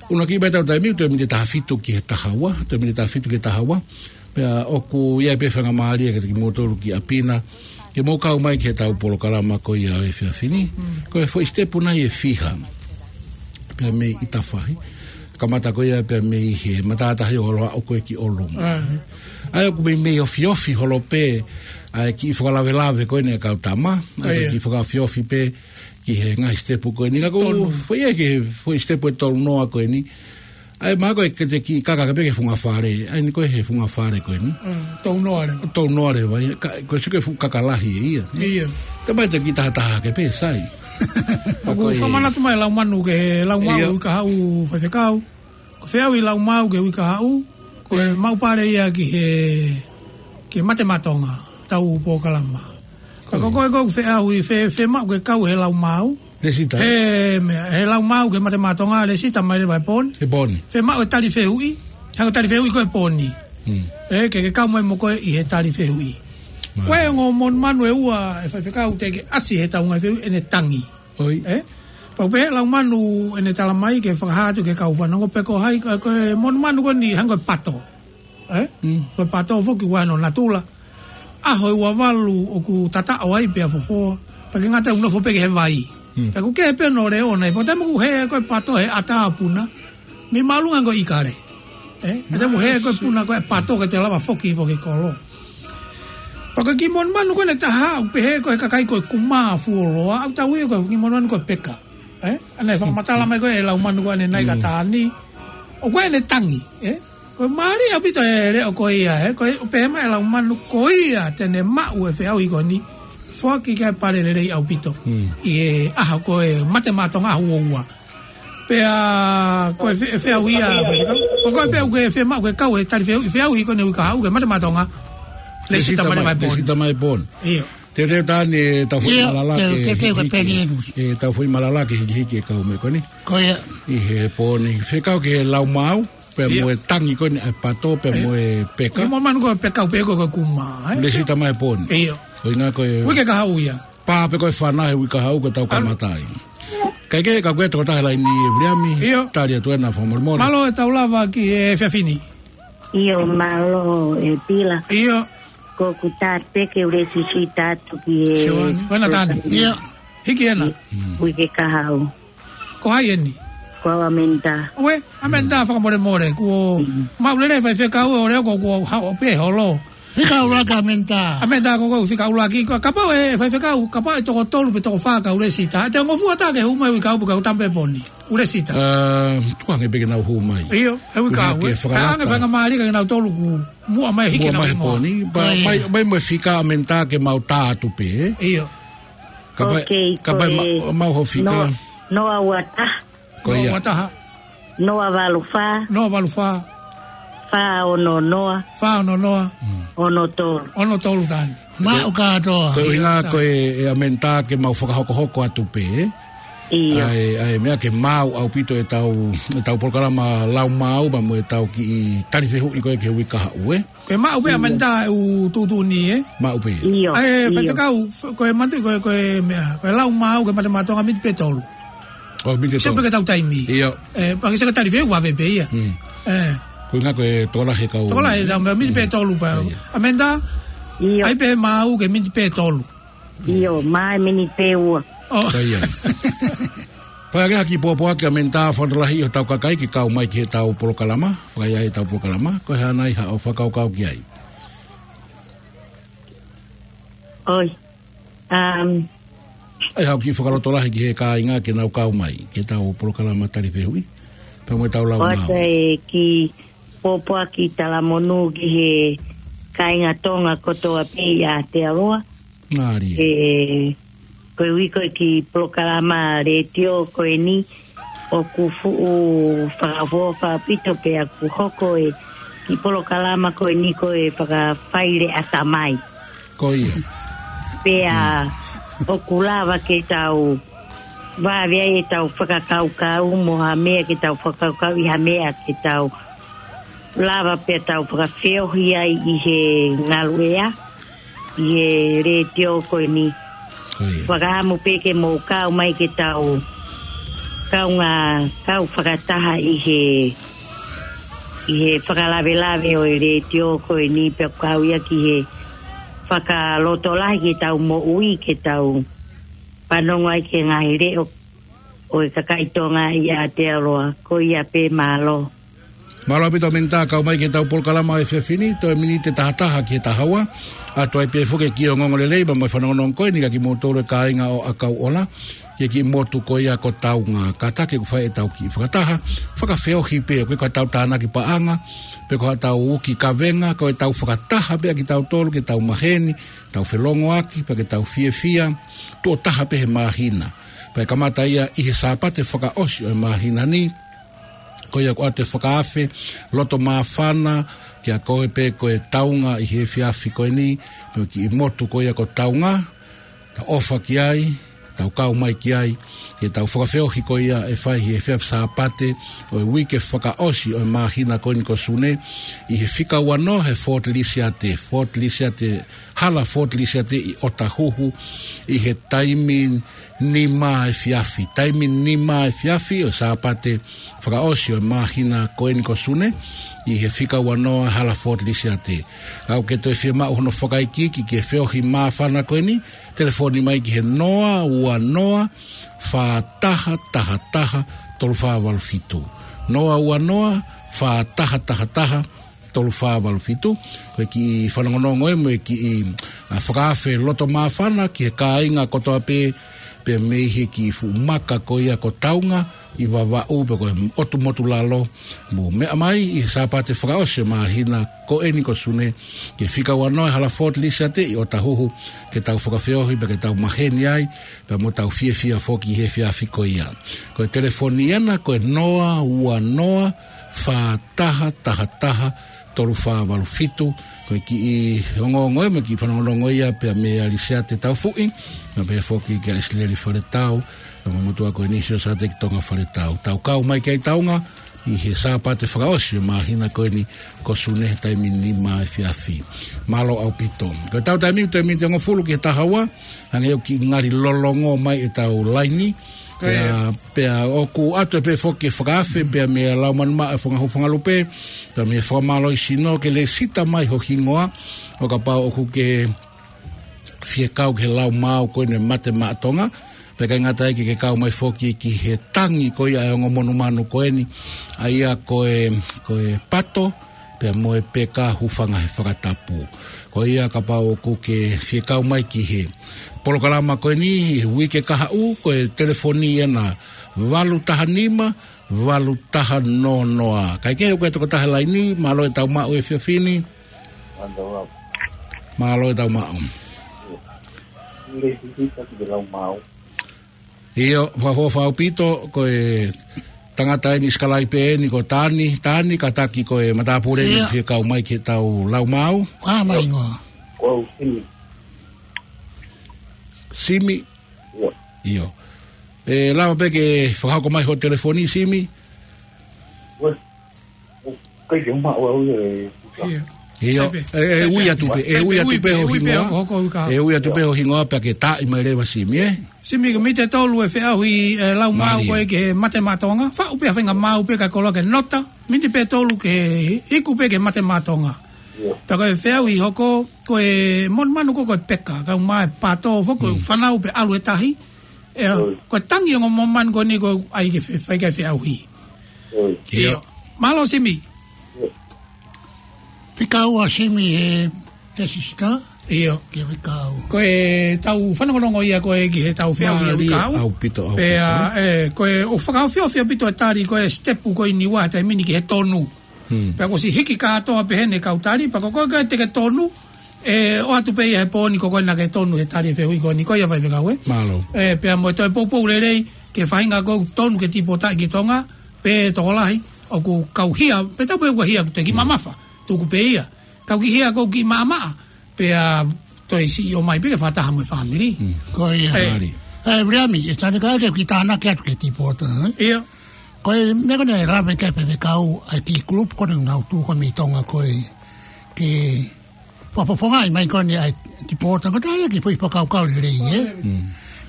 ʻUluaki pē ʻetau taimi, toe miniti ʻe taha fitu ki he taha ua, toe miniti ʻe taha fitu ki he taha ua. Pea ʻoku ʻi ai pē faingamālie kiate kimoutolu ki ʻapi na, ke mou kau mai ki heʻetau polokalama ko ia ʻo e efiafi ni. Mm. Ko e foʻi sitepu nai ʻe fiha. Pea mei ʻItafahi. Kamata ko ia pea mei he matātahi ʻo ʻalu ʻo aʻu ko ē ki ʻolunga. Ah. ʻA ia ʻoku meimei ofiofi holo pē, ʻa e kiʻi fakalavelave ko eni ʻa e kau tama, ʻa ia. ʻOku kiʻi fakaofiofi pē, ki he ngaahi sitepu ko eni. Ka ko e tolu. Foʻi ia ki he foʻi sitepu ʻe tolu noa ko eni. ʻAi, mahalo ko e ke te kiʻi kaka ke pē ki he funga fale. ʻAi, eni ko e he funga fale ko eni. Mm, tolu noa leva. Tolu noa leva ia. Ka, ko e sio ki he fuʻu kaka lahi ia. Ia. Te mai te kiʻi tahataha ke pē sai. ʻOku fakamanatu mai e lau manu ki he lau maʻu ʻi Kahaʻu, Faifekau. Ko e feʻauhi lau maʻu ki he uike kahaʻu, ko e maʻu pale ia ki he, ki he Mate Maʻa Tonga, tau polokalama. Ka ko koe ko e feʻauhi, fe, femaʻu ke kau he lau maʻu. Lēsita. He, meʻa, he lau maʻu ki he Mate Maʻa Tonga, lēsita mai leva he pō ni. He pō ni. Femaʻu e tali fehuʻi, hangē ko e tali fehuʻi ko e pō ni. Mm. Ē, ke, ke kau mai mo koe ʻi he tali fehuʻi. Ko e ongo monumanu ʻe ua ʻe Faifekau te ke ʻasi he tau ngaahi fehuʻi ʻene tangi. ʻOi. Ē? Pau pē he lau manu ʻene tala mai ke fakahā atu ki he kau fanongo pe ko hai, ko, ko e monumanu ko eni hangē ko e pato. Ē? Mm. Ko e pato foki ʻoku ʻi ai hono natula. ʻAho ʻe ua valu ʻoku tataʻo ai pea fofoa. Pea ʻikai ngata ai ʻoku nofo pē ki he vai. Mm. Pea ʻoku kehe pē hono leʻo ʻona. Pea ko e taimi ʻoku hē ko e pato he ʻatā puna. Mei māʻolunga ko e ʻikale. Ē? Ka te mo hē ko e puna ko e pato ke te lava foki foki kolo. Pea ko e kiʻi monumanu ko eni ʻe taha, ʻoku pehē ko e kakai ko e kumā fuoloa, ʻoku tau ui ko e kiʻi monumanu ko e peka. Ē? ʻA ē naʻe fakamatala mai ko e lau manu ko eni ʻa Naika Tani. ʻOku ʻi ai ʻene tangi, ē? Ko e mālie ʻaupito e leʻo ko ia, ē? Ko e pehē mai e lau manu ko ia te ne maʻu e feʻauhi ko eni. Foaki ki ai e pale lelei ʻaupito. Mm. ʻI he ʻaho ko e Mate Maʻa Tonga ʻaho ua ua. Pea ko e fe-, feʻauhi ia, ko e, ko e pea ʻoku ke femaʻu ke kau he tali feʻauhi, feʻauhi ko eni uike kahaʻu ki he Mate Maʻa Tonga. Lēsita mai leva he pō ni. Lēsita mai he pō ni. ʻIo. Te, te tani e tau foʻi malala ke hiki, e tau foʻi malala ke hiki hiki e kau meʻa ko eni. Ko ia. ʻI he pō ni. Fekau ki he lau maʻu, pea mo e tangi ko eni ʻa e pato, pea mo e peka. Kiʻi monumanu ko e peka, pea ko e kumā, ē? Lēsita mai he pō ni. ʻIo. Ko e ʻuhinga ko e uike kahaʻu ia. Pā pē ko e fana he uike kahaʻu ko e tau kamata ai. Kae kehe ka ko e tokotaha laini ʻe Viliami, ʻio, tali atu ena fakamolemole. Mālō e tau lava ki he efiafi ni. ʻIo, mālō e Pila. ʻIo. Ko ʻeku tā pē ke u lēsisita atu ki he Sione. Ko ena tani. ʻIo. Hiki ena. Mm. Uike kahaʻu. Ko hai eni? Ko au ʻAmenitā. Uē, ʻAmenitā fakamolemole, kuo maʻu lelei Faifekau ʻo leo ko kuo haʻu pē holo. Fika ʻuluaki ʻAmenitā. ʻAmenitā ko ko fika ʻuluaki, ko kapau ʻe Faifekau, kapau ʻe toko tolu pe toko fā kau lēsita. Te u ngofua atu ke hū mai uike kahaʻu pe kau tampe pō ni. ʻOku lēsita. Ā, tuku ange pē ke nau hū mai. ʻIo, he uike kahaʻu. Ke fakalata. Kae ʻoange faingamālie ke nau tolu kuo muʻa mai hiki ke nau hū mai he pō ni. Pea mai, mai mo e fika ʻAmenitā ke mau tā atu pē. ʻIo. Kapau, kapau ʻe ma-, mau ho fika. Noa, noa ua taha. Ko ia. Noa ua taha. Noa valu fā. Noa valu fā. Fā ono noa. Fā ono noa. Mm. Ono tolu. Ono tolu tani. Maʻu kātoa. Ko e ʻuhinga ko e, ʻe ʻAmenitā ke mau fakahokohoko atu pē, ē? ʻIo. ʻA e, ʻa e meʻa ke maʻu ʻaupito e tau, e tau polokalama lau maʻu pea mo e tau kiʻi tali fehuʻi ko ē ki he uike kahaʻu, ē? Ko e maʻu pē ʻAmenitā ʻeku tuʻutuʻuni, ē? Maʻu pē. ʻIo. ʻA e, ʻio. Faifekau, f-, ko e mate, ko e, ko e meʻa, ko e lau maʻu, ko e Mate Maʻa Tonga miniti pē tolu. ʻO, miniti pē tolu. Sio pē ki he tau taimi. ʻIo. Ē, pea ke sio ki he tali fehuʻi vave pē ia. Mm. Ē. Ko e ʻuhinga ko e tokolahi e kau. Tokolahi e tau, miniti pē tolu pē. ʻIo. ʻAmenitā? ʻIo. ʻAi pē maʻu ki he miniti pē tolu. ʻIo, mai miniti pē ua. ʻO. Ko ia. Pea ke haki pōpoaki ʻAmenitā, fakalotolahi ʻo tau kakai ke kau mai ki he tau polokalama, fakaʻaiʻai e tau polokalama, ko e hā nai haʻo fakakaukau ki ai? ʻOi. Um, ʻAi haʻo kiʻi fakalotolahi ki he kāinga ke nau kau mai ki he tau polokalama tali fehuʻi pea mo e tau lau maʻu. ʻOku ou kiʻi pōpoaki talamonū ki he kāinga Tonga kotoa pē ʻi Aotearoa. Mālie. ʻE, ko e ui ko e kiʻi polokalama letiō ko eni ʻoku fuʻu fakaʻofoʻofa ʻaupito pea ʻoku hoko e kiʻi polokalama ko eni ko e fakafaileʻa tamai. Ko ia. Pea ʻoku lava ke tau vave ai e tau fakakaukau mo ha meʻa ke tau fakakaukau ʻi ha meʻa ke tau lava pea tau fakafeohi ai ʻi he ngaluʻea, ʻi he letiō ko eni. Ko ia. Fakaʻamu pē ke mou kau mai ke tau kaungā kau fakataha ʻi he, ʻi he fakalavelave ʻo e letiō ko eni pea kau ia ki he fakalotolahi ke tau moʻui ke tau fanongo ai ki he ngaahi leʻo ʻo e kakai Tonga ʻi Aotearoa. Ko ia pē, mālō. Mālō ʻaupito ʻAmenitā kau mai ki he tau polokalama ʻo e efiafi ni, toe miniti ʻe taha taha ki he taha ua. ʻAtu ai pē foki e kiʻi ongoongolelei pea mo e fanongonongo ko eni kia kimoutolu e kāinga ʻo ʻAkauʻola. ki he kiʻi motu ko ia ko Taunga. Kātaki ʻoku fai ʻetau kiʻi fakataha, fakafeohi pē, ʻoku ʻikai ko haʻatau tānaki paʻanga, pe ko haʻatau uki kavenga, ko ʻetau fakataha pē ʻa kitautolu, ke tau maheni, tau felongoaki, pea ke tau fiefia, tuʻo taha pē he māhina. Pea kamata ia ʻi he Sāpate fakaʻosi ʻo e māhina ni, ko ia ko ʻete fakaafe loto māfana, kia koe pē ko e Taunga ʻi he efiafi ko eni, mo e kiʻi motu ko ia ko Taunga, tau ʻofa ki ai, tau kau mai ki ai, ke tau fakafeohi ko ia ʻe fai he efiafi Sāpate ʻo e uike fakaʻosi ʻo e māhina ko eni ko Sune, ʻi he fika uanoa he Fort Lisiate, Fort Lisiate, hala Fort Lisiate ʻi ʻOtahuhu, ʻi he taimi nima efiafi, taimi nima efiafi ʻo e Sāpate fakaʻosi ʻo e māhina ko eni ko Sune, ʻi he fika uanoa hala Fort Lisiate. Ka ʻoku ke toe fiemaʻu hono fakaikiiki ki he feohi māfana ko eni, telefoni mai ki he noa ua noa, fā taha taha taha, tolu fā valu fitu. Noa ua noa, fā taha taha taha, tolu fā valu fitu. Ko e kiʻi fanongonongo ē mo e kiʻi, ā, fakaafe loto māfana ki he kāinga kotoa pē, pea mei he kiʻi fuʻu maka ko ia ko Taunga ʻi Vavaʻu, pea ko e ʻotu motu lalo, mou meʻa mai ʻi he Sāpate fakaʻosi ʻo e māhina ko eni ko Sune, ki he fika uanoa he hala Fort Lisiate ʻi ʻOtahuhu, ke tau fakafeohi, pea ke tau maheni ai, pea mo tau fiefia foki he efiafi ko ia. Ko e telefoni ena, ko e noa ua noa, fā taha taha taha, tolu fā valu fitu. Ko e kiʻi ongoongo ē mo e kiʻi fanongonongo ia pea mei Alisiate Taufuʻi, pea pehē foki kia ʻIsileli Faletau, pea mo e motuʻa ko eni Siosiate ki Tonga Faletau. Tau kau mai ki ai Taunga, ʻi he Sāpate fakaʻosi ʻo e māhina ko eni ko Sune he taimi nima efiafi. Mālō ʻaupito. Ko ʻetau taimi, taimi ʻe hongofulu ki he taha ua, hangē ʻoku kiʻi ngali lolongo mai ʻetau laini. Pea, pea ʻoku ʻoatu pē foki e fakaafe, pea mei he Laumālie Māʻoniʻoni, Fanga Hufangalupe, pea mei he Fakamālō ʻi Sino, ke lēsisita mai ho hingoa, ʻo kapau ʻoku ke fie kau ki he Lau Maau ko eni Mate Maʻa Tonga, pea ʻikai ngata ai ke ke kau mai foki ki he tangi ko ia ʻa e ongo monumanu ko eni, ʻa ia ko e, ko e pato, pea mo e peka, hūfanga he fakatapu. Ko ia kapau ʻoku ke fie kau mai ki he polokalama ko eni, he uike kahaʻu, ko e telefoni ena valu taha nima, valu taha noa noa. Kae kehe ʻoku ʻi ai e tokotaha he laini, mālō e tau maʻu he efiafi ni. Mālō e tau maʻu. ʻIo, fakaʻofoʻofa ʻaupito, ko e tangata eni sikalaipe eni ko Tani, Tani, kātaki ko e matāpule ʻoku fie kau mai ki he tau Lau Maau. Ā, mai ngoa. Simi. ʻIo. ʻE lava pē ke fakahoko mai ho telefoni, Simi? ʻIo. ʻE, ʻe ui atu pē, ʻe ui atu pē ho hingoa. ʻE ui atu pē ho hingoa pea ke taaʻi mai leva Simi, ē? Simi, ko e miniti ʻe tolu e feʻauhi, ē, Lau Maau ko ē ki he Mate Maʻa Tonga. Faʻu pē ha faʻahinga maau pē ka koloa ke nota. Miniti pē ʻe tolu ke iku pē ki he Mate Maʻa Tonga. Pea ko e feʻauhi hoko, ko e monumanu ko ē ko e peka, kae ʻumaʻā e pato, foki ko e fānau pē ʻalu he tahi. ʻE, ko e tangi ongo monumanu ko eni ko ē ʻai ke fe-, fai ki ai e feʻauhi. ʻIo. Mālō Simi. Fika ua Simi he, he sisita. ʻIo. Ki he fika ua. Ko e tau fanongonongo ia ko ē ki he tau feʻauhi he fika ua. ʻAupito, ʻaupito. Pea, ē, ko e ʻoku fakaofiofi ʻaupito e tali ko ē sitepu ko eni ua he taimi ni ki he tonu. Pea kuo ʻosi hiki kātoa pē heni e kau tali, pea ko koe ko ē te ke tonu, ē, ʻoatu pē ia he pō ni ko koe naʻa ke tonu he tali e feʻauhi ko eni, ko ia faifekau, ē? Mālō. Ē, pea mo e toe poupou lelei, ki he faʻahinga ko ē ʻoku tonu ke tīpota ki Tonga, pea tokolahi, ʻoku kau hia, pea tau pē ʻoku hia ʻoku toe kiʻi mamafa, tuku pē ia. Kau kiʻi hia ʻoku kiʻi maʻamaʻa, pea toe siʻi ō mai pē ke fakataha mo e fāmili. Ko ia. Ē. Mālie. Ē, Viliami, ʻe Tani, kae ke u kiʻi tānaki atu ki he tīpota, ē? ʻIo. Ko e meʻa ko eni ʻe lave ki ai e faifekau, ʻa e kiʻi group ko eni ʻoku nau tuʻu ko ē mei Tonga ko ē, ke fakafofongaʻi mai ko eni ʻa e tīpota, ko e taha ia e kiʻi foʻi fakakaukau lelei, ē?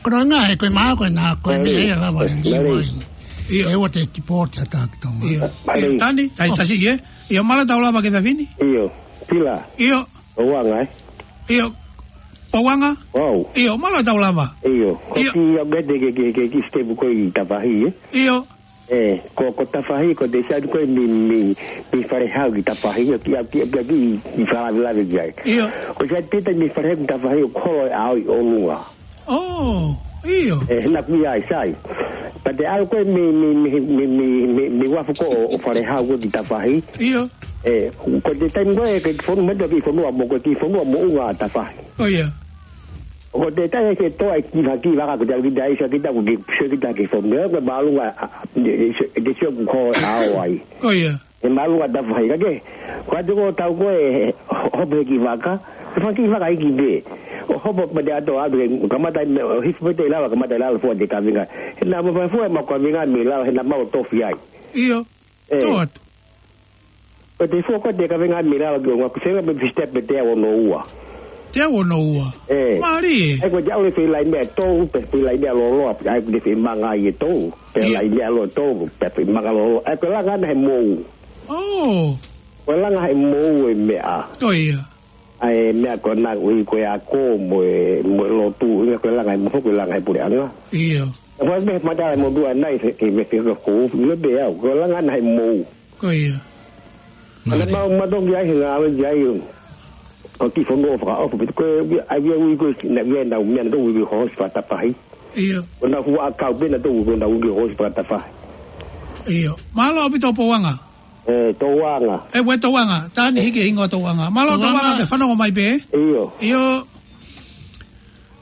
Ko hono ʻuhinga he ko e maau ko ena ko e meʻa ia ʻe lava lelei mai. ʻIo. ʻE ua te tīpota ʻa Tonga ki Tonga. ʻIo. ʻIo, Tani, tai tasi, ē? ʻIo, mālō e tau lava ki he efiafi ni. ʻIo, Pila. ʻIo. Pouanga, ē? ʻIo. Pouanga? ʻIo, mālō e tau lava. ʻIo. Ko e kiʻi update ke, ke, ke, ke sitepu ko ē ʻi Tafahi, ē? ʻIo. Ē, ko, ko Tafahi, ko e sitepu ko ē mei, mei, mei Falehau ki Tafahi, ʻo kiʻi, kiʻi, kiʻi, kiʻi fakalavelave ki ai. ʻIo. Ko e sitepu pē mei Falehau ki Tafahi ʻoku holo e ʻao ʻi ʻolunga. ʻŌ. ʻIo. ʻE, he naʻa ku ʻi ai, sai. Pea te ʻalu ko ē mei, mei, mei uafu ko ē ʻo Falehau ko ē ki Tafahi. ʻIo. ʻE, ko e taimi ko ē ke fonu mai ki fonua mo, ko e ki fonua moʻunga ʻa Tafahi. ʻIo. Ko e taimi ke toa e kiʻi vaka, kiʻi vaka ko ē te ʻalu kita ai, sio kita ko ē ke, sio kita ki fonua, ko e māʻolunga, ʻa, ʻa, ʻe, ʻe, ʻe, ke sio ku ko ʻao ai. ʻIo. ʻE māʻolunga Tafahi ka ke. Ko atu ko tau ko ē, hopo he kiʻi vaka, he fanga kiʻi vaka hiki pē. ʻO hopo pē te ʻalu atu ke kamata ʻi mei, ʻo hifo pē te lava, kamata ʻi lalo fua te kavenga. He naʻa mau fua ʻemau kavenga mei lalo, he naʻa mau tofi ai. ʻIo. ʻE. Tō atu. Ko e te fua ko ē te kavenga mei lalo ke ʻo ngā kusenga mei Fistep pē te au ono ua. Te au ono ua. ʻE. Mālie. ʻE ko e te au le fei lai mea tō, pe fei lai mea loloa, pe ai ko e te fei manga ai e tō. Pe ʻIo. Lai mea loloa tō, pe fei manga loloa. ʻE ko e langa ʻana he mou. ʻO. Ko e langa he mou e meʻa. Ko ia. ʻA e meʻa ko ena ui ko e ako mo e, mo e lotu, ʻuhinga ko e langa he mou, ko e langa he puleʻanga. ʻIo. Ko e meʻa mata e motuʻa nai, he, he, he, he, ko, le be au, ko e langa ʻana he mou. Ko ia. Ana Mālie. Mau, mau toki ai he ngāue ki ai, ʻo ki fonua ʻo fakaʻofa, pe ko e, ai, ai, ui ko e, naʻe ui ʻenau meʻa naʻa nau ui ko e hosi fakatafahi. ʻIo. Ko ʻenau fuʻu ʻakau pē naʻa nau ui ko ʻenau ui ko e hosi fakatafahi. ʻIo. Mālō ʻaupito Pouanga. ʻE, Touanga. ʻE, ʻuē Touanga. Tani hiki e hingoa Touanga. Mālō Touanga. Touanga ke fanongo mai pē. ʻIo. ʻIo.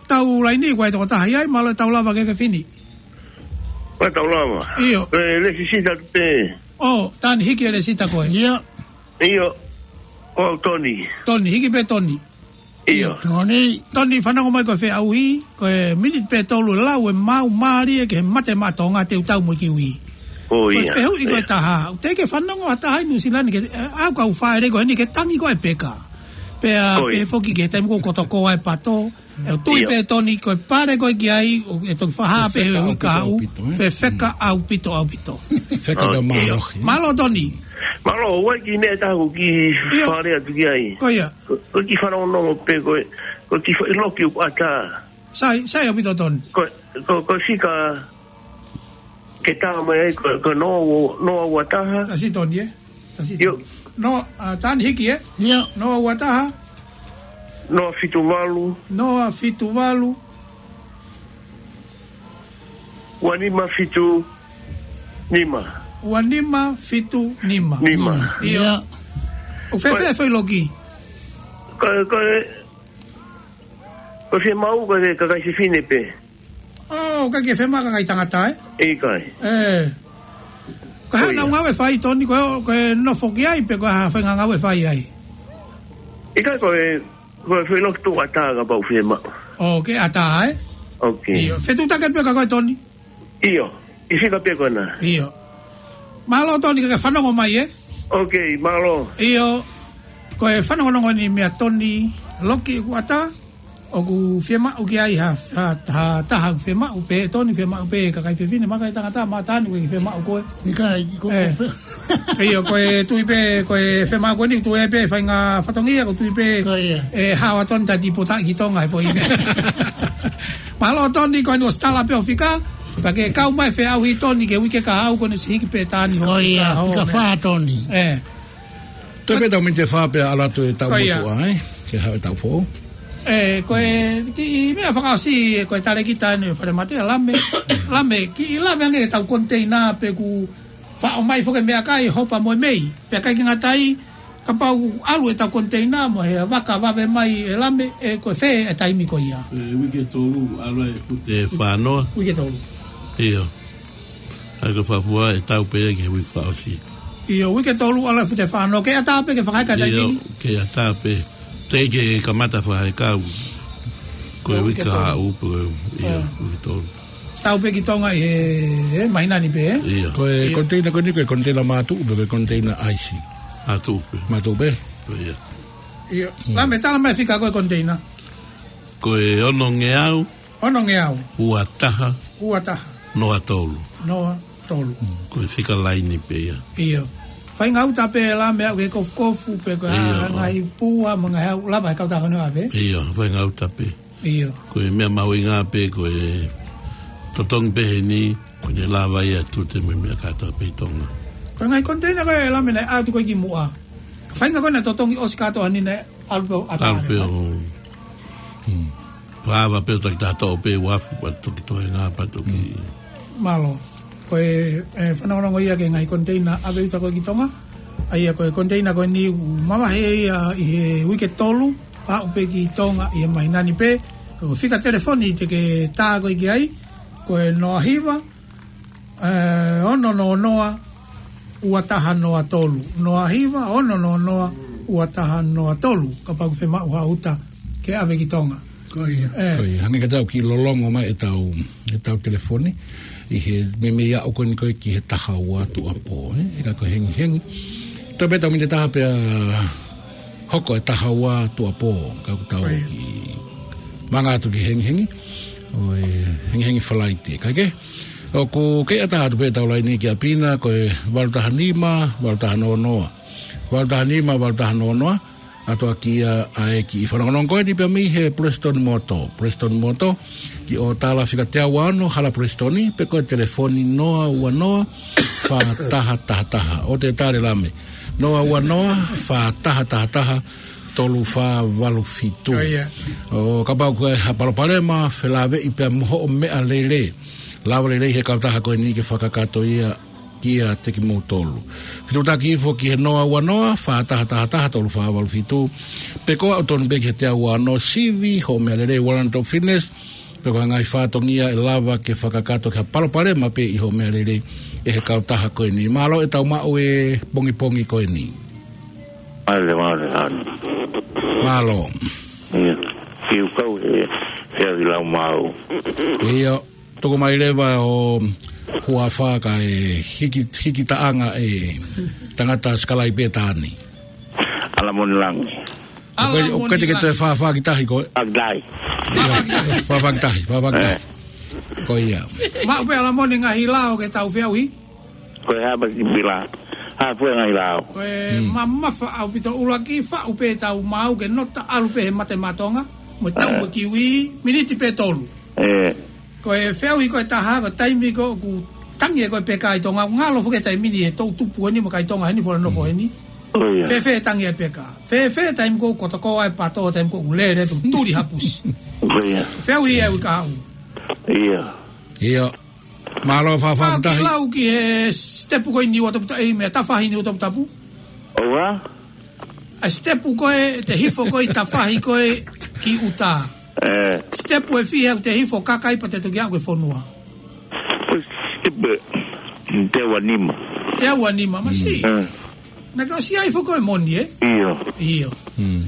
Tau laini ko e tokotaha ʻi ai, mālō e tau lava ke fefine. Ko e tau lava. ʻIo. ʻE, Lesisita pē. ʻO, tani hiki e Lesisita ko ē. ʻIo. ʻIo. Ko Toni. Toni, hiki pē Toni. ʻIo. Toni. Toni, fanongo mai ko e feʻauhi, ko e miniti pē tolu lau ʻe mau mālie ke he mate maʻa Tonga te u tau mo e kiwi. Ko ia. Ko e fehuʻi ko e taha, ʻoku teʻeki ke fanongo ha taha ʻi Nuʻusila ni ke, ʻe, ʻoku ou fāʻele ko eni ke tangi ko e peka. Pea, pea foki ke taimi ko ē ʻoku toko ai e pato. ʻE, ʻoku tui pē Toni ko e pale ko ē ki ai, ʻoku toki fakahā pē he uike kahaʻu, fefeka ʻaupito, ʻaupito. Feka pē mālohi. Mālō Toni. Mālō, ʻoku ʻi ai e kiʻi meʻa ʻe taha ʻoku ou kiʻi fāʻele atu ki ai. Ko ia. Ko, ko e kiʻi fanongonongo pē ko e, ko e kiʻi foʻi loki ʻoku ʻatā. Sai, sai ʻaupito Toni. Ko, ko, ko e fika ke tā mai ai, ko, ko e noa, noa ua taha. Tasi Toni, ē? Tasi Toni. ʻIo. Noa, ʻa, tani hiki, ē? ʻIo. Noa ua taha. Noa fitu valu. Noa fitu valu. Ua nima fitu nima. Ua nima fitu nima. Nima. ʻIo. ʻIo. ʻOku fēfē e foʻi loki? Ko, ko, ko e fiemaʻu ko e kakai fefine pē. ʻO, ʻikai ke fiemaʻu kakai tangata, ē? ʻIkai. ʻE. Ko e hā ʻenau ngāue ʻe fai Toni, ko e, ko e nofo ki ai pe ko e hā e faʻahinga ngāue ʻe fai ai? ʻIkai, ko e, ko e foʻi loki ʻoku ʻatā kapau ʻoku fiemaʻu. ʻO, ke ʻatā, ē? ʻOkei. ʻIo. Fetuʻutaki pē ka ko e Toni? ʻIo. ʻI he fika pē ko ena. ʻIo. Mālō Toni ka ke fanongo mai, ē? ʻOkei, mālō. ʻIo. Ko e fanongonongo eni meia Toni, loki ʻoku ʻatā, ʻoku fiemaʻu ki ai ha, ha, ha taha ʻoku fiemaʻu pē, Toni fiemaʻu pē, kakai fefine, mo e kakai tangata, mo Tani ʻoku fiemaʻu koe. ʻIkai, ko, ʻE. ko, ʻIo, ko e tui pē, ko e fiemaʻu ko eni, tui ai pē, faʻahinga fatongia, ko e tui pē, Ko ia. ʻe, hao ʻa Toni ta tipotaʻi ki Tonga he foʻi meʻa. Mālō Toni, ko eni ʻosi tala pē ʻo fika, pea ke kau mai feʻauhi Toni, ke uike kahaʻu ko eni ʻosi hiki pē Tani ho Ko ia, fika ho fika meʻa. fā Toni. ʻE. Toe pē tau miniti ʻe fā pea ʻalu atu e tau Ko ia. motuʻa, ē? Ke haʻu e tau foʻou. ʻE, ko e, kiʻi meʻa fakaʻosi, ko e talēkita eni, falemate, Lame. Lame, kiʻi Lame ange ke tau konteina pe ʻoku faʻo mai foki e meʻakai, hopa mo e mei. Pea ʻikai ke ngata ai, kapau ʻalu e tau konteina mo e vaka vave mai e Lame, ʻe ko e fē e taimi ko ia? ʻE, uike tolu, ʻalu e fute fā noa. Uike tolu. ʻIo. ʻA ia ko e fafua ʻe tau pē ia ki he uike fakaʻosi. ʻIo, uike tolu ʻalu e fute fā noa. Ke ʻatā pē ke fakaheka e taimi ni? ʻIo, ke ʻatā pē. Teʻeki ke kamata fakaheka au. Ko e Ko e uike uike tolu. kahaʻu pē, ʻio, ʻIo. uike tolu. Tau pē ki Tonga ʻi he, he māhina ni pē, ē? ʻIo. Ko e ʻIo. konteina ko eni, ko e konteina mātuʻu pē, ko e konteina ʻaisi? Mātuʻu pē. Mātuʻu pē? ʻIo. ʻIo. Mm. Lame, tala mai e fika ko e konteina. Ko e onongeau. Onongeau. Ua taha. Ua taha. Noa tolu. Noa tolu. Mm. Ko e fika laini pē ia. ʻIo. Faʻahinga uta pē Lame ʻaʻau ke kofukofu pe ko e ʻIo. ngaahi pua mo e ngaahi ʻaʻau lava he kautaha ko eni ʻo ʻave. ʻIo, faʻahinga uta pē. ʻIo. Ko e meʻa mahuʻinga pē ko e totongi pē heni, ko ʻene lava ia e tute mo e meʻa kātoa pē ʻi Tonga. Ko e ngaahi konteina ko ē Lame naʻe ʻatu ko ē kimuʻa. Faʻahinga ko ē naʻe totongi ʻosi kātoa ni naʻe ʻalu pē ʻo ʻatā ʻAlu pē ʻo Hmm. Fāva pē ʻo taki taha toʻo pē uafu, pea toki toenga, pea toki. Mm. Mālō. Ko e, e, fanongonongo ia ki he ngaahi koniteina ʻave uta ko ē ki Tonga. ʻA ia ko e koniteina ko eni ʻoku mavahe ia ʻi he uike tolu, pea aʻu pē ki Tonga ʻi he māhina ni pē. Ko e fika telefoni te ke tā ko ē ki ai, ko e noa hiva, e, ono noa noa, ua taha noa tolu. Noa hiva, ono noa noa, ua taha noa tolu. Kapau ʻoku fiemaʻu ha uta ke ʻave ki Tonga. Ko ia. E. Ko ia, hangē ka tau kiʻi lolongo mai ʻetau, ʻetau telefoni. ʻI he meimei aʻu ko eni ko ē ki he taha ua tuʻuapō, e. ʻE ka ko e hengihengi. Tau pē tau miniti ʻe taha pea hoko e taha ua tuʻuapō. Ka ʻoku tau Ko ia. kiʻi manga atu ki he hengihengi. ʻO e hengihengi Falaite. Kae kehe, ʻoku kei ʻatā atu pē ʻetau laine ki ʻapi na, ko e valu taha nima, valu taha noa noa. Valu taha nima, valu taha noa noa. ʻAtoa ki ai ʻa e kiʻi fanongonongo ko eni pea mei he Prestone Motor. Prestone Motor, ki ʻOtala fika teau ua ono, Hala Prestone, pe ko e telefoni noa ua noa, fā taha taha taha. ʻOua te tale lame. Noa ua noa, fā taha taha taha, tolu fā valu fitu. Ko ia. ʻO kapau ko e ha palopalema, felāveʻi pea mo hoʻo meʻalele. Lava lelei he kautaha ko eni ke fakakakato ia kiate kimoutolu. Fetuʻutaki hifo ki he noa ua noa, fā taha taha taha, tolu fā valu fitu. Pe ko e ʻalu tonu pē ki he teau ua ono, sivi hoʻo meʻalele, Warrant of Fitness, pe ko e ngaahi fatongia ʻe lava ke fakakakato ki ha palopalema pē ʻi hoʻo meʻalele ʻe he kautaha ko eni. Mālō ʻetau maʻu e pongipongi ko eni. Mālō, mālō, mālō. Mālō. Ia. Kiʻi kau he, he ahi lau mau. Ia. Toko mai leva ʻo huafa kae hiki, hiki taʻanga e tangata sikalaipe tā ni. ʻAlamoni Langi. ʻOku ke, ʻoku ke ʻAlamoni teke te Langi. Fāfā ki tahi ko e. Fāfā ki tahi. Fāfā ki tahi, fāfā ki tahi, fāfā ki tahi. Eh. Ko ia. Maʻu pē ʻAlamoni ngaahi lao ke tau feʻauhi. Ko e hā pē ki pila. Hā pē ngaahi lao. Ko e Hmm. mamafa ʻaupito ʻuluaki, faʻu pē tau mau ke nota ʻalu pē he mate matonga. Mo tau Eh. mo kiwi, miniti pē tolu. Eh. Ko e feʻauhi ko ē ʻe taha, ko e taimi ko ē ʻoku tangi ai ko ē peka ʻi Tonga, ngalo foki e taimi ni he toʻu tupu eni mo e kakai Tonga heni, fola nofo heni. Oh, ia. Fēfē tangi ai peka. Fēfē taimi ko ē ʻoku tokua e pato, taimi ko ē ʻoku lele, tu-, tuli hapusi. Oh, ia. Feʻauhi e uike kahaʻu. Ia. Ia. Mālō fāfā ki tahi. Kiʻi lau ki he sitepu ko eni ʻi ʻUataputapu, ʻi he meʻa tafahi ni ʻUataputapu. ʻOua? ʻA e sitepu ko ē, te hifo ko ē ʻi tafahi ko ē ki ʻuta. Eh. Sitepu ʻe fiha ʻoku te hifo kaka ai pea te toki aʻu ki he fonua. Ko e sitepu ʻe teau ua nima. Teau ua nima, masi. Eh. Naʻa ke ʻosi ʻai foki ko e moni, e? ʻIo. ʻIo. Hmm.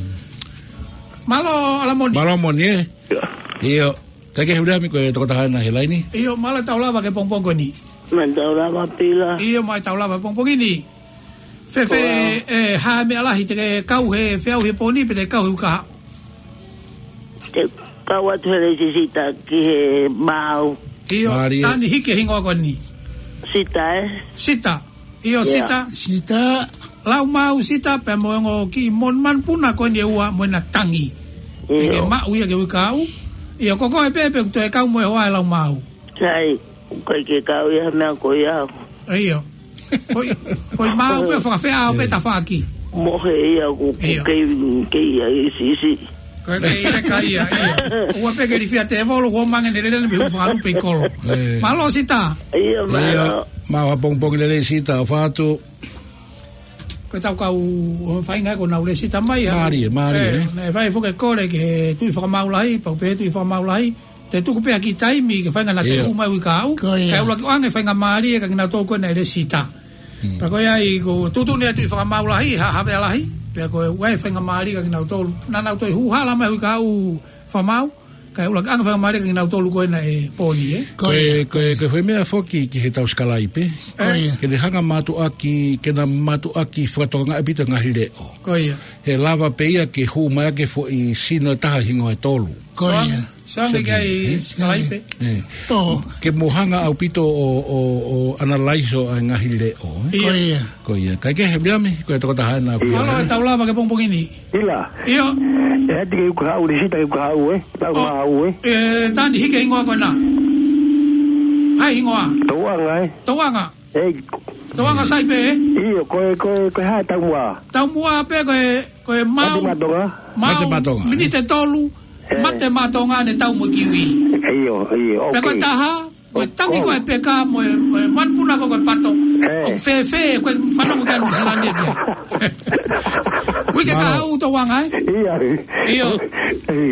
Mālō, ʻAlamoni. Mālō moni, e? ʻIo. ʻIo. Kae kehe, Viliami, ko e tokotaha ena he laini. ʻIo, mālō e tau lava ki he pongipongi ko eni. Mālō e tau lava, Pila. ʻIo, mālō e tau lava pongipongi ni. Fēfē, Ko e, hā e meʻa lahi te ke kau he feʻauhi he pō ni pe te kau he uike kahaʻu? Te kau atu he lēsisita ki he mau. ʻIo, Mālie. Tani hiki e hingoa ko eni. Sita, e? Sita. ʻIo, Ia. Sita. Sita. Lau mau Sita, pea mo e ongo kiʻi mon-, manupuna ko eni ʻe ua mo ʻena tangi. ʻIo. Te ke maʻu ia ki he uike kahaʻu. ʻIo, ko koe pē pē ʻoku toe kau mo e hoa e lau mau. Sai, ʻoku ʻikai ke kau ia he meʻa ko ia. ʻIo. Foʻi, foʻi mau pē fakafeʻao pē tafaʻaki. Mohe ia ʻoku, ʻoku ʻIo. kei, kei ai sisi. Ko e kei leka ia, ʻio. ʻOua pē ke lifia tēvolo, ʻoua mange ne lele ne mehu fakalupe ʻi kolo. Ē. Mālō Sita. ʻIo, ʻIo. Mālō. Mālō ha pongipongi lelei Sita, ʻofa atu. Ko e tau kau ʻo feinga ko ʻenau lēsisita mai, ha. Mālie, mālie, Ē, ē. Naʻe fai foki e kole ki he Tuʻi Fakamaau Lahi, pau pē he Tuʻi Fakamaau Lahi. Te tuku pē ha kiʻi taimi ke feinga naʻa te ʻIo. hū mai uike kahaʻu. Ko ia. Kae ʻuluaki ʻoange faingamālie kia kinautolu ko ē naʻe lēsisita. Hmm. Pea ko ia ai ko e tuʻutuʻuni ʻa e Tuʻi Fakamaau Lahi, ha, Havea Lahi. Pea ko e ʻoange faingamālie kia kinautolu. Naʻa nau toe hū hala mai uike kahaʻu Fakamaau. Kae ʻuluaki ʻoange faingamālie kia kinautolu ko ē naʻe pō ni, e? Ko e, ko e, ko e foʻi meʻa foki ki he tau sikalaipe. Ko ia. Ke ne hanga mātuʻaki, ke na mātuʻaki fakatokangaʻi ʻaupito e ngaahi leʻo. Ko ia. He lava pē ia ke hū mai ʻaki e foʻi sino ʻe taha hingoa ʻe tolu. Ko ia. Soange, soange ki ai, ē? Sikalaipe. Ē. Tō. Ke mo hanga ʻaupito ʻo, ʻo, ʻo analaiso ʻa e ngaahi leʻo, ē? ʻIo. Ko ia. Ko ia. Kae kehe, Viliami, ko e tokotaha ena ʻoku Mālō e tau lava ki he pongipongi ni. Pila. ʻIo. ʻE ati ke uike kahaʻu, lēsisita ke uike kahaʻu, e? Tau Oh. mau, e? ʻE, Tani hiki e hingoa ko ena. Hai hingoa. Touʻanga, e? Touʻanga. Ei. Touʻanga sai pē, e? ʻIo, ko e, ko e, ko e hā e taumuʻa? Taumuʻa pē ko e, ko e mau. Mate matonga. Mau. Mate matonga, e? Miniti ʻe tolu. Mate maʻa Tonga ne tau mo e kiwi. ʻIo, ʻio, pea ko e ʻoku taha, ko e tangi ko e peka mo e, mo e manupuna ko e pato. ʻOku fēfē, ko e fanongo ki ai Nuʻu Sila ni pē. Uike kahaʻu Tonga, ē? ʻIo.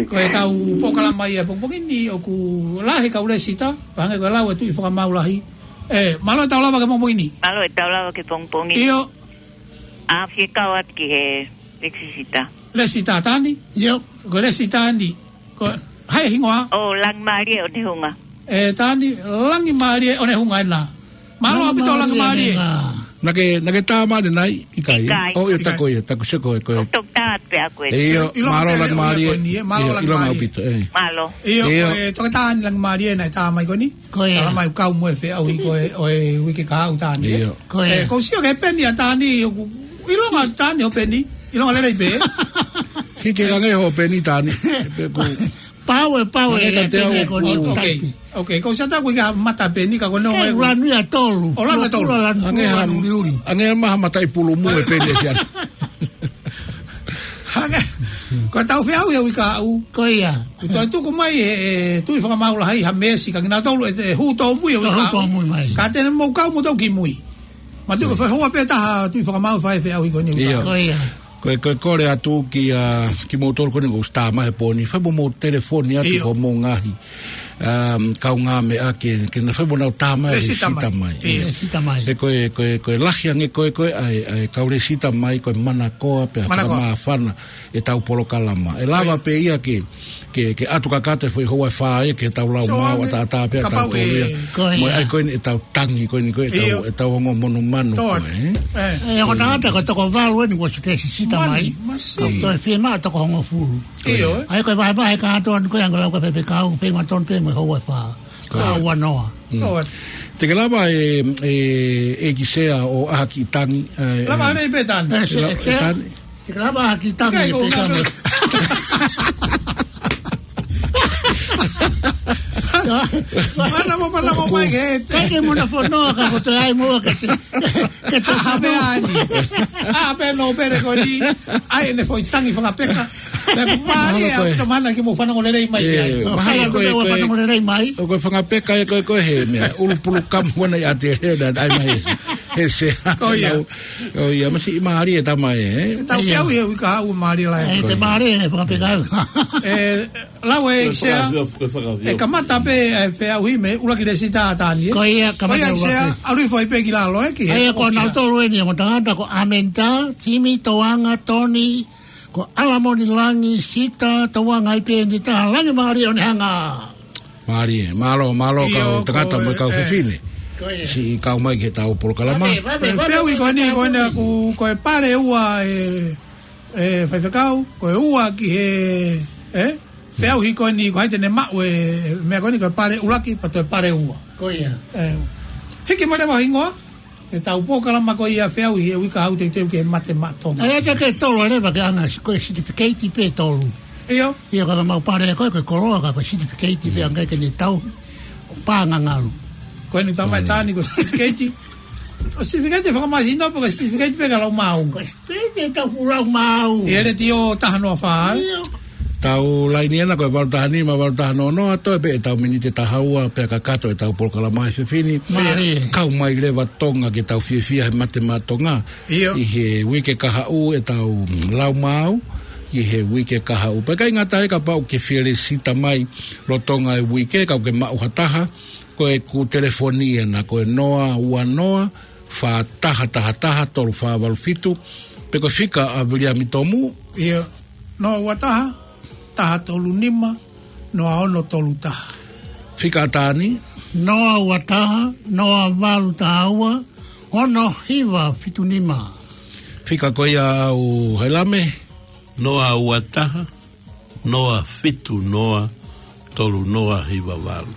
Ko e tau polokalama ia pongipongi ni ʻoku lahi kau lēsita, pea hangē ko e lau e Tuʻi Fakamau Lahi. Ē, mālō e tau lava ki he pongipongi ni. Mālō e tau lava ki he pongipongi ni. ʻIo. ʻA, fie kau atu ki he lēsita. Lēsita Tani? ʻIo. Ko e lēsita ni. Ko hai hingoa? ʻO Langimālie ʻOnehunga. Ē, Tani, Langimālie ʻOnehunga ena. Mālō ʻaupito Langimālie. Langimālie ʻOnehunga. Naʻa ke, naʻa ke tā mai ʻanenai, ʻikai? ʻIkai. ʻO, ʻio, ʻikai. Taku ia, taku sio ko e, ko e. ʻOku tau tā atu pē ʻa koe. ʻIo, mālō Langimālie. ʻIo, mālō Langimālie. ʻIo, ʻio, ʻio, ʻaupito, ē. Mālō. ʻIo, ʻio. Ko e toketā ni Langimālie naʻe tā mai ko eni. Ko ia. Tala mai kau mo e feʻauhi ko e, ʻo e uike kahaʻu Tani, ē? ʻIo. Ko ia. Ē, kou sio ki he peni ʻa Tani, ʻoku ʻilonga Tani hoʻo peni, ʻilonga lelei pē. Ki ke lange hoʻo peni Tani. Pea ko e pau ē, pau ē, peni ē, ko e ʻoku. ʻOku, ʻoku, kou sio atu ʻoku ʻikai ha mata peni ka ko e nonga ʻoku lanu ia tolu. ʻO lanu ia tolu. Lanu ia tolu. Ange ha, ange ha maha mata ʻi pulu mu e peni ʻe sia. Hangē, ko e tau feʻauhi e uike kahaʻu. Ko ia. Kuo toe tuku mai ʻe, ʻe Tuʻi Fakamau Lahi ha meesi kia kinautolu ʻe, ʻe hū tōmui e uike kahaʻu. Hū tōmui mai. Ka te ne mou kau mo tau ki mui. Mātuʻaki ko e fai hoa pē taha Tuʻi Fakamau fai feʻauhi ko eni uike kahaʻu. Ko ia. Ko e, ko e kole atu kia, kimoutolu ko eni ʻoku tā mai he pō ni. Fai mo mou telefoni atu ko mou ngaahi um, kaungāmeʻa ke, ke na fai mo nau tā mai lēsita mai. Lēsita mai. ʻIo. Lēsita mai. He ko e, ko e, ko e lahi ange ko e, ko e, ʻa e, ʻa e kau lēsita mai, ko e manakoa pea fakamāfana e tau polokalama. ʻE lava pē ia ke, ke, ke ʻatu kakato e foʻi houa ʻe fā ia ke tau lau maʻu ʻataʻatā pē ʻa tautolu ia. Ko ia. Mo e ʻai ko eni e tau tangi ko eni ko e tau, e tau ongo monumanu ko e. ʻE, ʻe, ko e tangata ko e toko valu eni kuo lēsita mai. Mani, masi. Ka toe fiemaʻu toko hongofulu. ʻIo, ē? ʻA ia ko e vahevahe kātoa ni ko e anga lau ka pepe kau, pe ngā tonu pē mo e houa ʻe fā. Ko ia. Ka ua noa. Mm. Ko ia. Te ke lava ʻe, ʻe, ʻEiki Sea ʻo ʻaha ki tangi, ē, lava ē, nei pē Tani. Ē, se, lava, ē, Sea. Tani. Te ke lava ʻaha ki tangi ʻikai ʻe ko pē kau. Mana mo, mana mo mai ke te. Kai ke muna fonoa ka ko te ai mo ke te. Ke te ʻaha pē ai. ʻAha pē nō pele ko ni. ʻAi ʻene foʻi tangi fakapeka. Pea mālie ʻaupito mana ke mou fanongo lelei mai ai. Mahalo ko e, ko e, fanongo lelei mai. Ko e fanga peka ē ko e, ko e he meʻa. ʻUlu pulu kamu wana i ate he na ai mai he, he Sea. Ko ia. ʻO ia, masiʻi mālie tama ē. Tau feʻauhi e uike kahaʻu mālie lahi. ʻE, te mālie e fanga peka. ʻE, lau ʻe Sea. Ko e fanga, ko e fanga. ʻE kamata pē e feʻauhi mei he ʻuluaki lēsita ʻa Tani, ē? Ko ia, kamata ʻuluaki. Ko ia Sea, ʻalu hifo ai pē ki lalo, ē, ki he ʻoku ʻi ai kinautolu eni, mo tangata ko Amenta, Timi, Toanga, Toni, ko ʻAlamoni Langi, Sita, Toanga ai pē eni taha, Langimālie ʻOnehunga. Mālie, mālō, mālō kau tangata mo e kau fefine. Ko ia. Siʻi kau mai ki he tau polokalama. Vave, vave, vave, feʻauhi ko eni, ko eni ʻoku, ko e pale ua ē, ē, faifekau, ko e ua ki he, ē? Feʻauhi ko eni, ko hai te ne maʻu e meʻa ko eni, ko e pale ʻuluaki, pea toe pale ua. Ko ia. Ē, hiki mai leva hingoa, e tau polokalama ko ia feʻauhi e uike kahaʻu teuteu ke mate maʻa Tonga. ʻE, ʻe te ke tolu leva ke anga, ko e certificate pē tolu. ʻIo. ʻIo, ka ka mau pale ko e, ko e koloa ka ko e certificate pē anga ke ne tau pānga ngalu. Ko eni tama e Tani ko e certificate. Ko e certificate fakamāsino pe ko e certificate pē ka lau maʻu. Ko e certificate tau fulau maʻu. ʻI he letiō taha noa fā. ʻIo. Tau laini ena ko e valu taha nima, valu taha noa noa, toe pē ʻetau miniti ʻe taha ua, pea kakato ʻetau polokalama ʻa e fefine. Mālie. Kau mai leva Tonga ke tau fiefia he mate maʻa Tonga. ʻIo. ʻI he uike kahaʻu ʻetau lau maʻu, ʻi he uike kahaʻu. Pea ʻikai ngata ai kapau ʻoku ke fie lēsita mai lolotonga e uike, kapau ʻoku ke maʻu ha taha, ko ʻeku telefoni ena ko e noa ua noa, fā taha taha taha, tolu fā valu fitu, pe ko e fika ʻa Viliami Tomu. ʻIo, noa ua taha, taha tolu nima, noa ono tolu taha. Fika ʻa Tani. Noa ua taha, noa valu taha ua, ono hiva fitu nima. Fika ko ia ʻa Hailame. Noa ua taha, noa fitu noa, tolu noa hiva valu.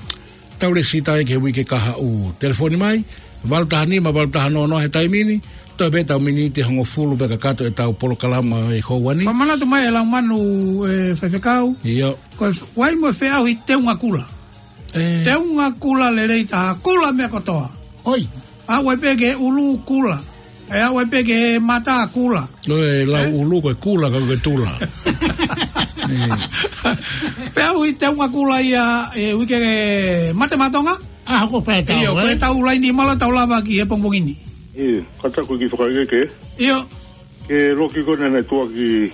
Tau lēsita ai ki he uike kahaʻu. Telefoni mai, valu taha nima, valu taha noa noa he taimi ni, toe pē ʻetau miniti ʻe hongofulu pea kakato ʻetau polokalama ʻi he houa ni. Fakamanatu mai e lau manu, ē, faifekau. ʻIo. Ko e f-, ʻoku ʻi ai mo e feʻauhi teunga kula. Ē. Teunga kula lelei taha, kula meʻa kotoa. ʻOi. ʻAve pē ki he ʻulu kula. ʻE ʻave pē ki he mata kula. ʻOi, lau ʻulu ko e kula ka ko e tula. Feʻauhi Teunga Kula ia ʻi he uike Mate Maʻa Tonga. ʻA, ko e pē tau, ʻIo, ko e ē? tau laini mālō tau lava ki he pongipongi ni. ʻIo, ka taku ki fakaʻeke. ʻIo. Ke loki ko ena ne tuaki.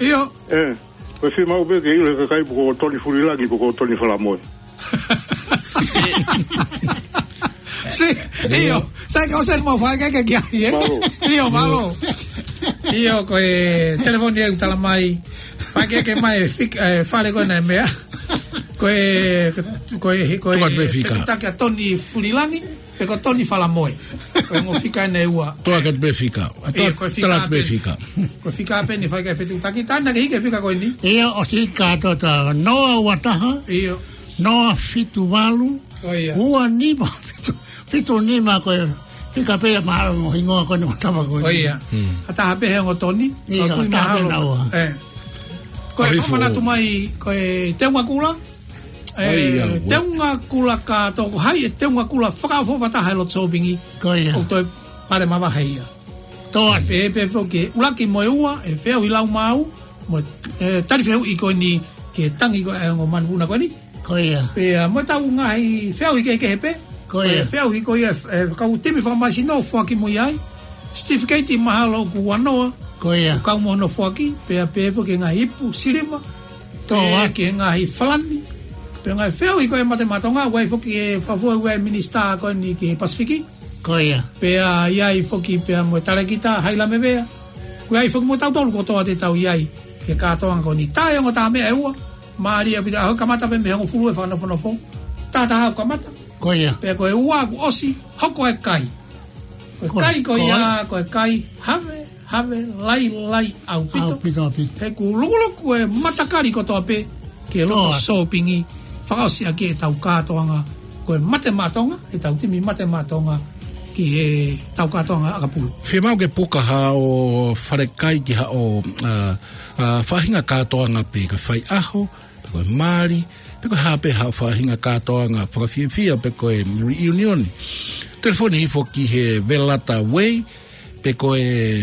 ʻIo. ʻE, ko e fiemaʻu pē ke ʻilo he kakai pe ko Toni Fulilangi pe ko Toni Falamoe. Si, ʻio. Sai ka ʻosi eni mau fakaʻeke ki ai, ē? Mālō. ʻIo, mālō. ʻIo, ko e telefoni ʻoku tala mai. Fakaʻeke mai, fik-, ʻe, fale ko ena e meʻa. Ko e, ko e, ko e, Tuku atu pē fika. Fetuʻutaki ʻa Toni Fulilangi, pe ko Toni Falamoe. Ko e ongo fika ena ʻe ua. Tuku atu pē fika. ʻIo, ko e fika Tala atu pē pē. fika. Ko e fika pē ʻeni fai ki he fetuʻutaki. Tana ke hiki e fika ko eni. ʻIo, ʻosi ka tota noa ua taha. ʻIo. Noa fitu valu. ʻIo. Ua nima fitu, fitu nima ko e fika pē ia mahalo mo hingoa ko eni ʻo tama ko eni. ʻIo. Hmm. ʻA taha pē he ongo Toni. ʻIo, Ka tui ʻa taha pē mahalo. naua. ʻE. Ko e Arifo. fakamanatu mai, ko e Teunga Kula. ʻE, ʻAi, ia, ua. Teunga Kula ka toko hai e Teunga Kula fakaʻofoʻofa taha he lotu sōpingi. Ko ia. ʻOku toe pale mavahe ia. Toa. Pehē pē foki ʻuluaki mo e ua, ʻe feʻauhi lau maau, mo e, ʻe, tali fehuʻi ko eni ki he tangi ko e ongo manupuna ko eni. Ko ia. Pea mo e tau ngaahi feʻauhi kehekehe pē. Ko ia. Ko e feʻauhi ko ia, ʻe, kau timi fakamāsino foaki mo ia ai. Certificate mahalo ʻoku ua noa. Ko ia. ʻOku kau mo hono foaki, pea pehē foki ngaahi ipu, siliva. Toa. Pea ki he ngaahi falani. Pea ngaahi feʻauhi ko e Mate Maʻa Tonga, ʻoku ʻi ai foki e fafua ʻa e minisitā ko eni ki he Pasifiki. Ko ia. Pea ʻi ai foki pea mo e talēkita, Haila Mevea. ʻOku ʻi ai foki mo tautolu kotoa te tau ʻi ai. Ki he kātoanga ko eni. Tae ongo tā meʻa ʻe ua. Mālie ʻaupito ʻa e kamata pē mei he hongofulu e fakanofonofo. Taha taha ʻoku kamata. Ko ia. Pea ko e ua ʻoku ʻosi, hoko e kai. Ko e Ko, kai ko ko ia, e. ko e kai, have, have, lailai ʻaupito. ʻAupito, ʻaupito. He ʻoku lukuluku e matakali kotoa pē, ki he lotu Toa. sōpingi, fakaʻosi ʻaki e tau kātoanga, ko e Mate Maʻa Tonga, e tau timi Mate Maʻa Tonga, ki he tau kātoanga ʻakapulu. Fiemaʻu ke puka haʻo falekai ki haʻo, ʻa, ʻa, faʻahinga kātoanga pē, ko e faiʻaho, pe ko e mali, pe ko e hā pē haʻo faʻahinga kātoanga fakafiefia, pe ko e reunion. Telefoni hifo ki he Velata Way, pe ko e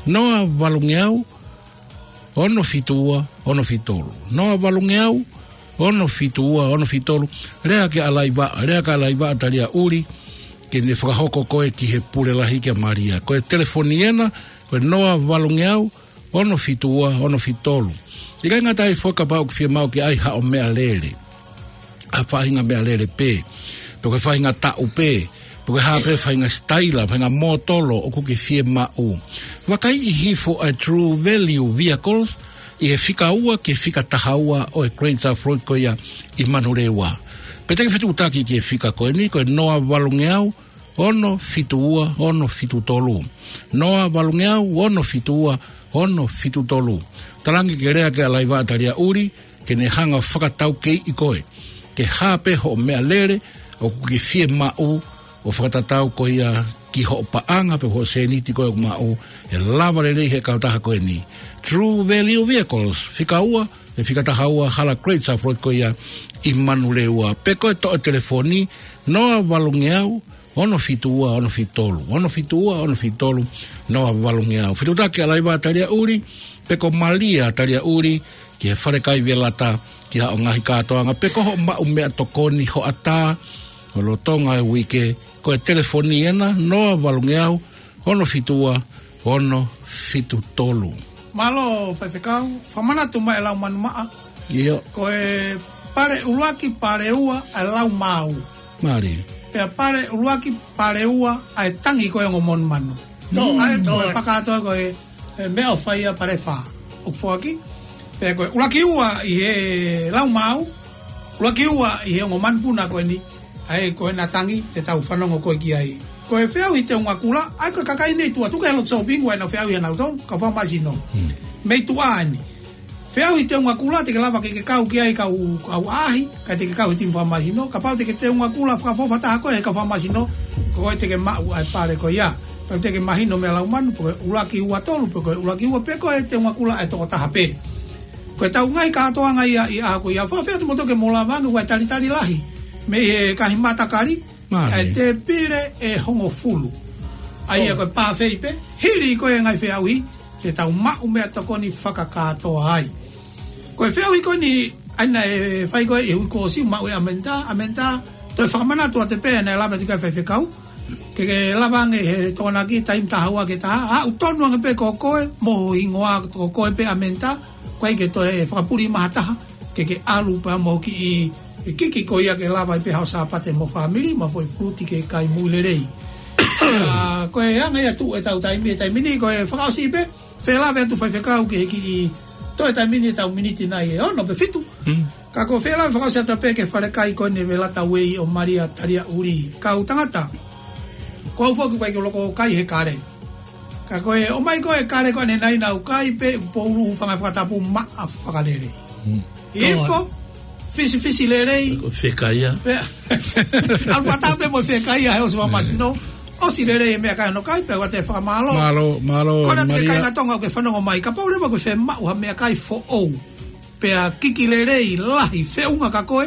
noa valungeau, ono fitu ua, ono fitu tolu. Noa valungeau, ono fitu ua, ono fitu tolu. Lea ki ʻAlaivaʻa, lea ki ʻAlaivaʻa Talia ʻUli, ke ne fakahoko koe ki he pule lahi kia Malia. Ko e telefoni ena, ko e noa valungeau, ono fitu ua, ono fitu tolu. ʻIkai ngata ai foki kapau ʻoku fiemaʻu ke ʻai haʻo meʻalele. ʻA e faʻahinga meʻalele pē. Pe ko e faʻahinga taʻu pē. Pe ko e hā pē faʻahinga sitaila, faʻahinga mōtolo ʻoku ke fiemaʻu. Vakaiʻi hifo ʻa e True Value Vehicles, ʻi he fika ua ki he fika taha ua ʻo e Great South Road ko ia ʻi Manurewa. Pe te ke fetuʻutaki ki he fika ko eni, ko e noa valungeau, ono fitu ua, ono fitu tolu. Noa valungeau, ono fitu ua, ono fitu tolu. Talaange ke lea ki ʻAlaivaʻa Talia ʻUli, ke ne hanga fakataukeiʻi koe. Ke hā pē hoʻo meʻalele, ʻoku ke fiemaʻu, ʻo fakatatau ko ia ki hoʻo paʻanga pe hoʻo sēniti ko ē ʻoku maʻu, ʻe lava lelei he kautaha ko eni. True Value Vehicles, fika ua, ʻe fika taha ua, hala Great South Road ko ia ʻi Manurewa. Pe ko e toʻo telefoni, noa valungeau, ono fitu ua, ono fitu tolu. Ono fitu ua, ono fitu tolu, noa valungeau. Fetuʻutaki ʻAlaivaʻa Talia ʻUli, pe ko Malia Talia ʻUli, ki he falekai Velata, ki haʻo ngaahi kātoanga, pe ko hoʻo maʻu meʻatokoni hoʻatā, ʻo lolotonga e uike, ko e telefoni ena, noa valungeau, ono fitu ua, ono fitu tolu. Mālō, Faifekau, fakamanatu mai e lau manumaʻa. ʻIo. Ko e pale ʻuluaki, pale ua, ʻa e lau maau. Mālie. Pea pale ʻuluaki, pale ua, ʻa e tangi ko ē ongo monumanu. Tō, ʻA e tō. ko e fakatoa ko e, e meʻa ʻoku fai ʻa pale fā. ʻOku foaki. Pea ko e ʻuluaki ua ʻi he lau maau. ʻUluaki ua ʻi he ongo manupuna ko eni, ʻa ē ko ena tangi, te tau fanongo ko ē ki ai. Ko e feʻauhi Teunga Kula, ʻa ē ko e kakai nei tuʻa tuku he lotu sōpingi ʻoku ʻi ai ʻenau feʻauhi ʻanautolu, kau fakamāsino. Hmm. Mei tuʻa eni. Feʻauhi Teunga Kula, te ke lava ke ke kau ki ai kau, kau ʻaʻahi, kae te ke kau he timi fakamāsino, kapau te ke Teunga Kula fakaʻofoʻofa taha koe he kau fakamāsino, ko koe te ke maʻu ʻa e pale ko ia. Pea te ke mahino mei he lau manu, pe ko e ʻuluaki ua tolu, pe ko e ʻuluaki ua pe ko e Teunga Kula ʻe toko taha pē. Ko e tau ngaahi kātoanga ia ʻi he ʻaho ko ia. Fakafeʻao kimoutolu ke mou lava ange, ʻoku ʻi ai e talitali lahi mei he ngaahi matakali, Mālie. ʻa e tēpile ʻe hongofulu. ʻA ia ʻOu. ko e pāfei pē, hili ko ē ngaahi feʻauhi, te tau maʻu meʻatokoni fakakātoa ai. Ko e feʻauhi ko eni, ʻa ia naʻe fai ko ē ʻi he uike kuo ʻosi, maʻu ʻe ʻAmenitā, ʻAmenitā, toe fakamanatu atu pē naʻe lave atu ki ai e faifekau. Ke ke lava ange he Tokonaki taimi taha ua ki he taha, aʻu tonu ange pē ko koe, mo ho hingoa ko koe pē ʻAmenitā, ʻikai ke toe fakapuli mai ha taha, ke ke ʻalu pea mo kiʻi kiki ko ia ke lava ai pē haʻo Sāpate mo fāmili, mo e foʻi fuluti ke kai mo e lelei. ʻA, ko e anga ia ʻetau taimi, e taimi ni, ko e fakaʻosi pē, felave atu faifekau ki he kiʻi toe taimi ni ʻetau miniti nai ʻe ono pe fitu. Ka ko e felave fakaʻosi atu pē ki he falekai ko eni Velata Uei ʻo Malia Taliaʻuli. Kau tangata, ko au foki ʻoku ʻikai ke u loko kai he kale. Ka ko e ʻomai ko ē kale ko eni nai naʻa ku kai pē, poulu hūfanga he fakatapu maʻa fakalelei. ʻI hifo, fisifisi lelei. Ko e fekaia. Pea, ʻalu fakataha pē mo e fekaia he ʻosi famasino. ʻOsi lelei e meʻakai hono kai, pea ʻoatu e fakamālō. Mālō, mālō, Ko e lata ke Malia. Kāinga Tonga ʻoku ke fanongo mai. Kapau leva ʻoku ke fiemaʻu ha meʻakai foʻou. Pea kiki lelei lahi feʻunga kia koe.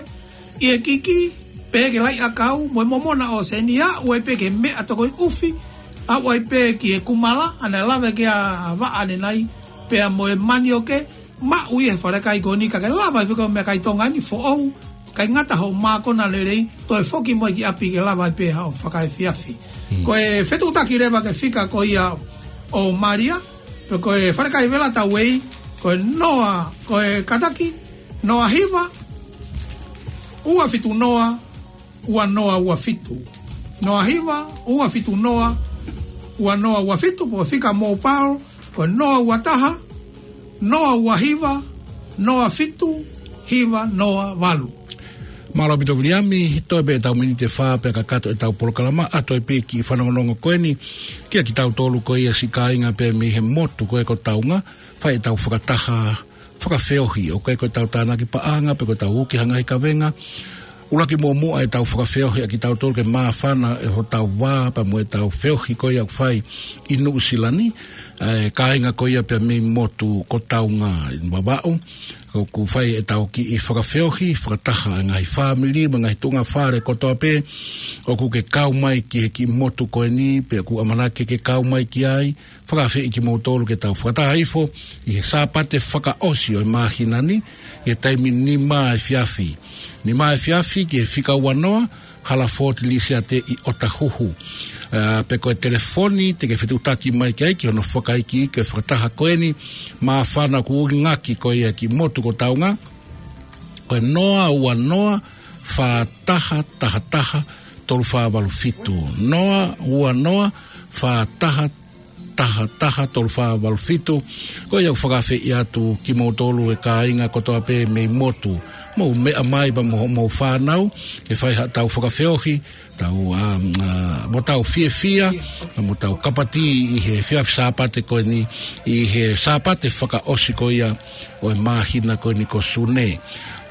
ʻI he kiki, pehē ki he laʻi ʻakau, mo e momona ʻo senia, ʻoku ʻi ai pē ki he meʻatokoni ʻufi, ʻoku ʻi ai pē ki he kumala, ʻa ia naʻe lave ki ai ʻa Vaʻa ʻanenai, pea mo e manioke, maʻu ʻi he falekai ko eni ka ke lava ʻo fekau meʻakai Tonga ni foʻou, ʻikai ngata hoʻo mākona lelei, toe foki mo ia ki ʻapi ke lava ai pē haʻo fakaefiafi. Ko e fetuʻutaki leva ki he fika ko ia ʻo Malia, pe ko e falekai Velata Uei, ko e noa, ko e kātaki, noa hiva, ua fitu noa, ua noa ua fitu. Noa hiva, ua fitu noa, ua noa ua fitu, pe ko e fika mobile, ko e noa ua taha, noa ua hiva, noa fitu, hiva noa valu. Mālō ʻaupito Viliami, toe pē ʻetau miniti ʻe fā pea kakato ʻetau polokalama, ʻa ia toe pē kiʻi fanongonongo ko eni, kia kitautolu ko ia siʻi kāinga pē mei he motu ko ē ko Taunga, fai ʻetau fakataha, fakafeohi, ʻoku ʻikai ko ʻetau tānaki paʻanga, pe ko ʻetau uki ha ngaahi kavenga. ʻUluaki muʻomuʻa ʻetau fakafeohi ʻa kitautolu ke māfana ʻe hotau vā, pea mo ʻetau feohi ko ia ʻoku fai ʻi Nuʻusila ni, ʻa e kāinga ko ia pē mei motu ko Taunga ʻi Vavaʻu. ʻOku fai ʻetau kiʻi fakafeohi, fakataha e ngaahi fāmili, mo e ngaahi tuʻunga fale kotoa pē, ʻoku ke kau mai ki he kiʻi motu ko eni, pe ʻoku ʻamanaki ke kau mai ki ai, fakaafeʻi kimoutolu ke tau fakataha hifo ʻi he Sāpate fakaʻosi ʻo e māhina ni, ʻi he taimi nima efiafi. Nima efiafi ki he fika ua noa, Hala Fort Lisiate ʻi ʻOtahuhu. ʻA, pe ko e telefoni, te ke fetuʻutaki mai ki ai ki hono fakaikiiki e fakataha ko eni, māfana ʻoku ngāueʻaki ko ia ki motu ko Taunga. Ko e noa ua noa, fā taha taha taha, tolu fā valu fitu. Noa ua noa, fā taha taha taha, tolu fā valu fitu. Ko ia ʻoku fakaafeʻi atu kimoutolu e kāinga kotoa pē mei motu. Mou meʻa mai pea mo hoʻomou fānau, ke fai haʻatau fakafeohi, tau, ʻa, ʻa, mo tau fiefia, mo tau kapatī ʻi he efiafi Sāpate ko eni, ʻi he Sāpate fakaʻosi ko ia ʻo e māhina ko eni ko Sune.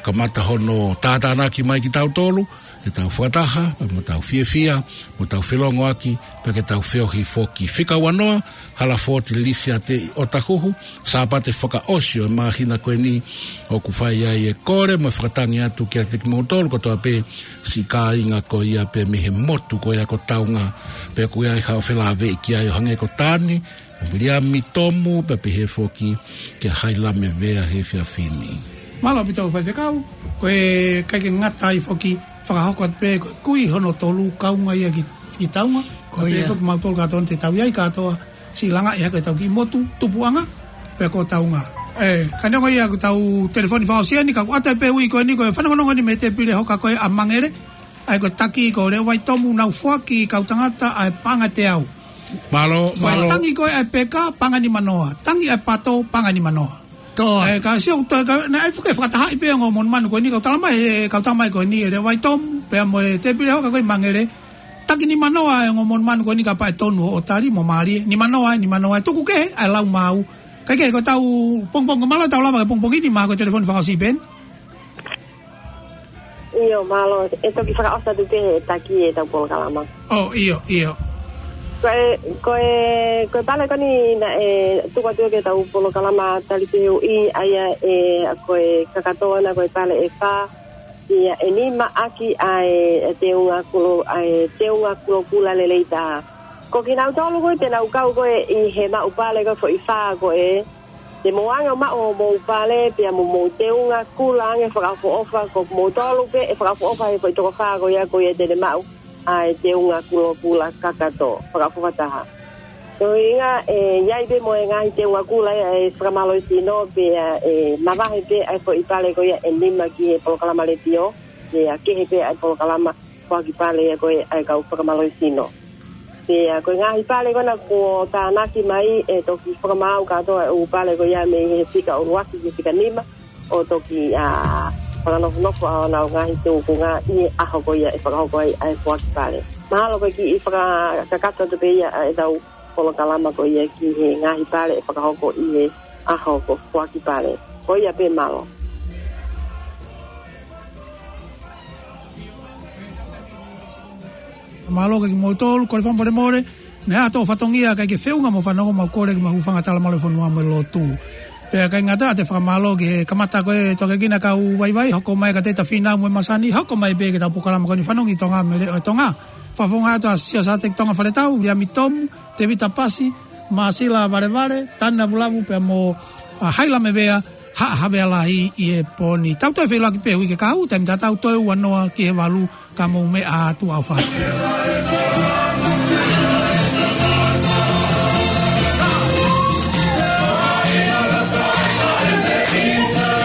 Kamata hono tātānaki mai kitautolu, ke tau fakataha, pea mo tau fiefia, mo tau felongoaki, pea ke tau feohi foki. Fika ua noa, Hala Fort Lisiate ʻi ʻOtahuhu, Sāpate fakaʻosi ʻo e māhina ko eni ʻoku fai ai e kole, mo e fakatangi atu kiate kimoutolu kotoa pē siʻi kāinga ko ia pē mei he motu ko ia ko Taunga, pea ʻoku ʻi ai haʻo felāveʻi ki ai ʻo hangē ko Tani, Viliami, Tomu, pea pehē foki kia Hailame Vea he efiafi ni. Mālō ʻaupito faifekau, ko e ʻikai ke ngata ai foki fakahoko atu pē ko e kui hono tolu kaunga ia ki, ki Taunga, ko ia. Pehē foki mautolu kātoa te tau ʻi ai kātoa siʻi langa ʻi hake ʻetau kiʻi motu, tupuʻanga, pea ko Taunga. ʻE, ka neongo ia ko ʻetau telefoni fakaʻosi eni, ka ʻoku ʻata pē ui ko eni ko e fanongonongo ni mei he tēpile hoka ko ē ʻa Mangele, ʻa ia ko e taki ko Leʻo Vaitomu, nau foaki kau tangata ʻa e paʻanga ʻe teau. Mālō, mālō. Tangi ko ē ʻa e peka, paʻanga nima noa. Tangi ʻa e pato, paʻanga nima noa. Tō. ʻE, ka sio, tō, ka, naʻe fuʻu fakatahaʻi pē ongo monumanu ko eni, kau tala mai, ʻe, kau tala mai ko eni, ʻe Leʻo Vaitomu, pea mo e tēpile hoka ko ē Mangele. Taki nima noa e ongo monumanu ko eni kapau ʻe tonu hoʻo tali mo mālie. Nima noa, nima noa, tuku kehe ʻa e lau maau. Kae kehe ko ʻetau pongipongi, mālō ʻetau lava ki he pongipongi ni, mahalo ko e telefoni fakaʻosi pē eni. ʻIo, mālō. ʻE toki fakaʻosi atu pē he taki ʻetau polokalama. ʻŌ, ʻio, ʻio. Ko e, ko e, ko e pale ko eni naʻe tuku atu ki heʻetau polokalama tali pē ʻe ui ʻa ia ʻe, ko e kakato ʻana ko e pale ʻe fā, ʻa ia ʻe nima ʻaki ʻa e, ʻa e teunga kulo, ʻa e teunga kulo kula lelei taha. Ko kinautolu ko ē te nau kau ko ē ʻi he maʻu pale ko ē foʻi fā ko ē, te mou anga maʻu homou pale pea mo mou teunga kula ange fakaʻofoʻofa, ko moutolu pē ʻe fakaʻofoʻofa he foʻi toko fā ko ia ko ia te ne maʻu ʻa e teunga kula kakato fakaʻofoʻofa taha. Ko e ʻuhinga ē, ʻe ʻi ai pē mo e ngaahi teunga kula ia ʻa e fakamālohisino pea ʻe mavahe pē ʻa e foʻi pale ko ia ʻe nima ki he polokalama letiō, pea kehe pē ʻa e polokalama foaki pale ia ko ē ʻa e kau fakamālohisino. Pea ko e ngaahi pale ko ena kuo tānaki mai ʻe toki fakamaau kātoa e ʻū pale ko ia mei he fika ʻuluaki ki he fika nima ʻo toki ʻa fakanofonofo ʻa honau ngaahi tūkunga ʻi he ʻaho ko ia ʻe fakahoko ai ʻa e foaki pale. Mahalo ko e kiʻi fakakakato atu pē ia ʻa ʻetau polokalama ko ia ki he ngaahi pale ʻe fakahoko ʻi he ʻaho ko e foaki pale. Ko ia pē, mālō. Mālō ki moutolu, kole fakamolemole, ne ʻi ai ha fatongia ʻikai ke feʻunga mo e fanongo, mau kole ke mau hūfanga he talamalu ʻo e fonua mo e lotu. Pea ʻikai ngata ai, te u fakamālō ki he kamata ko ē, toki kina kau vaivai, hoko mai ka te ta fina mo e masani, hoko mai pē ki heʻetau polokalama ko eni Fanongo ki Tonga mo e Leʻo ʻo Tonga. Fakafofonga atu ʻa Siosiua Tonga Faletau, Liami Tomu, Tēvita Pasi, Māsila Valevale, Tana Vulavu pea mo ʻa Haila Mevea, Haʻa Havea Lahi ʻi he pō ni. Tau toe feʻiloaki pē uike kahaʻu, taimi tatau, toe ua noa ki he valu, ka mou meʻa atu, ʻofa atu.